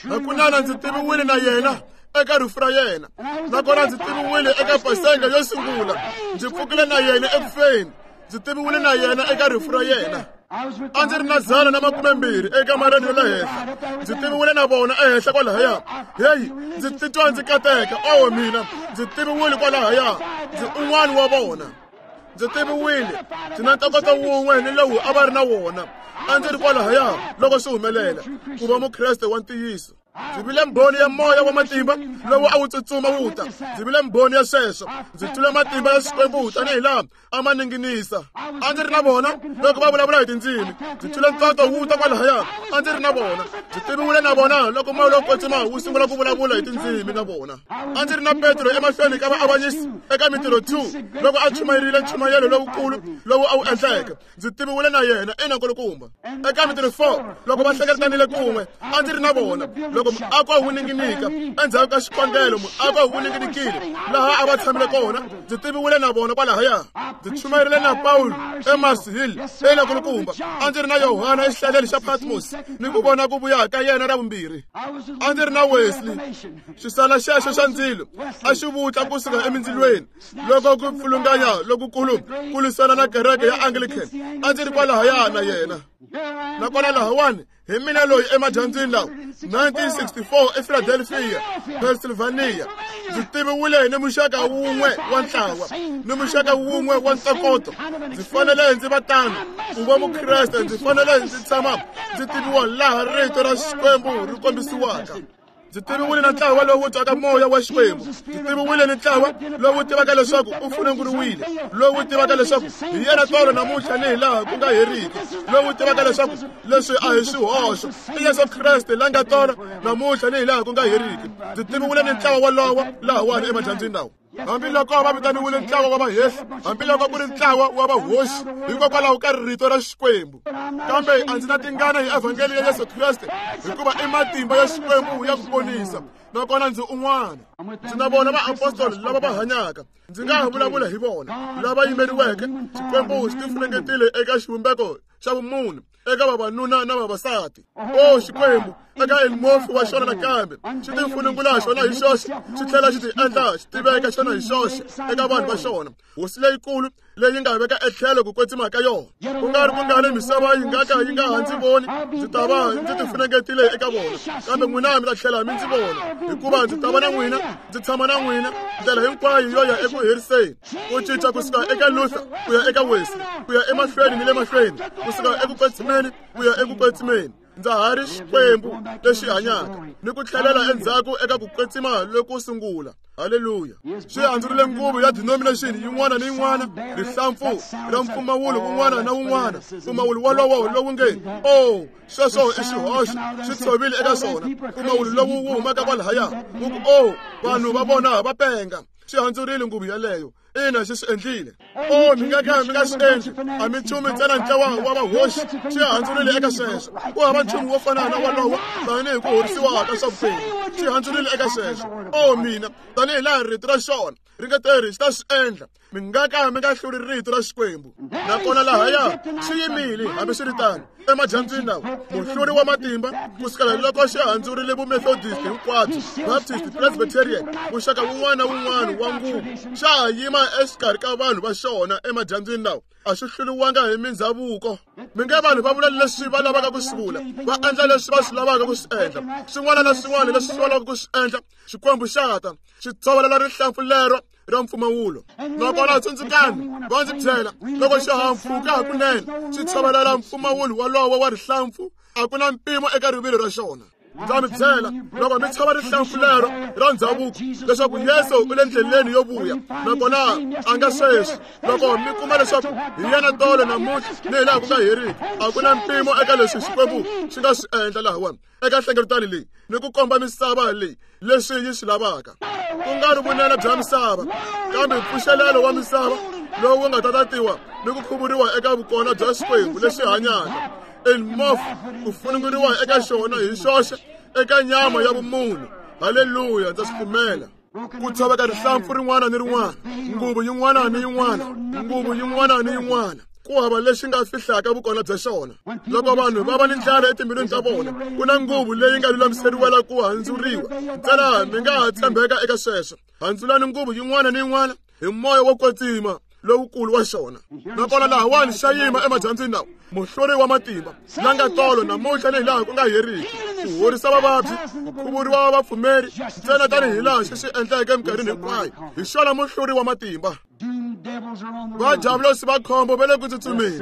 hakunene ndzi tiviwile na yena eka rifu ra yena. Nakona ndzi tiviwile eka Paseka yo sungula. Ndzi pfukile na yena ekufeni. Ndzi tiviwile na yena eka rifu ra yena. A ndzi ri na dzana na makumembirhi ekamareni yo le henhla. Ndzi tiviwile na vona ehenhla kwalahaya. Heyi, ndzi titwa ndzi kateka. Oho mina, ndzi tiviwile kwalahaya. Ndzi un'wana wa vona. Ndzi tiviwile. Ndzi na ntokoto wun'we ni lowu a va ri na wona. A ndzi ri kwalahaya loko swi humelela. Ku va mukreste wa ntiyiso. Ndzi vile mbhoni ya moya wa matimba lowu a wu tsutsuma wu ta. Ndzi vile mbhoni ya sweswo. Ndzi twile matimba ya Xikwembu tanihi laha a ma ninginisa. A ndzi ri na vona loko va vulavula hi tindzimi. Ndzi twile ntoto wu ta kwalahaya. A ndzi ri na vona. Ndzi tiviwile na vona loko moya lowo kwetsima wu sungula ku vulavula hi tindzimi na vona. A ndzi ri na Petro emahlweni ka vaavanyisi eka Mintirho two loko a chumayerile nchumayelo lowukulu lowu a wu endleke. Ndzi tiviwile na yena. Ina nkulukumba. Eka Mintirho four loko va hlengeletanile kun'we, a ndzi ri na vona loko Loko muako wu ninginika endzhaku ka xikongelo muako wu ninginikile laha a va tshamile kona ndzi tiviwile na vona kwalahaya. Ndzi chumayerile na Paulo eMars Hill eNakulukumba. A ndzi ri na Yohana exihlaleni xa Patmos ni ku vona ku vuya ka yena ra vumbirhi. A ndzi ri na Wesley. Xisala xexo xa ndzilo a xi vutla kusuka emindzilweni loko ku pfulunganya lokukulu ku lwisana na kereke ya Anglican. A ndzi ri kwalahaya na yena. Nakona lahawani hi mina loyi emadyambyini lawa nineteen sixty-four ePhiladelphia, Pennsylvania. Ndzi tiviwile ni muxaka wun'we wa ntlawa ni muxaka wun'we wa ntokoto. Ndzi fanele ndzi va tano ku va Mukreste. Ndzi fanele ndzi tshama ndzi tiviwa laha rito ra Xikwembu ri kombisiwaka. Ndzi tiviwile na ntlawa lowu twaka moya wa Xikwembu. Ndzi tiviwile ni ntlawa lowu tivaka leswaku u funenguriwile, lowu tivaka leswaku hi yena tolo namuntlha ni hi laha ku nga heriki, lowu tivaka leswaku leswi a hi swihoxo i Yesu Kreste la nga tolo namuntlha ni hi laha ku nga heriki. Ndzi tiviwile ni ntlawa wolowo lahawani emadyambyini lawa. Hambiloko va vitaniwile ntlawa wa vahehli, hambiloko ku ri ntlawa wa vahoxi hikokwalaho ka rito ra Xikwembu, kambe a ndzi na tingana hi evhangeli ya Yesu Kreste hikuva i matimba ya Xikwembu ya ku ponisa. Nakona ndzi un'wana. Ndzi na vona vaapostoli lava va hanyaka. Ndzi nga ha vulavula hi vona lava yimeriweke. Xikwembu xi tifunengetile eka xivumbeko xa vumunhu eka vavanuna na vavasati. O Xikwembu eka elmofi wa xona nakambe xi tifunengula xona hi xoxe, xi tlhela xi ti endla xi tiveka xona hi xoxe eka vanhu va xona. Hosi leyikulu leyi nga veka etlhelo ku kwetsima ka yona. Ku nga ri ku nga ri misava yi nga ka yi nga ha ndzi voni, ndzi ta va ndzi tifunengetile eka vona. Kambe n'wina mi ta tlhela mi ndzi vona, hikuva ndzi ta va na n'wina, ndzi tshama na n'wina ndlela hinkwayo yo ya eku heriseni. Ku cinca kusuka eka Luther ku ya eka Wesley, ku ya emahlweni ni le mahlweni, kusuka eku kwetsimeni ku ya eku kwetsimeni. Ndza ha ri Xikwembu lexi hanyaka ni ku tlhelela endzhaku eka ku kwetsima loko sungula. Haleluya. Xi handzurile nguvu ya denomination yin'wana ni yin'wana, rihlampfu ra mpfumawulo wun'wana na wun'wana, mpfumawulo wolowo lowu nge o sweswo i xihoxo, xi tshovile eka swona. Mpfumawulo lowu wu humaka kwalahaya wu ku o vanhu va vona va penga. Xi handzurile nguvu yaleyo. Ina, xi swi endlile. O mi nga ka mi nga swi endli, a mi nchumu ntsena ntlawa wa vahoxi. Xi handzurile eka sweswo. Ku hava nchumu wo fana na wolowo tanihi ku horisiwa ka swa vutomi. Xi handzurile eka sweswo. O mina, tanihi laha rito ra xona ri nga teri xi ta swi endla. Mi nga ka mi nga hluri rito ra Xikwembu. Nakona lahaya xi yimile hambiswiritano emadyambyini lawa muhluri wa matimba kusukela loko xi handzurile vumethodist hinkwabyo, Baptist, Presbyterian, muxaka wun'wana na wun'wana wa nguvu, xa ha yima exikarhi ka vanhu va xona emadyambyini lawa. A xi hluriwanga hi mindzhavuko. Mi nge vanhu va vula leswi va lavaka ku swi vula, va endla leswi va swi lavaka ku swi endla, swin'wana na swin'wana leswi va lavaka ku swi endla. Xikwembu xa ta xi tshovelela rihlampfu lero ra mpfumawulo. Nakona tsundzukani va ndzi byela loko xihahampfhuka hakunene xi tshovelela mpfumawulo wolowo wa rihlampfu, a ku na mpimo eka rivilo ra xona. Ndza mi byela loko mi tshova rihlampfu lero ra ndzhavuko leswaku Yesu u le ndleleni yo vuya, nakona a nga sweswi. Loko mi kuma leswaku hi yena tolo namuntlha ni hi laha ku nga heriki, a ku na mpimo eka leswi Xikwembu xi nga swi endla lahawani eka nhlengeletano leyi ni ku komba misava leyi leswi yi swi lavaka. Ku nga ri vunene bya misava, kambe mpfuxelelo wa misava lowu wu nga ta tatiwa ni ku khuvuriwa eka vukona bya Xikwembu lexi hanyaka. Elmof ku funenguriwa eka xona hi xoxe eka nyama ya vumunhu. Haleluya, ndza swi pfumela. Ku tshoveka rihlampfu rin'wana ni rin'wana, nguvu yin'wana ni yin'wana, nguvu yin'wana ni yin'wana. Ku hava lexi nga fihlaka vukona bya xona. Loko vanhu va va ni ndlala etimbilwini ta vona, ku na nguvu leyi nga lulamiseriwela ku handzuriwa. Ntsena mi nga ha tshembeka eka sweswo. Handzulani nguvu yin'wana ni yin'wana hi moya wo kwetsima lowukulu wa xona. Nakona lahawani xa yima emadyambyini lawa muhluri wa matimba la nga tolo namuntlha ni hi laha ku nga heriki, ku horisa vavabyi, ku khuvuriwa vapfumeri ntsena tanihi laha xi swi endleke eminkarhini hinkwayo. Hi xona muhluri wa matimba. Vajavulosi va khombo va le ku tsutsumeni.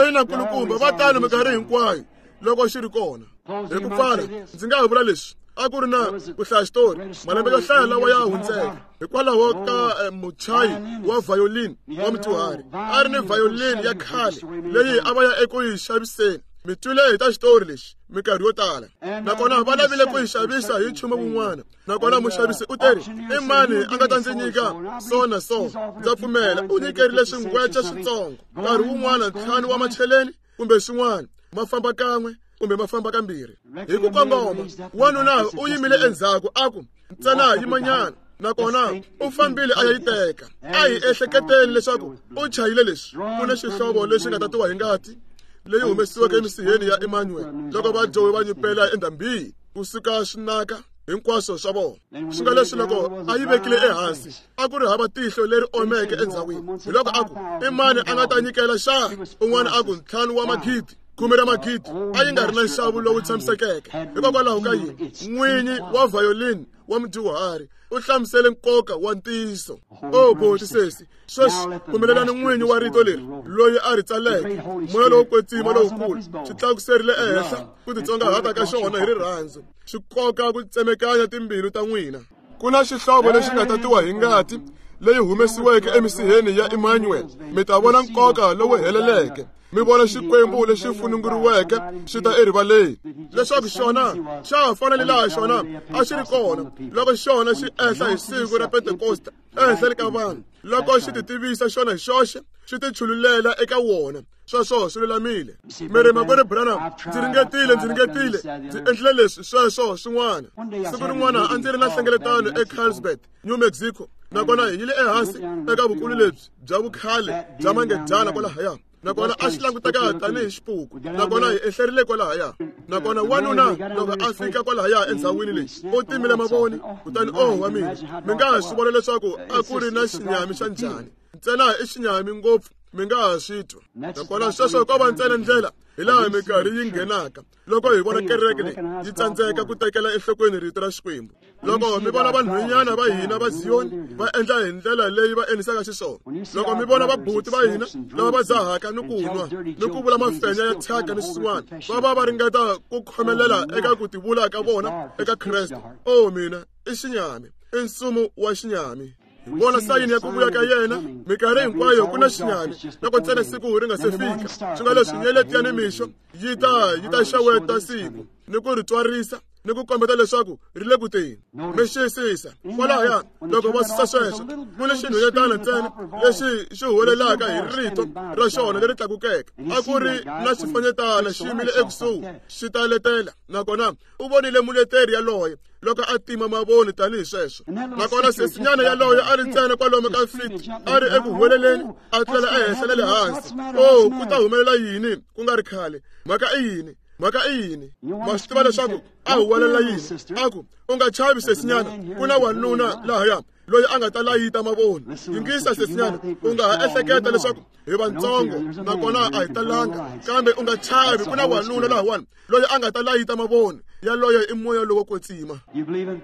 Ina nkulukumba, va tano minkarhi hinkwayo loko xi ri kona. Hi ku pfala, ndzi nga ha vula leswi. A ku ri na ku hlaya xitori malembe yo hlaya lawa ya hundzeke hikwalaho ka muchayi wa violin wa mudyuhari. A ri ni violin ya khale leyi a va ya eku yi xaviseni. Mi twile hi ta xitori lexi minkarhi yo tala. Nakona va lavile ku yi xavisa hi nchumu wun'wana. Nakona muxavisi u teri, i mani a nga ta ndzi nyika so na so? Ndza pfumela u nyikerile swingwece switsongo, nkarhi wun'wana ntlhanu wa macheleni kumbe swin'wana, ma famba kan'we kumbe ma famba kambirhi. Hi ku kongoma, wanuna u yimile endzhaku a ku, ntsena yimanyana. Nakona u fambile a ya yi teka. A hi ehleketeni leswaku u chayile leswi. Ku na xihlovo lexi nga tatiwa hi ngati leyi humesiweke emisiheni ya Emmanuel loko vadyohi va nyupela endhambini kusuka swinaka hinkwaswo swa vona. Swi nga leswi loko a yi vekile ehansi a ku ri hava tihlo leri omeke endzhawini. Hi loko a ku, i mani a nga ta nyikela xana? Un'wana a ku, ntlhanu wa magidi, khume ra magidi. A yi nga ri na nxavo lowu tshamisekeke. Hikokwalaho ka yini? N'winyi wa violin wa mudyuhari u hlamusele nkoka wa ntiyiso. O boti sesi, sweswi pfumelelani n'winyi wa rito leri loyi a ri tsaleke, moya lowo kwetsima lowukulu, xi tlakuserile ehenhla ku titsongahata ka xona hi rirhandzu, xi koka ku tsemekanya timbilu ta n'wina. Ku na xihlovo lexi nga tatiwa hi ngati leyi humesiweke emisiheni ya Emmanuel. Mi ta vona nkoka lowu heleleke. Mi vona Xikwembu lexi fununguriweke xi ta erivaleni, leswaku xona xa ha fana ni laha xona a xi ri kona loko xona xi ehla hi siku ra Pentekosta ehenhleni ka vanhu, loko xi ti tivisa xona hi xoxe, xi ti chululela eka wona. Sweswo swi lulamile. Mi ri, makwerhu Branham, ndzi ringetile, ndzi ringetile, ndzi endlile leswi, sweswo swin'wana. Siku rin'wana a ndzi ri na nhlengeletano eCarlsbad, New Mexico, nakona hi yile ehansi eka vukulu lebyi bya vukhale bya mangedyana kwalahaya. Nakona a xi languteka tanihi xipuku. Nakona hi ehlerile kwalahaya. Nakona wanuna loko a fika kwalahaya endzhawini leyi, u timile mavoni, kutani oh wa mina, mi nga ha swi vona leswaku a ku ri na xinyami xa njhani. Ntsena i xinyami ngopfu, mi nga ha swi twa. Nakona sweswo ko va ntsena ndlela hi laha minkarhi yi nghenaka loko hi vona kereke leyi yi tsandzeka ku tekela enhlokweni rito ra Xikwembu. Loko mi vona vanhwanyana va hina va Ziyoni va endla hi ndlela leyi va endlisaka xiswona, loko mi vona vabuti va hina lava va dzahaka ni ku nwa ni ku vula mafenya ya thyaka ni swin'wana, va va va ringeta ku khomelela eka ku tivula ka vona eka Kreste. O mina, i xinyami, i nsumu wa xinyami. Vona sayini ya ku vuya ka yena minkarhi hinkwayo ku na xinyami loko ntsena siku ri nga se fika. Swi nga leswi nyeleti ya nimixo yi ta yi ta xeweta siku ni ku ri tswarisa ni ku kombeta leswaku ri le ku teni. Mi xiyisisa kwalahaya loko va susa sweswo, ku ni xinhwanyetana ntsena lexi xi huwelelaka hi rito ra xona leri tlakukeke. A ku ri na xifanyetana xi yimile ekusuhi xi ta letela, nakona u vonile muleteri yaloye loko a tima mavoni tanihi sweswo. Nakona sesinyana yaloye a ri ntsena kwalomu ka fiti, a ri eku huweleleni, a tlela ehenhla na le hansi. O, ku ta humelela yini ku nga ri khale? Mhaka i yini? Mhaka i yini? Ma swi tiva leswaku a huwelela yini? A ku, u nga chavi sesinyana, ku na wanuna lahaya loyi a nga ta layita mavoni. Yingisa sesinyana, u nga ha ehleketa leswaku hi vantsongo nakona a hi talanga, kambe u nga chavi, ku na wanuna lahawani loyi a nga ta layita mavoni. Yaloye i moya lowo kwetsima.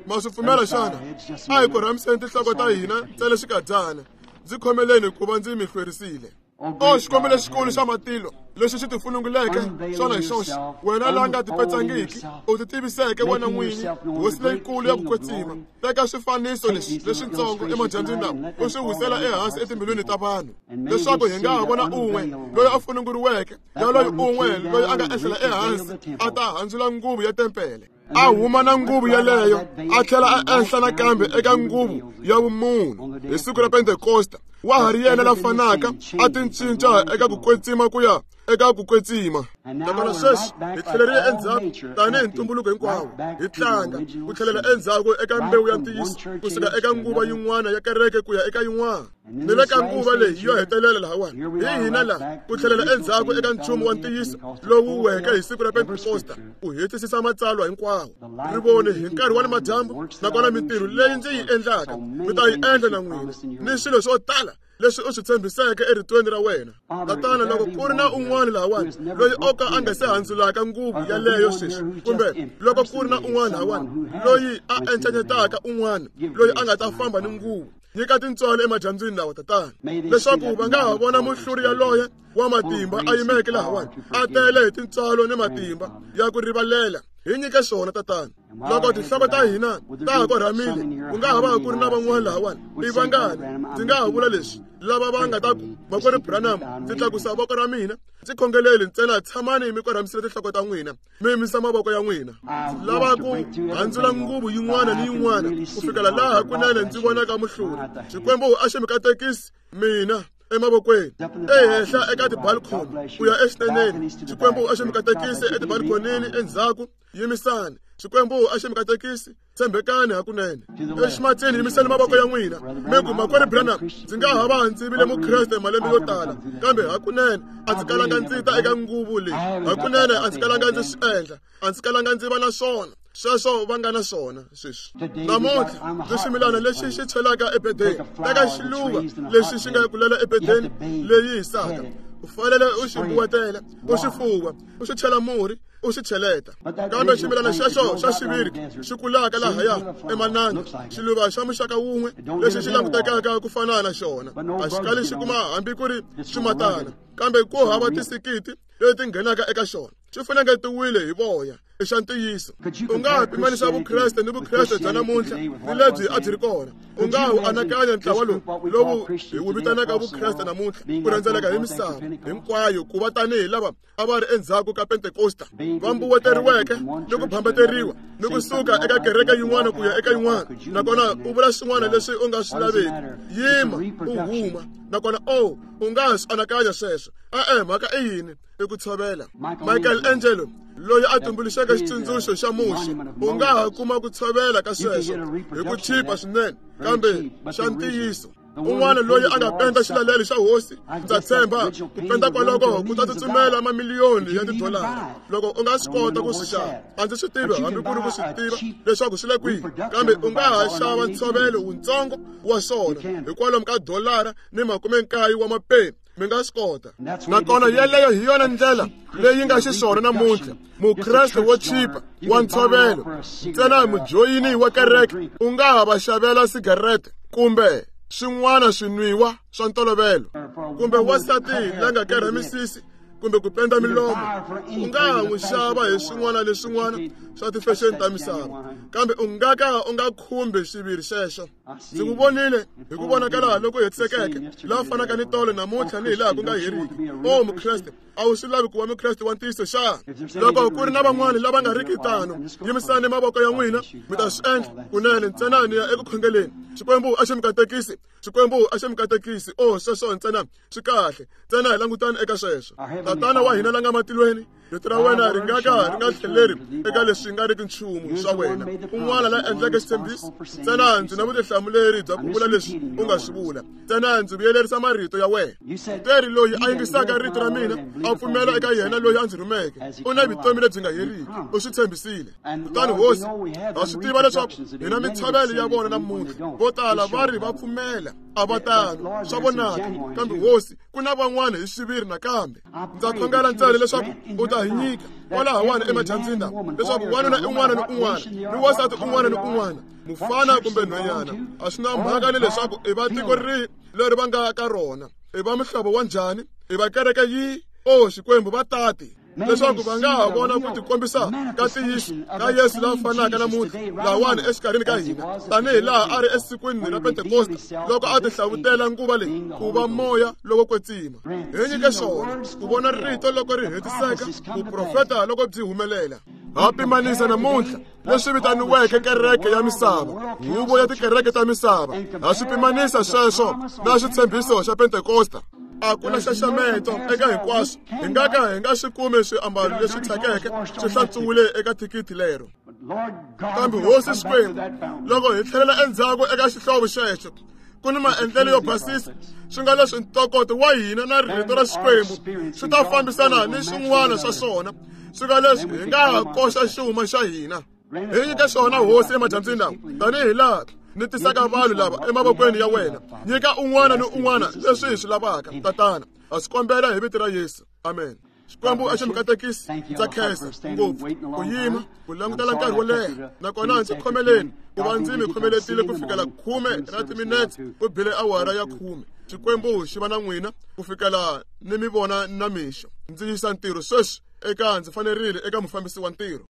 Ma swi pfumela xana? A hi korhamiseni tinhloko ta hina ntsena xikadyana. Ndzi khomeleni ku va ndzi mi hlwerisile. O Xikwembu lexikulu xa matilo lexi xi tifununguleke xona hi xoxe, wena la nga tipetsangiki, u ti tiviseke wena n'winyi, hosi leyikulu ya ku kwetsima. Teka swifaniso leswi leswitsongo emadyambyini lawa, u swi wisela ehansi etimbilwini ta vanhu, leswaku hi nga ha vona un'we loyi a fununguriweke, yaloyi un'we loyi a nga ehlela ehansi a ta handzula nguvu ya tempele, a huma na nguvu yaleyo, a tlhela a ehla nakambe eka nguvu ya vumunhu hi siku ra Pentekosta. Wa ha ri yena la fanaka, a tincinca eka ku kwetsima ku ya eka ku kwetsima. Nakona sweswi hi tlhelerile endzhaku tanihi ntumbuluko hinkwawo, hi tlanga ku tlhelela endzhaku eka mbewu ya ntiyiso, kusuka eka nguva yin'wana ya kereke ku ya eka yin'wana, ni le ka nguva leyi yo hetelela lahawani. Hi hina laha ku tlhelela endzhaku eka nchumu wa ntiyiso lowu weke hi siku ra Pentekosta, ku hetisisa matsalwa hinkwawo. Ri vone hi nkarhi wa le madyambu, nakona mintirho leyi ndzi yi endlaka mi ta yi endla na n'wina, ni swilo swo tala leswi u swi tshembiseke eritweni ra wena. Tatana, loko ku ri na un'wana lahawani loyi o ka a nga se handzulaka nguvu yaleyo sweswi, kumbe loko ku ri na un'wana lahawani loyi a encanyetaka un'wana loyi a nga ta famba ni nguvu, nyika tintswalo emadyambyini lawa, tatana, leswaku va nga ha vona muhluri yaloye wa matimba a yimeke lahawani, a tele hi tintswalo ni matimba ya ku rivalela. Hi nyike swona, tatana. Loko tinhloko ta hina ta ha korhamile, ku nga ha va ku ri na van'wana lahawani, i vangani ndzi nga ha vula leswi lava va nga ta ku, makwerhu Branham, ndzi tlakusa voko ra mina, ndzi khongeleli ntsena. Tshamani mi korhamisile tinhloko ta n'wina, mi yimisa mavoko ya n'wina. Lava ku handzula nguvu yin'wana ni yin'wana ku fikela laha kunene ndzi vonaka muhluri. Xikwembu a xi mi katekisi mina emavokweni, ehenhla eka tibalcony ku ya exineneni. Xikwembu a xi mi katekisi etibalconini endzhaku. Yimisani. Xikwembu a xi mi katekisi. Tshembekani hakunene. Eximatsini yimisani mavoko ya n'wina. Mi ku, Makwerhu Branham, ndzi nga ha va ndzi vile mukreste malembe yo tala, kambe hakunene a ndzi kalanga ndzi ta eka nguvu leyi. Hakunene a ndzi kalanga ndzi swi endla. A ndzi kalanga ndzi va na swona. Sweswo va nga na swona sweswi. Namuntlha ndzi ximilana lexi xi chelaka ebedeni. Teka xiluva lexi xi nga kulela ebedeni leyi hisaka. U fanele u xi buwetela, u xi fuwa, u xi chela murhi, u xi cheleta. Kambe ximilana xexo xa xiviri xi kulaka lahaya emananga, xiluva xa muxaka wun'we lexi xi langutekaka ku fana na xona, a xi kali xi kuma hambi ku ri ximatana, kambe ku hava tisikiti leti nghenaka eka xona. Xi funengetiwile hi voya. I xa ntiyiso. U nga ha pimanisa vukreste ni vukreste bya namuntlha ni lebyi a byi ri kona. U nga ha wu anakanya ntlawa lowu lowu hi wu vitanaka vukreste namuntlha ku rhendzeleka hi misava hinkwayo ku va tanihi lava a va ri endzhaku ka Pentekosta, va mbuweteriweke ni ku phambeteriwa ni ku suka eka kereke yin'wana ku ya eka yin'wana, nakona u vula swin'wana leswi u nga swi laveki. Yima u huma, nakona o u nga ha swi anakanya sweswo. E-e, mhaka i yini? I ku tshovela. Michael Angelo loyi a tumbuluxeke xitsundzuxo xa Muxe, u nga ha kuma ku tshovela ka sweswo hi ku chipa swinene, kambe xa ntiyiso. Un'wana loyi a nga penda xilalelo xa hosi, ndza tshemba ku penda kwaloko ku ta tsutsumela mamiliyoni ya tidolara loko u nga swi kota ku swi xava. A ndzi swi tivi hambi ku ri ku swi tiva leswaku swi le kwihi, kambe u nga ha xava ntshovelo wutsongo wa swona hikwalomu ka dolara ni makume nkaye wa mapeni. Mi nga swi kota. Nakona yeleyo hi yona ndlela leyi nga xiswona namuntlha. Mukreste wo chipa wa ntshovelo ntsena mujoyini wa kereke u nga ha va xavela sigarete kumbe swin'wana swinwiwa swa ntolovelo, kumbe wansati la nga kerha misisi kumbe ku penda milomo, u nga ha n'wi xava hi swin'wana leswin'wana swa tifexeni ta misava, kambe u nga ka u nga khumbi xiviri xexo. Ndzi n'wi vonile hi ku vonakala loko hetisekeke, laha fanaka ni tolo namuntlha ni hi laha ku nga heriki. O mukreste, a wu swi lavi ku va mukreste wa ntiyiso xana? Loko ku ri na van'wani lava nga riki tano, yimisani mavoko ya n'wina, mi ta swi endla kunene. Ntsena ni ya eku khongeleni. Xikwembu a xi mi katekisi. Xikwembu a xi mi katekisi. O sweswo ntsena swi kahle. Ntsena hi langutani eka sweswo. Tatana wa hina la nga matilweni, rito ra wena ri nga ka ri nga tlheleri eka leswi nga riki nchumu swa wena. Un'wana la endleke xitshembiso, ntsena ndzi na vutihlamuleri bya ku vula leswi u nga swi vula. Ntsena ndzi vuyelerisa marito ya wena. Teri loyi a yingisaka rito ra mina a pfumela eka yena loyi a ndzi rhumeke, u na vutomi lebyi nga heriki. U swi tshembisile. Kutani hosi, ha swi tiva leswaku hina mitshovelo ya vona namuntlha. Vo tala va ri va pfumela, a va tano, swa vonaka. Kambe hosi, ku na van'wana hi xiviri nakambe. Ndza khongela ntsena leswaku u ta hi nyika kwalahawani emadyambyini lawa, leswaku wanuna un'wana ni un'wana ni wansati un'wana ni un'wana, mufana kumbe nhwanyana, a swi na mhaka ni leswaku i va tiko rihi leri va nga ka rona, i va muhlovo wa njhani, i va kereke yihi, o Xikwembu va tati, leswaku va nga ha vona ku tikombisa ka ntiyiso ka Yesu la fanaka namuntlha lawani exikarhini ka hina, tanihi laha a ri esikwini ra Pentekosta loko a tihlavutela nguva leyi ku va moya lowo kwetsima. Hi nyike swona ku vona rito loko ri hetiseka, vuprofeta loko byi humelela. Ha pimanisa namuntlha leswi vitaniweke kereke ya misava, huvo ya tikereke ta misava. Ha swi pimanisa sweswo na xitshembiso xa Pentekosta. A ku na nxaxameto eka hinkwaswo. Hi nga ka hi nga swi kumi swiambalo leswi thyakeke swi hlantswiwile eka thikithi lero. Kambe hosi Xikwembu, loko hi tlhelela endzhaku eka xihlovo xexo, ku ni maendlelo yo basisa, swi nga leswi ntokoto wa hina na rito ra Xikwembu swi ta fambisana ni swin'wana swa swona, swi nga leswi hi nga ha koxa xuma xa hina. Hi nyike swona hosi emadyambyini lawa, tanihi laha ni tisaka vanhu lava emavokweni ya wena. Nyika un'wana ni un'wana leswi hi swi lavaka, Tatana. Ha swi kombela hi vito ra Yesu. Amen. Xikwembu a xi mi katekisi. Ndza khensa ngopfu ku yima ku langutela nkarhi wo leha, nakona ndzi khomeleni ku va ndzi mi khomeletile ku fikela khume ra timinetse ku bile awara ya khume. Xikwembu xi va na n'wina ku fikela ni mi vona na mixo. Ndzi yisa ntirho sweswi eka ndzi fanerile eka mufambisi wa ntirho.